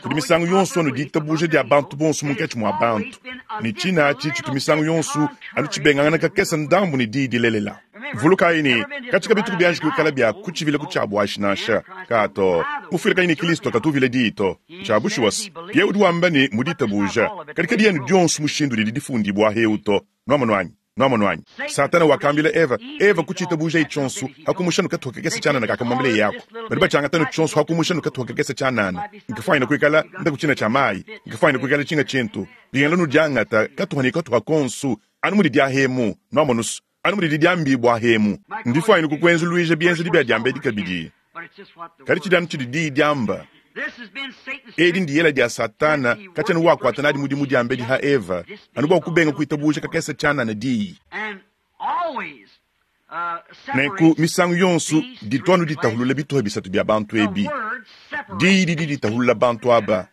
Kudi misangu yonso anu ditabuja dia bantu bonso munkatshi mua bantu, ne tshina atshi tshitu misangu yonso anu tshibengangana kakese ndambu ne diyi dilelela. Vulukayi ne, katshia kabituku bianji kuikala bia kutshivila ku tshia buashi nansha. Ka to. Mufuilakanyi ne Kristo katu uvila diyi to. Ntshia bushuwa se, yeye udi wamba ne mu ditabuja, kadi kadiena dionso mushindu udidi difundibua eu to. Nuamonu anyi? Nwamonu anyi? Satana wakambila Eva, Eva kutshiitabujaye tshionso, ha kumusha nu katuha kakese tshianana kakamuambileye aku. Badi batshiangata nu tshionso ha kumusha nu katuha kakese tshianana. Nkafuanyine kuikala nda ku tshina tshia mayi, nkafuanyine kuikala tshinga tshintu. Bingela nudiangata katuha ne katuha konso, anu mudi diahemu, nwamonu's, anu mudidi diambibua hemu. Ndifuanyine kukuenzuluija bienzedi bia diambedi kabidi. Kadi tshidi anu tshidi diyi diamba. Edi ndiyela dia Satana katshiena wakuata nadi mudimu diambedi ha Eva, anu bua kubenga kuitabuja kakese tshianana diyi. Nenku misangu yonso ditu anu ditahulula bituha bisatu bia bantu ebi. Diyi didi ditahulula bantu aba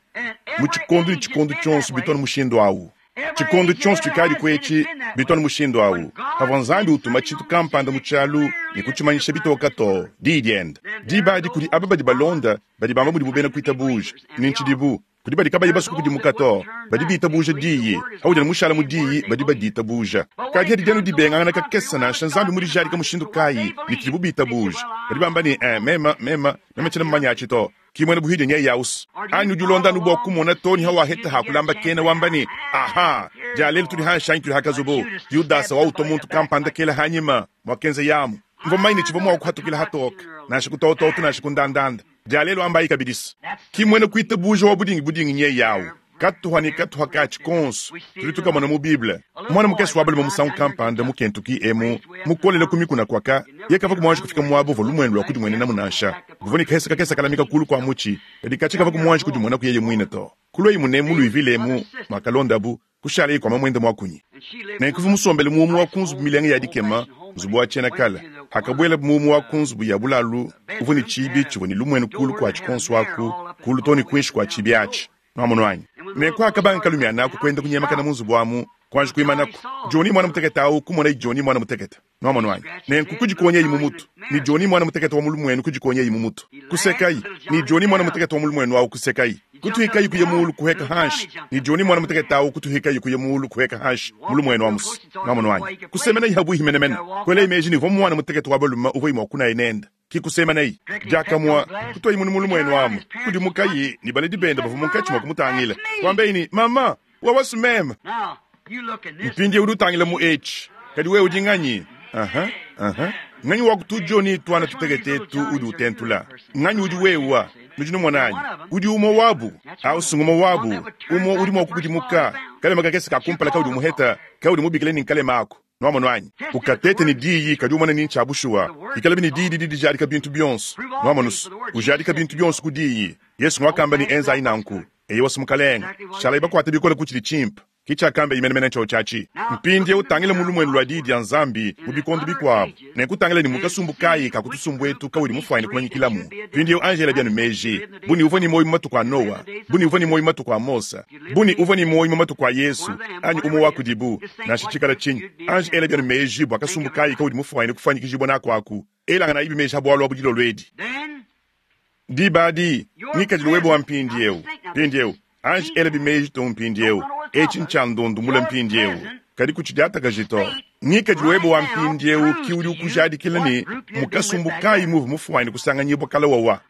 mu tshikondo ne tshikondo tshionso bitu anu mushindu awu. Tshikondo tshionso tshikadiku etshi bitu anu mushindu awu. Pavua Nzambi utuma tshintu kampanda mu tshialu ne kutshimanyisha bitoka too, Diyi diende. Diba adi kudi aba badi balonda badi bamba mudibu bena kuitabuja, ne ntshidibu. Kudi badi kabayi basue kukudimuka to, badi bitabuja Diyi. Paudi anu mushala mu Diyi, badi baditabuja. Kadi adi anu dibengangana kakese nansha Nzambi mudijadika mushindu kayi ne tshidibu bitabuja. Badi bamba ne, Eh, mema, mema, mema tshiena mumanya atshi to. Ki muena buhidia nyeye ausu. Anyi udi ulonda anu bua kumona too ne hawaheta ha kulamba kena wamba ne, Aha, dia lelu tudi hanshi anyi tudi ha kazubu. Yudasa wautua muntu kampanda kela hanyima, muakenza yamu. Mvua mumanye ne tshivua mua kuhatukila hatoke, nansha ku tototo nansha ku ndandanda. Dia lelu ambayi kabidi se, Ki muena kuitabuja wa budingi budingi nyeye au. Katuha ne katuha katshi konso tudi tukamona mu Bible. Muana mukese wa balume musangu kampanda mu Kentucky emu, mukolela ku mikuna kuaka, ye kavua muanji kufika muaba uvua lumuenu lua kudimuenenamu nansha. Buvua ne kahesa kakese kalamika kulu kua mutshi, kadi katshi kavua muanji kudimuenaku yeye muine to. Kuluaye munemu mu Louisville emu muakalondabu, kushalaye kua mamuende muakunyi. Nenku uvua musombele mu umue wa ku nzubu milenga ya dikema, nzubu wa tshiena kale. Akabuelabu mu umue wa ku nzubu ya bulalu uvua ne tshiibi tshivua ne lumuenu kulu kuatshi kuonso aku, kulu too ne kuinshi kua tshiibi atshi. Nwamonu anyi? Nenku akabanga kalumiana aku kuenda kunyemakana mu nzubu amu, kuanji kuimanaku. Johnny muana mutekete awu kumonaye Johnny muana mutekete. Nwamonu anyi? Nenku kudikonyayi mu mutu, ne Johnny muana mutekete wa mu lumuenu kudikonyayi mu mutu. Kusekayi, ne Johnny muana mutekete wa mu lumuenu awu kusekayi. Kutuhikayi kuya muulu kuheka hanshi, ne Johnny muana mutekete awu kutuhikayi kuya muulu kuheka hanshi mu lumuenu amu's. Nwamonu anyi? Kusemenayi habuihi menemene. Kuelayi meji ne uvua muana mutekete wa balume uvuayi mua kunaya nende. Ki kusemanayi diakamue, kutuayi munu mu lumuenu amu. Kudimukayi ne baledi bende bavua munkatshi mua kumutangila. Kuambayi ne, Mama, wawasu meme. Mpindieu udi utangila mu etshi. Kadi wewe udi nganyi? Aha, aha. Nganyi wa ku tu-Johnny tuana tutekete etu udi utentula? Nganyi udi wewa? Nudi numona anyi? Udi umue wabu. Au si ngumue wabu. Umue udi mua kukudimuka. Kalema kakese ka kumpala kaudi umuheta, kaudi mubikile ne nkalema aku. Nwamonu anyi? Ukatete ne Diyi, kadi umone ni ncya bushuwa. Ikalabi ne Diyi didi dijadika bintu byonso. Nwamonu's? Ujadika bintu byonso ku Diyi. Yesu ngwakamba ne, Enzayi nanku. Eyowa's, mukalenge. Shalayi bakwate bikole ku cidi cimpe. Ki cyakambaye menemene ncyoci aci. Mpindyewu tangila mu lumwenu lwa Diyi dya Nzambi mu bikondo bikwabo, nenku tangila ne mu kasumbu kaayi ka ku tusumbu etu kaudi mufwanyine kumanyikilamu. Mpindyewu anji ela byanu meeji, bu ne uvwa ne mwoyi mu matuku a Nowa, bu ne uvwa ne mwoyi mu matuku a Mose, bu ne uvwa ne mwoyi mu matuku a Yesu, anyi umwe wa kudibu, nansha cikala cinyi, anji ela byanu meeji bwa kasumbu kaayi kaudi mufwanyine kufwanyikijibwa naku aku. Elanganayibi meeji ha bwalu abu dilolo edi. Diba adi, ngikadilu webe wa mpindiewu. Mpindiewu, anji elabi meji too mpindiewu. Etshi ntshia ndondu mule mpindiewu, kadi kutshidiatakaji to. Ngikadilu webe wa mpindiewu ki udi ukujadikila ne mu kasumbu kayi muuvua mufuane kusanganyibua kale wawa.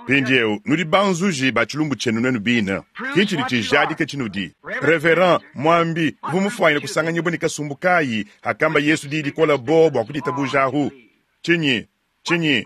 Mpindiewu, nudi banzuji ba tshilumbu tshienu nuenu bine. Ki tshidi tshijadika tshinudi. Reverend, muambi, uvua mufuane kusanganyibua ne kasumbu kayi hakamba Yesu diyi dikola boo bua kuditabuja ahu? Tshinyi? Tshinyi?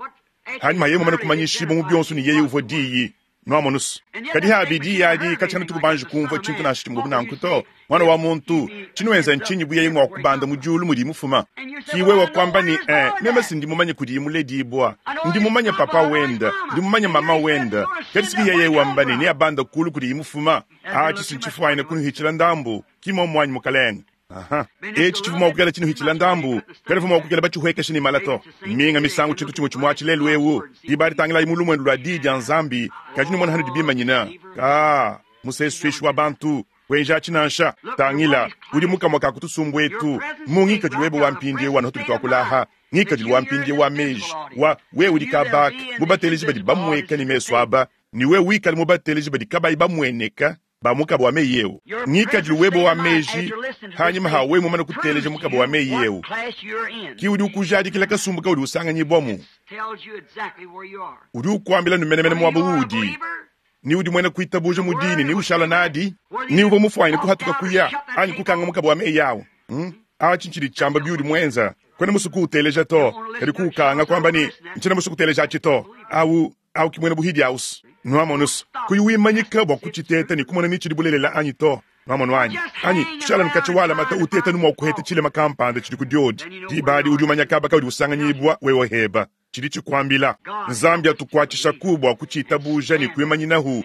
Hanyima yeye mumane kumanyishibua mu bionso ne yeye uvua Diyi. Nwamonu's? Kadi habi Diyi adi katshiena tuku banji kumvua tshintu nansha tshimue bu nanku to. Mwana wa muntu, tshinuenza ntshinyi bu yeye mua kubanda mu diulu mudiyi mufuma? Ki wewe kuamba ne, Eh, meme si ndi mumanye kudiyi muledibua. Ndi mumanye papa wende, ndi mumanye mama wende. Kadi si yeye wamba ne neabanda kulu kudiyi mufuma? Atshi si ntshifuanyine kunuhitshila ndambu, ki muomu anyi, mukalenge? Aha. Etshi tshivua mua kuikala tshinuhitshila ndambu, kabivua mua kuikala batshihuekeshe ne mala to. Minga misangu tshintu tshimue tshimue atshi lelu eu, diba adi tangilayi mu lumuenu lua Diyi dia Nzambi, kadi numone hanudi bimanyina. Kaa, musesuishi wa bantu, kuenji atshi nansha. Tangila, udi mu kamue ka ku tusumbu etu, mu ngikadilu webe wa mpindieu anu hatudi tuakula aha, ngikadilu wa mpindieu wa meji, wa wewe udi kabaka mu bateleji badi bamueka ne mesu aba, ne wewe wikale mu bateleji badi kabayi bamueneka, ba mukaba wa meyi eu. Ngikadilu webe wa meji hanyima ha wewe mumane kuteleja mukaba wa meyi eu ki udi ukujadikila kasumbu kaudi usanganyibuamu. Udi ukuambila nu menemene muaba uudi, ni udi muena kuitabuja mu diyi ne ni ushala nadi, ni uvua mufuanyine kuhatuka kuya anyi kukanga mukaba wa meyi au. Hmm? Atshi ntshidi tshiamba biudi muenza. Kuena musue kuuteleja to, kadi kuukanga kuamba ne ntshiena musue kuteleja atshi to. Au Au ki muena buhidi aus. Nuamonus, kuyi wimanyika bua kutshiteta ne kumona ni tshidi bulelela anyi to. Nuamonu anyi? Anyi kushala nkatshi walamata uteta nu mua kuheta tshilema kampanda tshidi ku diodi. Diba adi udi umanya kaba kaudi usanganyibua wewe heba. Tshidi tshikuambila. Nzambi atukuatshishaku bua kutshitabuja ne kuimanyinahu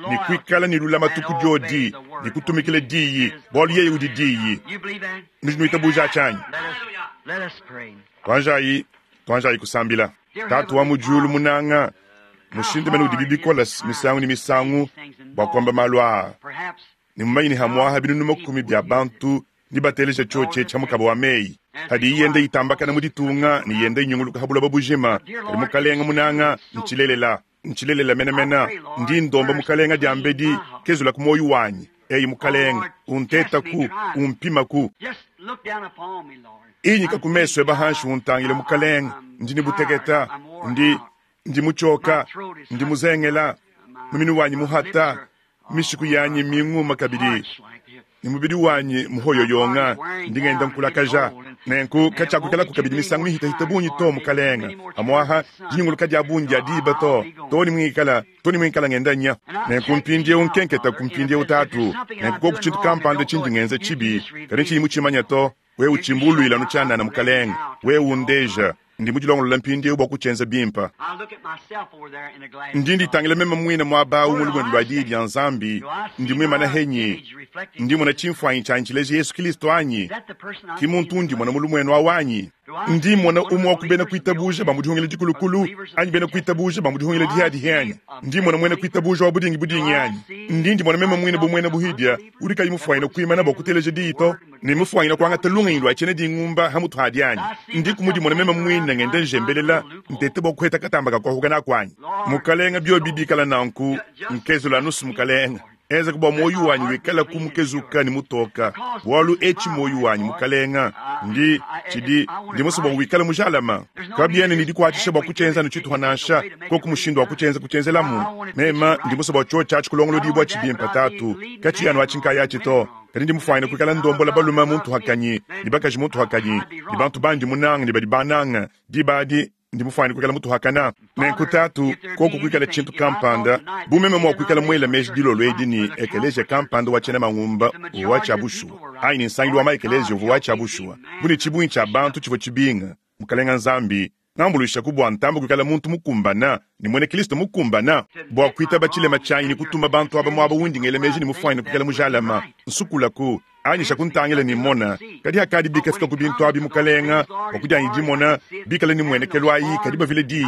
ne kuikala ne lulamatu ku diodi ne kutumikila Diyi, bualu yeye udi Diyi. Nudi nuitabuja atshi anyi? Tuanjayi, tuanjayi kusambila. Tatu wa mu diulu munanga, Mushindu mene udibi bikola misangu ne misangu bua kuamba malu aa, ne mumanye ne hamuaha binunu makumi bia bantu nibateleja tshiotshi etshi ha mukaba wa meyi hadiyi yenda itambakana mu ditunga ne yenda inyunguluka ha buloba bujima. Kadi Mukalenga munanga, ntshilelela, ntshilelela menamena, ndi ndomba Mukalenga diambedi kezula ku muoyo wanyi. Eyi Mukalenga, untetaku, umpimaku. Inyika ku mesu eba hanshi untangile Mukalenga, ndi ne buteketa, ndi ndi mutshioka, ndi muzengela, muminu wanyi muhata, mishiku yanyi minguma kabidi, ne mubidi wanyi muhoyoyonga, ndi ngenda nkulakaja. Nenku katshiakuikalaku kabidi misangu mihitahita bungi to, Mukalenga, amuaha dinyunguluka dia bungi dia diba to, to ne muikala to ne muikala ngenda nya. Nenku mpindieu nkenketa ku mpindieu Tatu, nenku koku tshintu kampanda tshindi ngenza tshibi, kadi ntshiyi mutshimanya to, wewe utshimbuluila anu tshianana, Mukalenga, wewe undeja. Ndi mudilongolola mpindieu bua kutshienza bimpe. Ndi nditangila meme muine muaba au mu lumuenu lua Diyi dia Nzambi. Ndi muimane henyi? Ndi mmona tshimfuanyi tshianyi tshileja Yesu Kristo anyi? Ki muntu undi mmona mu lumuenu au anyi? Ndi mmona umue wa ku bena kuitabuja ba mu dihungila dikulukulu anyi bena kuitabuja ba mu dihungila dihiadihi anyi? Ndi mmona muena kuitabuja wa budingi budingi anyi? Ndi ndimona meme muine bu muena buhidia udi kayi mufuanyine kuimana bua kuteleja diyi to, ne mufuanyine kuangata lungenyi lua tshiena dingumba ha mutu hadi anyi? Ndiku mudimona meme muine ngenda njembelela ntete bua kuheta katamba ka kuahuka naku anyi? Mukalenga, biobi bikala nanku, nkezula anusu Mukalenga. Enzaku bua muoyo wanyi wikalaku mukezuka ne mutoka, bualu etshi muoyo wanyi, Mukalenga, ndi tshidi ndi musue bua wikale mujalama. Kabiena ne dikuatshisha bua kutshienza anu tshituha nansha, koku mushindu wa kutshienza kutshienzelamu. Mema ndi musue bua tshiotshi atshi kulongolodibua tshibimpe, Tatu, katshiyi anu atshi nkayatshi to, kadi ndi mufuanyine kuikala ndombola balume mu ntuhakanyi ne bakaji mu ntuhakanyi ne bantu bandi munange ne badi bannange. Diba adi ndi mufuanyine kuikala mutuhakana. Nenku Tatu, koku kuikala tshintu kampanda, bu meme mua kuikala muela meji dilolo edi ne ekeleziya kampanda wa tshiena mangumba uvua wa tshia bushuwa, anyi ne nsangilu wa maekeleziya uvua wa tshia bushuwa, bu ne tshibungi tshia bantu tshivua tshibinga, Mukalenga Nzambi, ngambuluishaku bua ntambe kuikala muntu mukumbana ne muena Kristo mukumbana bua kuitaba tshilema tshianyi ne kutuma bantu aba muaba undi ngela meji ne mufuanyine kuikala mujalama. Nsukulaku. Anyisha kuntangila ne mmona, kadi hakadi bikafika ku bintu abi, Mukalenga, bua kudianyi dimona, bikale ne muenekelu ayi, kadi bavile diyi,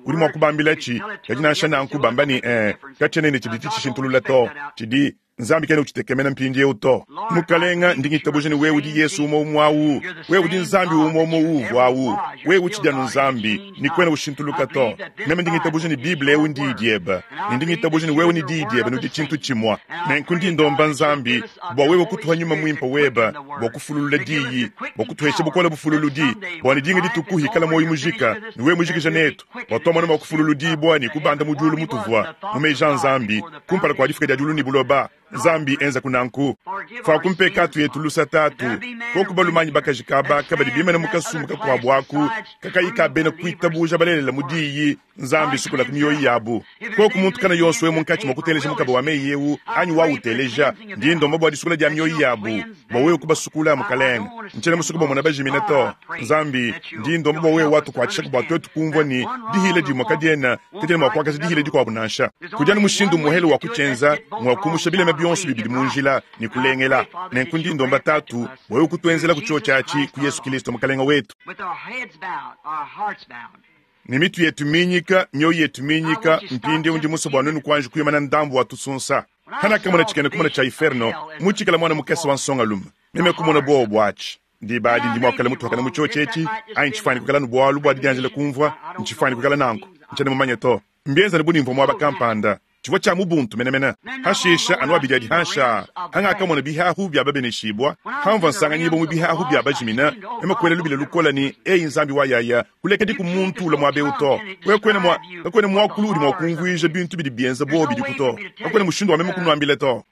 udi mua kubambilatshi, kadi nansha nanku bamba ne, Ee, katshiena ne tshidi tshitshishintulula to, tshidi, Nzambi kena utshitekemena mpindiewu to. Mukalenga, ndi ngitabuja ne wewe udi Yesu umue umue awu, wewe udi Nzambi umue umue uuvua awu, wewe utshidi anu Nzambi, ne kuena ushintuluka to. Meme ndi ngitabuja ne Bible ewu n'Diyi diebe, ne ndi ngitabuja ne wewe ne Diyi diebe nudi tshintu tshimue. Nenku ndi ndomba Nzambi bua wewe kutuha Nyuma Muimpe webe bua kufululula Diyi, bua kutuhesha bukole bufululudi, bua ne dinga dituku hikala muoyo mujika ne wewe mujikija netu, bua tuamona mua kufululudibua ne kubanda mu diulu mutuvua mu meji a Nzambi kumpala kua difuka dia diulu ne buloba. Nzambi, enzaku nanku. Fuaku mpekatu yetu lusa, Tatu. Koku balume anyi bakaji kaba kabadi bimane mu kasumbu kakuabu aku kakayi ka bena kuitabuja balelela mu Diyi, Nzambi, sukulaku mioyo yabu. Koku muntu kana yonso we munkatshi mua kuteleja mukaba wa meyi eu anyi wauteleja, ndi ndomba bua disukula dia mioyo yabu, bua wewe kubasukula, Mukalenge. Ntshiena musue kubamona bajimina to. Nzambi, ndi ndomba bua wewe watukuatshishaku bua tuetu kumvua ne, dihila dimue kadiena, kadiena mua kuakaja dihila dikuabu nansha. Kudi anu mushindu umuehele wa kutshienza, ngua kumusha bilema bionso bibidi mu njila ne kulengela. Nenku ndi ndomba Tatu bua wewe kutuenzelaku tshiotshi atshi ku Yesu Kilisto Mukalenge wetu. Ne mitu yetu minyika, mioyo yetu minyika, mpindieu ndi musue bua nuenu kuanji kuimana ndambu wa tusunsa. Hanakamona tshikena kumona tshia iferno, mutshikala muana mukese wa nsongalume, meme kumona buowa buatshi. Diba adi ndi mua kuikala mutuakane mu tshiotshi etshi, anyi ntshifuanyine kuikala ne bualu bua didianjila kumvua, ntshifuanyine kuikala nanku, ntshiena mumanye to. Mbienzane bu ne mvua muaba kampanda, tshivua tshia mu buntu menemene. Hashisha anu abidi adi hanshi aa, hangakamona bihahu bia babeneshibua, hamvua nsanganyibua mu bihahu bia bajimina, meme kuela lubila lukole ne, Eyi Nzambi wa yaya, kulekediku muntu ulua muaba eu to. Wewe kuena mua, kakuena muakulu udi mua kumvuija bintu bidi bienza buowa bidiku to. Kakuena mushindu wa meme kunuambila to.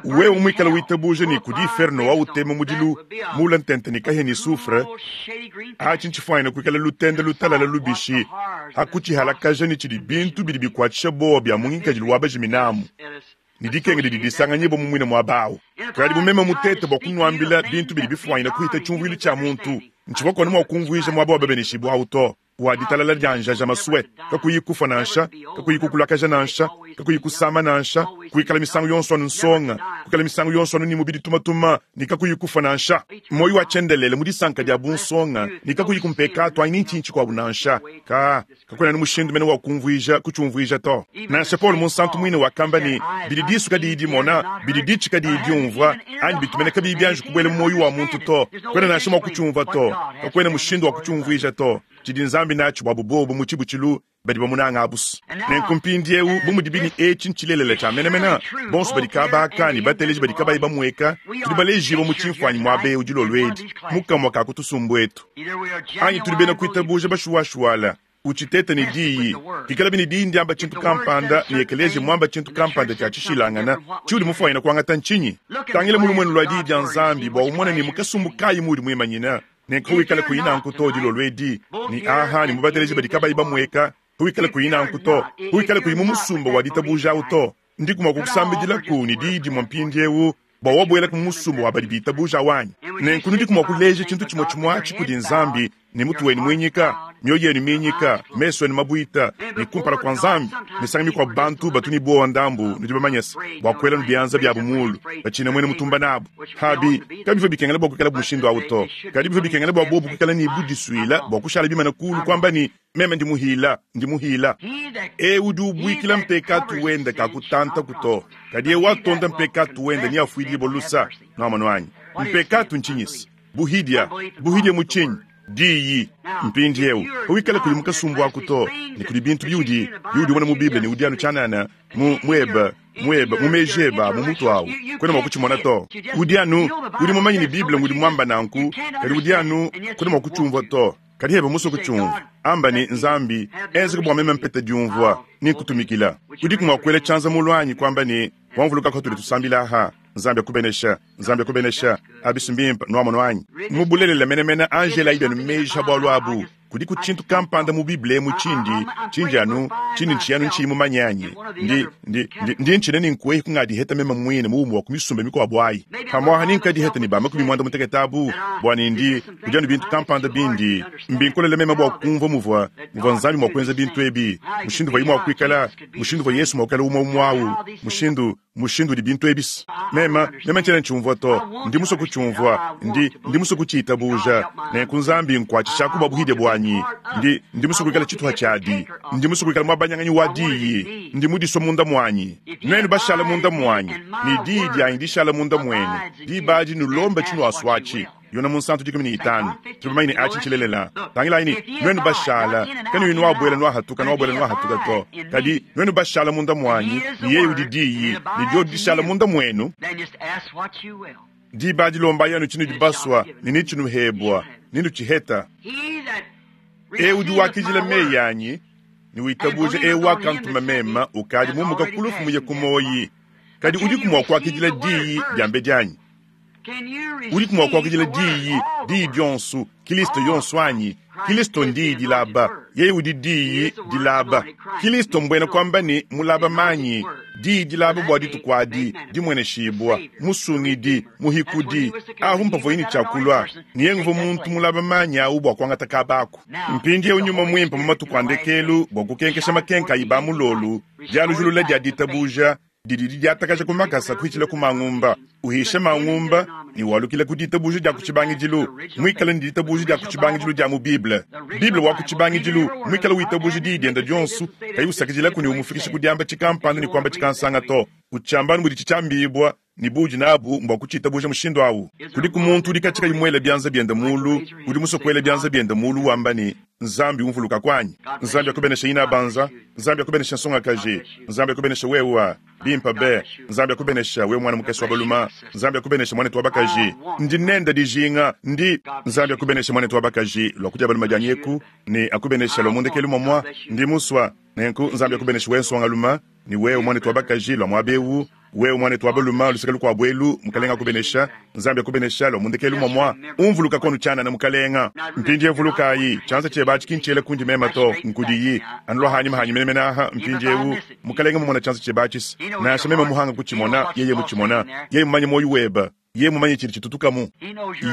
Wewe muikale witabuja ne kudi inferno wa utema mudilu muula ntente ne kahia ne soufre, atshi ntshifuanyine kuikala lutende lutalala lubishi ha kutshihalakaja ne tshidi bintu bidi bikuatshisha buowa bia mu ngikadilu wa bajiminamu ne dikenga didi disanganyibua mu muine muaba au. Kadi bu meme mutete bua kunuambila bintu bidi bifuanyine kuhita tshiumvuilu tshia muntu, ntshivua kuena mua kumvuija muaba wa babeneshibue au to, wa ditalala dia njaja masue, kakuyi kufua nansha, kakuyi kukulakaja nansha, kakuyi kusama nansha. Kuikala misangu yonso anu nsonga, kuikala misangu yonso anu ne mubidi tumatuma ne kakuyi kufua nansha. Muoyo wa tshiendelele mu disanka dia bunsonga ne kakuyi ku mpekatu anyi ni ntshinyi tshikuabu nansha. Ka, kakuena anu mushindu mene wa kumvuija, kutshiumvuija to. Nansha Paulo Munsantu muine wakamba ne, Bidi disu kadiyi dimona, bidi ditshi kadiyi diumvua, anyi bitu mene kabiyi bianji kubuela mu muoyo wa muntu to, kuena nansha mua kutshiumvua to. Kakuena mushindu wa kutshiumvuija to. Tshidi Nzambi natshi buabu bobu mu tshibutshilu badi bamunanga abu's. Nenku mpindiewu, bu mudibi ne eci ncilelela cya menemene, bonso badi kaaba aka ne bateleji badi kabayi bamweka, tudi balejiibwa mu cimfwanyi mwaba ewu dilolo edi, mu kamwa ka ku tusumbu etu. Anyi tudi bena kwitabuuja bashuwashuwala, uciteeta ne Diyi. Pikalabi ne Diyi ndyamba cintu kampanda, ne ekeleeziya mwamba cintu kampanda cya cishilangana, ciudi mufwanyine kwangata ncinyi? Tangila mu lumwenu lwa Diyi dya Nzambi bwa umone ne mu kasumbu kaayi muudi mwimanyine. Nenku wikale kuyi nanku to dilolo edi, ne aha ne mu bateleji badi kabayi bamueka, wikale kuyi nanku to, wikale kuyi mu musumba wa ditabuja awu to. Ndiku mua kukusambidilaku ne diyi dimue mpindiewu bua wabuelaku mu musumba wa badi bitabuja awu anyi? Nenku nudiku mua kuleja tshintu tshimue tshimue atshi kudi Nzambi ne mutu wenu muinyika, mioyo yenu minyika, mesu enu mabuita, ne kumpala kua Nzambi. Misangu mikuabu bantu batu ne buowa ndambu, nudi bamanye se, bua kuela nu bianza biabu muulu, batshina muena mutumba nabu. Pabi, kabivua bikengela bua kuikala mushindu au to. Kadi bivua bikengela bua buobu kuikala ne budisuile bua kushala bimane kuulu kuamba ne, Meme ndi muhila, ndi muhila. Eu udi ubuikila mpekatu wende kakutantaku to, kadi eu watonda mpekatu wende neafuidibue lusa. Nuamonu anyi? Mpekatu ntshinyi-se? Buhidia. Buhidia mu tshinyi? Diyi. Mpindiewu, pawikala kuyi mu kasumbu aku to, ne kudi bintu biudi, biudi umona mu Bible ne udi anu tshianana mu, mu ebe, mu ebe, mu meji ebe a mu mutu awu, kuena mua kutshimona to. Udi anu, udi mumanye ne Bible ngudi muamba nanku, kadi udi anu, kuena mua kutshiumvua to. Kadi ebe musue kutshiumvua, amba ne, Nzambi, enzeka bua meme mpete diumvua ne nkutumikila. Udiku mua kuela tshianza mulu anyi kuamba ne, Wamvuluka patudi tusambila aha? Nzambi akubenesha. Nzambi akubenesha. Abi's mbimpe, nwamonu anyi? Mu bulelela menemene, anji elayi bienu meji ha bualu abu. Kudiku tshintu kampanda mu Bible emu tshindi, tshindi anu, tshindi ntshiyi anu ntshiyi mumanye anyi? Ndi, ndi, ndi, ndi ntshina ne nkuehi kungadiheta meme muine mu umue wa ku misumba mikuabu ayi. Pamuaha ne nkadiheta ne ba makumi muanda mutekete abu, bua ne ndi, kudi anu bintu kampanda bindi, mbinkolele meme bua kumvua muvua, muvua Nzambi mua kuenza bintu ebi, mushindu uvuaye mua kuikala, mushindu uvua Yesu mua kuikala umue umue awu, mushindu, mushindu udi bintu ebi. Meme, meme ntshiena ntshiumvua to. Ndi musue kutshiumvua. Ndi, ndi musue kutshiitabuja. Nenku Nzambi nkwatshishaku bua buhidie buanyi. Ndi, ndi musue kuikala tshituha tshiadi. Ndi musue kuikala muabanyanganyi wa Diyi. Ndi mudisue munda muanyi. Nuenu bashala munda muanyi, ne Diyi dianyi dishala munda muenu, diba adi nulombe tshinuasuatshi. Yona Munsantu 15. Tudi bamanye ne atshi ntshilelela. Tangilayi ne, nuenu bashala, kanuyi nuabuela nuahatuka, nuabuela nuahatuka to. Kadi nuenu bashala munda muanyi, ne yeye udi Diyi, ne diodi dishala munda muenu, diba adi lombayi anu tshinudi basua, ne netshinuhebua, nenutshiheta. Eu udi wakidila meyi anyi ne witabuja eu wakantuma meme ukadi mumuka ku lufu muye ku muoyi. Kadi udiku mua kuakidila diyi diambedi anyi? Udiku mua kuakidila Diyi, Diyi dionso, Kilisto yonso anyi? Kilisto n'Diyi dilaba. Yeye udi Diyi dilaba. Kilisto mbuena kuamba ne mulaba manyi, Diyi dilaba bua dituku adi, dimueneshibua, Musungidi, Muhikudi. Ahu mpavuaye ne tshia kulua, ne yeye nguvua muntu mulaba manyi awu bua kuangata kaba aku. Mpindiewu Nyuma Muimpe mu matuku a ndekelu bua kukenkesha makenka ayi ba mulolu, dialujulula dia ditabuja, didi didiatakaja ku makasa kuhitshila ku mangumba, uhisha mangumba ne walukila ku ditabuja dia ku tshibangidilu, muikale ne ditabuja dia ku tshibangidilu dia mu Bible, Bible wa ku tshibangidilu, muikale witabuja diyi diende dionso, kayi usakidilaku ne umufikisha ku diamba tshikampanda ne kuamba tshikansanga to, utshiamba anu muditshi tshiambibua ne buudi nabu mbua kutshitabuja mushindu au. Kudiku muntu udi katshia kayi muele bianza biende muulu, udi musue kuela bianza biende muulu wamba ne, Nzambi umvulukaku anyi? Nzambi akubeneshe inabanza. Nzambi akubeneshe nsongakaji. Nzambi akubeneshe wewe. Bimpe be. Nzambi akubeneshe wewe muana mukese wa balume. Nzambi akubeneshe muanetu wa bakaji. Ndi nende dijinga. Ndi. Nzambi akubeneshe muanetu wa bakaji lua ku dia balume dianyi eku, ne akubeneshe lua mu ndekelu muamua. Ndi musua. Nenku Nzambi akubeneshe wewe nsongalume, ne wewe muanetu wa bakaji lua muaba eu. Wewe muanetu wa balume luseke lukuabu elu, Mukalenga akubenesha. Nzambi akubenesha lua mu ndekelu muamua. Umvuluka konu tshianana, Mukalenga. Mpindiewu vulukayi, tshianza tshieba atshi ki ntshiela kundi mema to, nkudiyi. Anu lua hanyima hanyi menemene aha, mpindiewu, Mukalenga mumona tshianza tshieba atshi. Nansha mema muhanga kutshimona, yeye mutshimona. Yeye mumanye muoyo weba. Yeye mumanye tshidi tshitutukamu.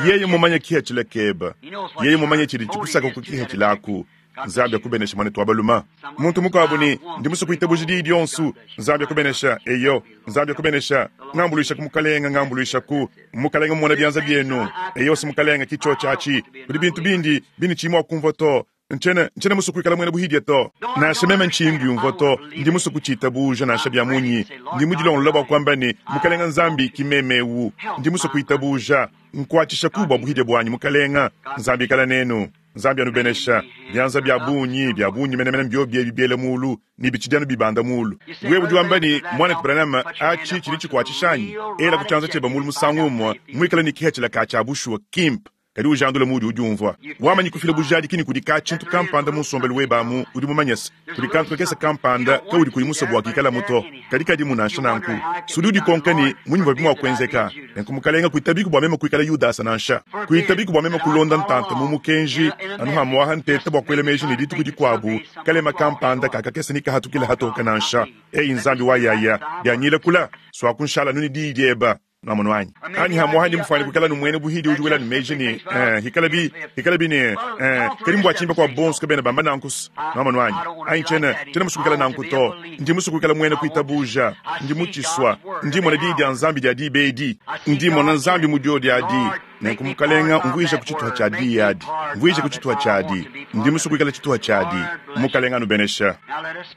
Yeye mumanye kihatshila keba. Yeye mumanye tshidi tshikusaka ku kihatshila aku. Nzambi akubenesha, mwanetu wa baluma. Muntu mukuabu ne, Ndi musue kuitabuja Diyi dionso. Nzambi akubenesha. Eyo. Nzambi akubenesha. Ngambuluishaku, Mukalenge, ngambuluishaku. Mukalenge mmona bianza bienu. Eyo, Mukalenge, ki cyoci aci. Kudi bintu bindi, bindi ciyi mwa kumvwa to. Ncyena, ncyena musue kwikala mwena buhidye to. Nansha meme nciyi mbyumvwa to, ndi musue kuciitabuuja nansha bya munyi. Ndi mudilongolola bwa kwamba ne, Mukalenge Nzambi, ki meme ewu. Ndi musue kwitabuuja. Nkwacishaku bwa buhidye bwanyi, Mukalenge. Nzambi ikala neenu. Nzambi anubenesha. Byanza bya bungi, bya bungi menemene mbyobi ebi byela muulu, ne bicidi anu bibanda muulu. Wewe udi wamba ne, Mwanetu Branham, aci cidi cikwacisha anyi? Elaku cyanza cyebe muulu musangu umwe, mwikale ne kihacila ka cya bushuwa kimpe. Kadi ujandule muudi udiumvua. Wamanyi kufila bujadiki ne kudi ka-tshintu kampanda mu nsombelu webe amu, udi mumanye se, kudi kantu kakese kampanda kaudi kuyi musue bua kikalamu to, kadi kadimu nansha nanku. S'udi udikonka ne, Mmunyi muvuabi mua kuenzeka? Nenku, Mukalenge, kuitabiku bua meme kuikala Yudasa nansha. Kuitabiku bua meme kulonda ntanta mu mukenji anu hamuaha nteta bua kuela meji ne dituku dikuabu kalema kampanda ka kakese nekahatukile hatoke nansha. Eyi Nzambi wa yaya, bianyila kula, suaku nshala anu ne diyi dieba. Nwamonu anyi? Anyi hamuaha ndi mufuane kuikala nu muena buhidi udi wela meji ne, eh, hikalabi, hikalabi ne, eh, kadi mbua tshinyi bakuabu bonso kabena bamba nanku-s? Nwamonu anyi? Anyi tshiena, tshiena musue kuikala nanku to. Ndi musue kuikala muena kuitabuja. Ndi mutshisua. Ndi mmona Diyi dia Nzambi dia diba edi. Ndi mmona Nzambi mu diodi adi. Nenku, Mukalenga, mvuijaku tshituha tshia Diyi adi. Mvuijaku tshituha tshiadi. Ndi musue kuikala tshituha tshiadi. Mukalenga anubenesha.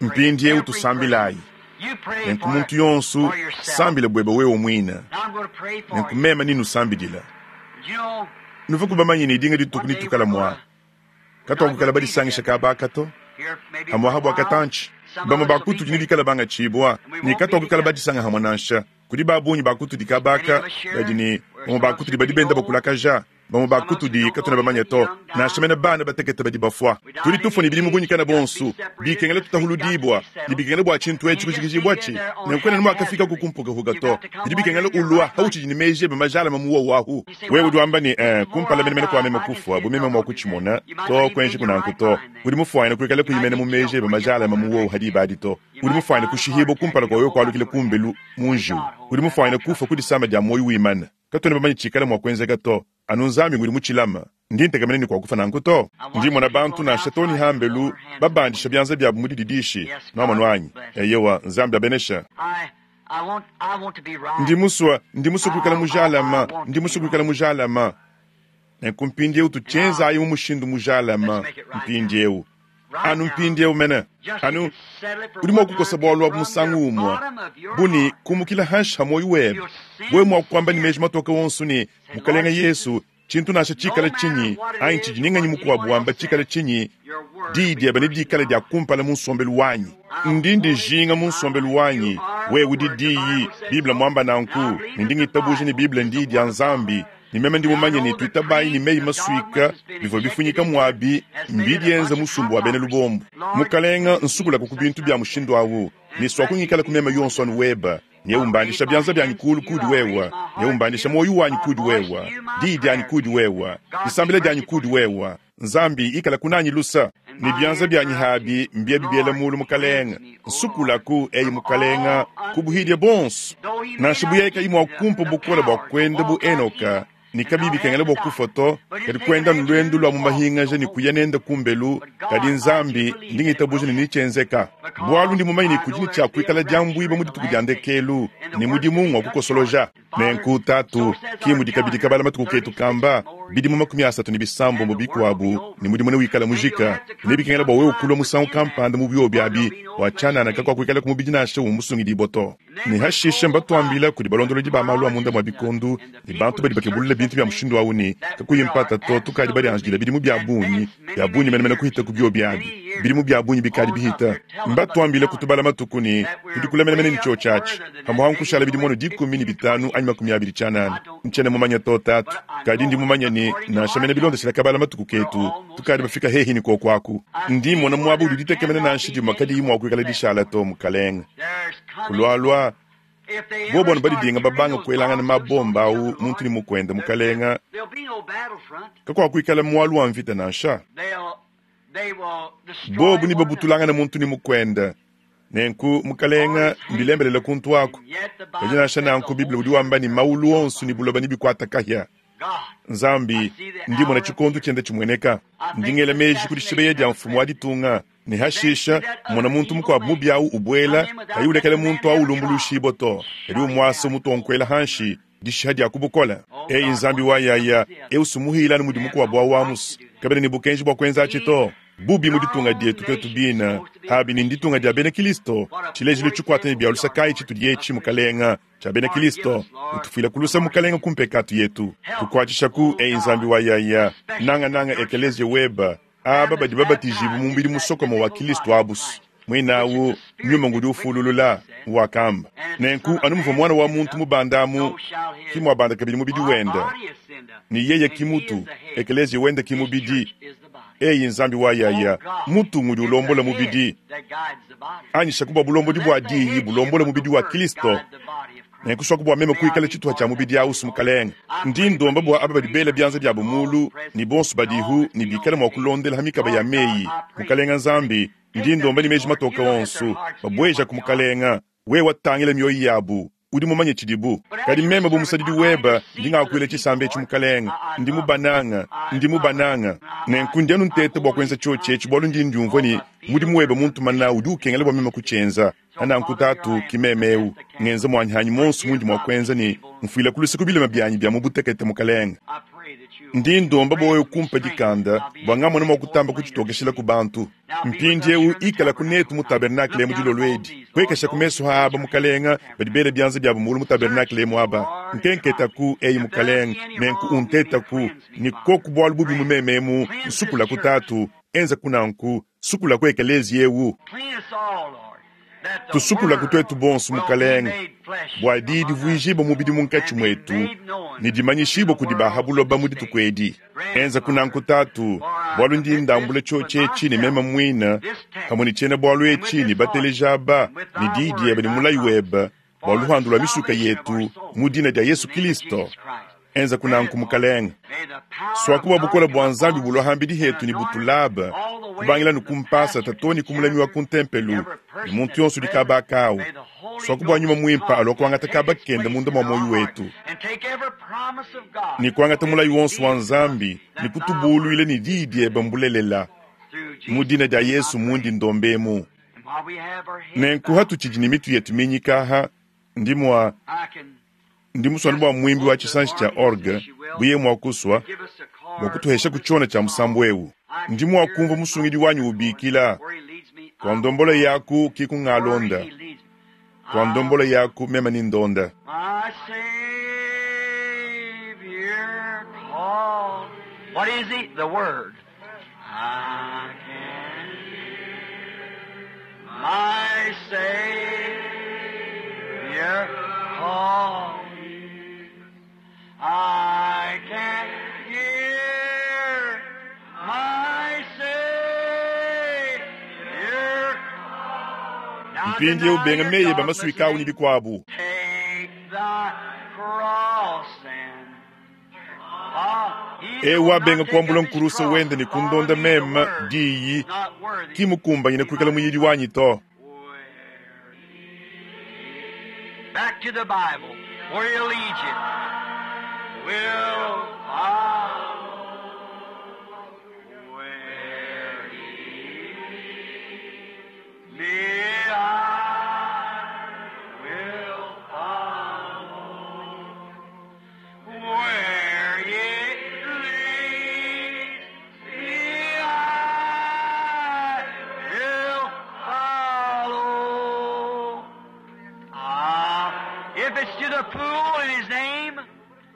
Mpindiewu tusambilayi. Nenku muntu yonso sambila buebe wewe muine. Nenku meme ninusambidila. Nuvuaku bamanye ne dinga dituku nitukala mua katuakukala badisangisha kaba aka to, hamuaha bua katantshi. Bamue ba kutudi nebikale bangatshibua ne katuakukala badisanga hamue nansha. Kudi ba bungi ba kutudi kaba aka badi ne bamue ba kutudi badi benda bakulakaja. Bamue ba kutudi katuena bamanye to, nansha mene bana batekete badi bafua. Tudi tufua ne bidimu bunyikana bonso, bikengela tutahuludibua, ne bikengela bua tshintu etshi kujikijibuatshi. Nenku kuena nuakafikaku ku mpukahuka to. Bidi bikengela ulua hautshidi ne meji ebe majalame mu wowu ahu. Wewe udi wamba ne, Eh, kumpala menemene kua meme kufua, bu meme mua kutshimona. To, kuenjiku nanku to. Udi mufuane kuikala kuyi mene mu meji ebe majalame mu wowu ha diba adi to. Udi mufuane kushihibua kumpala kua wewe kualukila kumbelu mu njiwu. Udi mufuane kufua ku disama dia muoyo wimana. Katuena bamanye tshikala mua kuenzeka to, anu Nzambi ngudi mutshilame. Ndi ntekemena ne kuakufua nanku to. Ndi mmona bantu, nansha too ne hambelu, babandisha bianza biabu mu dididishi. Nwamonu anyi? Eyowa, Nzambi abenesha. Ndi musue, ndi musue kuikala mujalame. Ndi musue kuikala mujalame. Nenku mpindiewu tutshienzayi mu mushindu mujalame mpindiewu. Anu mpindiewu mene. Anu udi mua kukosa bualu abu musangu umue, bu ne kumukila hanshi ha muoyo webe, wewe mua kuamba ne meji matoke wonso ne, Mukalenge Yesu, tshintu nansha tshikale tshinyi, anyi tshidi ne nganyi mukuabu wamba tshikale tshinyi, diyi diebe nedikale dia kumpala mu nsombelu wanyi. Ndi ndijinga mu nsombelu wanyi. Wewe udi Diyi, Bible muamba nanku, ne ndi ngitabuja ne Bible n'Diyi dia Nzambi. Ne meme ndi mumanye ne tuitabayi ne meyi masuika bivua bifunyika muabi mbidienza musumba wa bena lubombo. Mukalenga, nsukulaku ku bintu bia mushindu awu, ne suaku ngikala ku mema yonso anu weba, ne umbandisha bianza bianyi kulu kudi wewa, ne umbandisha muoyo wanyi kudi wewa, diyi dianyi kudi wewa, disambila dianyi kudi wewa. Nzambi, ikala kunanyi lusa, ne bianza bianyi habi mbiebi biela mulu, Mukalenga. Nsukulaku, eyi Mukalenga, ku buhidia buonso. Nansha bu yeye kayi mua kumpa bukole bua kuenda bu Henoka, ne kabiyi bikengela bua kufua to, kadi kuenda anu luendu lua mu mahingaja ne kuya nende kumbelu, kadi Nzambi, ndi ngitabuja ne netshienzeka, bualu ndi mumanye ne kudi ne tshia kuikala diambuibua mu dituku dia ndekelu, ne mudimu ngua kukosoloja. Nenku, Tatu, ki mudi kabidi kabala matuku ketu kamba, bidimu 36 bikuabu, ne mudimu newikala mujika, nebikengela bua wewe kulua musangu kampanda mu biobi abi, bua tshianana kakuakuikala ku mubidi nansha umue musungidibua to. Ne hashishe mbatuambila kudi balondolodi ba malu a munda mua bikondo ne bantu badi bakebulula bintu bia mushindu au ne, kakuyi mpata to, tukadi badianjidila bidimu bia bungi, bia bungi menemene kuhita ku biobi abi, bidimu bia bungi bikadi bihita. Mbatuambile kutubala matuku ne, tudi kule menemene ne tshiotshi atshi. Pamuapa nkushala bidimu anu 15 anyi 20 tshianana. Ntshiena mumanye to, Tatu. Kadi ndi mumanye ne, nansha mene bilondeshile kabala matuku ketu, tukadi bafika hehi ne kuoku aku. Ndi mmona muaba udi ditekemena nansha dimue kadiyi mua kuikala dishala to, Mukalenge. Kulualua, bobu anu badidinga babanga kuelangana mabomba au muntu ne mukuende, Mukalenge, kakuakuikala mualu wa mvita nansha. Bobu nebabutulangane muntu ne mukuende. Nenku, Mukalenge, mbilembelela kuntu aku. Kadi nansha nanku, Bible udi wamba ne, Maulu onso ne buloba nebikuate kahia. Nzambi, ndi mmona tshikondo tshienda tshimueneka. Ndi ngela meji ku dishibeya dia mfumu wa ditunga, ne hashisha mmona muntu mukuabu mubi au ubuela, kayi ulekela muntu au ulumbuluishibua to, kadi umuasa umutonkuela hanshi, dishiha dia ku bukole. Eyi Nzambi wa yaya, eu sumuhila anu mudi mukuabu au amus, kabena ne bukenji bua kuenza atshi to. Bubi mu ditunga dietu tuetu bine, abi ni nditunga dia bena Kilisto, tshilejilu tshikuata ne bia lusa kayi tshitudi etshi, Mukalenga, tshia bena Kilisto, utufuila ku lusa Mukalenga ku mpekatu yetu, tukuatshishaku, eyi Nzambi wa yaya, nangananga ekeleziya weba, aba badi babatijibue mu mubidi musokome wa Kilisto abus. Muinawu, Nyuma ngudi ufululula, wakamba. Nenku anu muvua Muana wa muntu mubanda amu, ki muabanda kabidi mubidi wende. Ne yeye ki mutu, ekeleziya wende ki mubidi. Eyi Nzambi wa yaya, mutu ngudi ulombola mubidi. Anyishaku bua bulombodi bua Diyi bulombola mubidi wa Kilisto. Nenku suaku bua meme kuikala tshituha tshia mubidi ausu, Mukalenge. Ndi ndomba bua aba badi bela bianza biabo mulu, ne bonso badihu ne bikale mua kulondela ha mikaba ya meyi, Mukalenge Nzambi, ndi ndomba ne meji matoke onso, babuejaku, Mukalenge, wewe tangila mioyo yabu, udi mumanye tshidibu. Kadi meme bu musadidi webe, ndi ngakuila tshisamba etshi, Mukalenge, ndi mubananga, ndi mubananga. Nenku ndi anu nteta bua kuenza tshiotshi etshi, bualu ndi ndiumvua ne mudimu webe muntuma nawu udi ukengela bua meme kutshienza. Nanku Tatu, ki meme eu, ngenza muanyi hanyi monso mundi mua kuenza ne mfuila ku luse ku bilema bianyi bia mu butekete, Mukalenge. Ndi ndomba bua wewe kumpa dikanda bua ngamona mua kutamba kutshitokeshila ku bantu. Mpindieu ikalaku netu mu tabernakle emu dilolo edi. Puekesha ku mesu ha aba, Mukalenge, badi bela bianza biabu mulu mu tabernakle emu aba. Nkenketaku, eyi Mukalenge, nenku untetaku, ne koku bualu bubi mu meme emu, nsukulaku Tatu, enzaku nanku, sukulaku ekeleziya eu. Tusukulaku tuetu bonso, Mukalenge, bua diyi divuijibue mubidi munkatshi muetu ne dimanyishibue kudi ba ha buloba mu dituku edi. Enzaku nanku, Tatu, bualu ndi ndambula tshiotshi etshi ne meme muine, pamue ne tshiena-bualu etshi ne bateleji aba, ne diyi diebe ne mulayi webe, bua luhandu lua misuka yetu, mu dina dia Yesu Kilisto. Enzaku nanku, Mukalenge. Suaku bua bukole bua Nzambi bulua hambidi hetu ne butulabe, kubangila ne ku mpasata too ne ku mulami wa ku ntempelu ne muntu yonso udi kaba akau. Suaku bua Nyuma Muimpe alua kuangata kaba kende munda mua muoyo wetu, ne kuangata mulayi wonso wa Nzambi ne kutubuluila ne diyi diebe mbulelela. Mu dina dia Yesu mundi ndomba emu. Nenku hatutshidi ne mitu yetu minyika aha, ndi mua ndi musua anu bua muimbi wa tshisanji tshia orgue buye mua kusua bua kutuhesha ku tshiona tshia musambu eu. Ndi mua kumvua musungidi wanyi ubikila, Kua ndombolo yaku ki kungalonda, kua ndombolo yaku meme ni ndonda. My Savior called. What is he? The Word. I can hear my Savior call me. I can hear my Savior call. Now Mpindieu deny benga your meyi eba dogmas masuika au ne bikuabu. Take thy cross and follow. He Eu will wabenga not take kuambula up his nkurusa cross wende ne and follow kundonda me, the meme word, diyi not worthy ki mukumbanyine to be kuikala my muyidi wanyi to. Where Back to the Bible, where he'll lead you. Will follow where he leads me. I will follow where he leads me. I will follow. Ah, if it's to the pool in his name,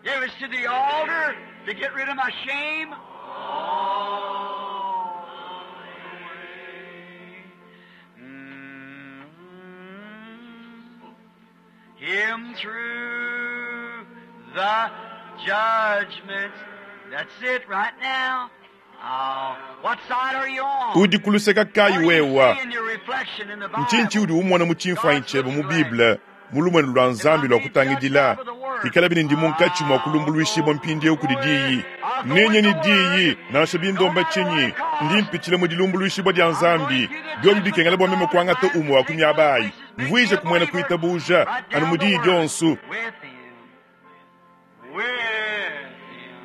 if it's to the altar to get rid of my shame, all the way. Mm. Him through the judgments. That's it right now. Ah, what side are you on? Udi kuluseka kayi What do you wewa? see in your reflection in the Ntshinyi Bible? udi umona mu tshimfuanyi tshiebe mu Bible mu lumuenu lua Nzambi lua kutangidila ikala bine ndi munkatshi mua kulumbuluishibua mpindieu kudi diyi nenye ni diyi nansha bindomba tshinyi ndi mpitshila mu dilumbuluishibua dia Nzambi biobi bikengela bua meme kuangata umue wa ku miaba ayi mvuije kumuena kuitabuja anu mu diyi dionso. With him, with him,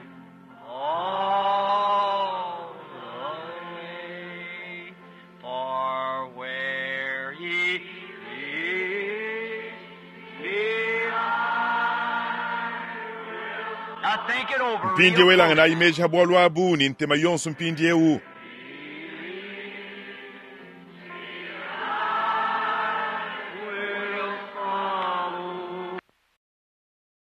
Mpindyewu elanganayi meeji ha bwalu abu ne ntema yonso mpindyewu.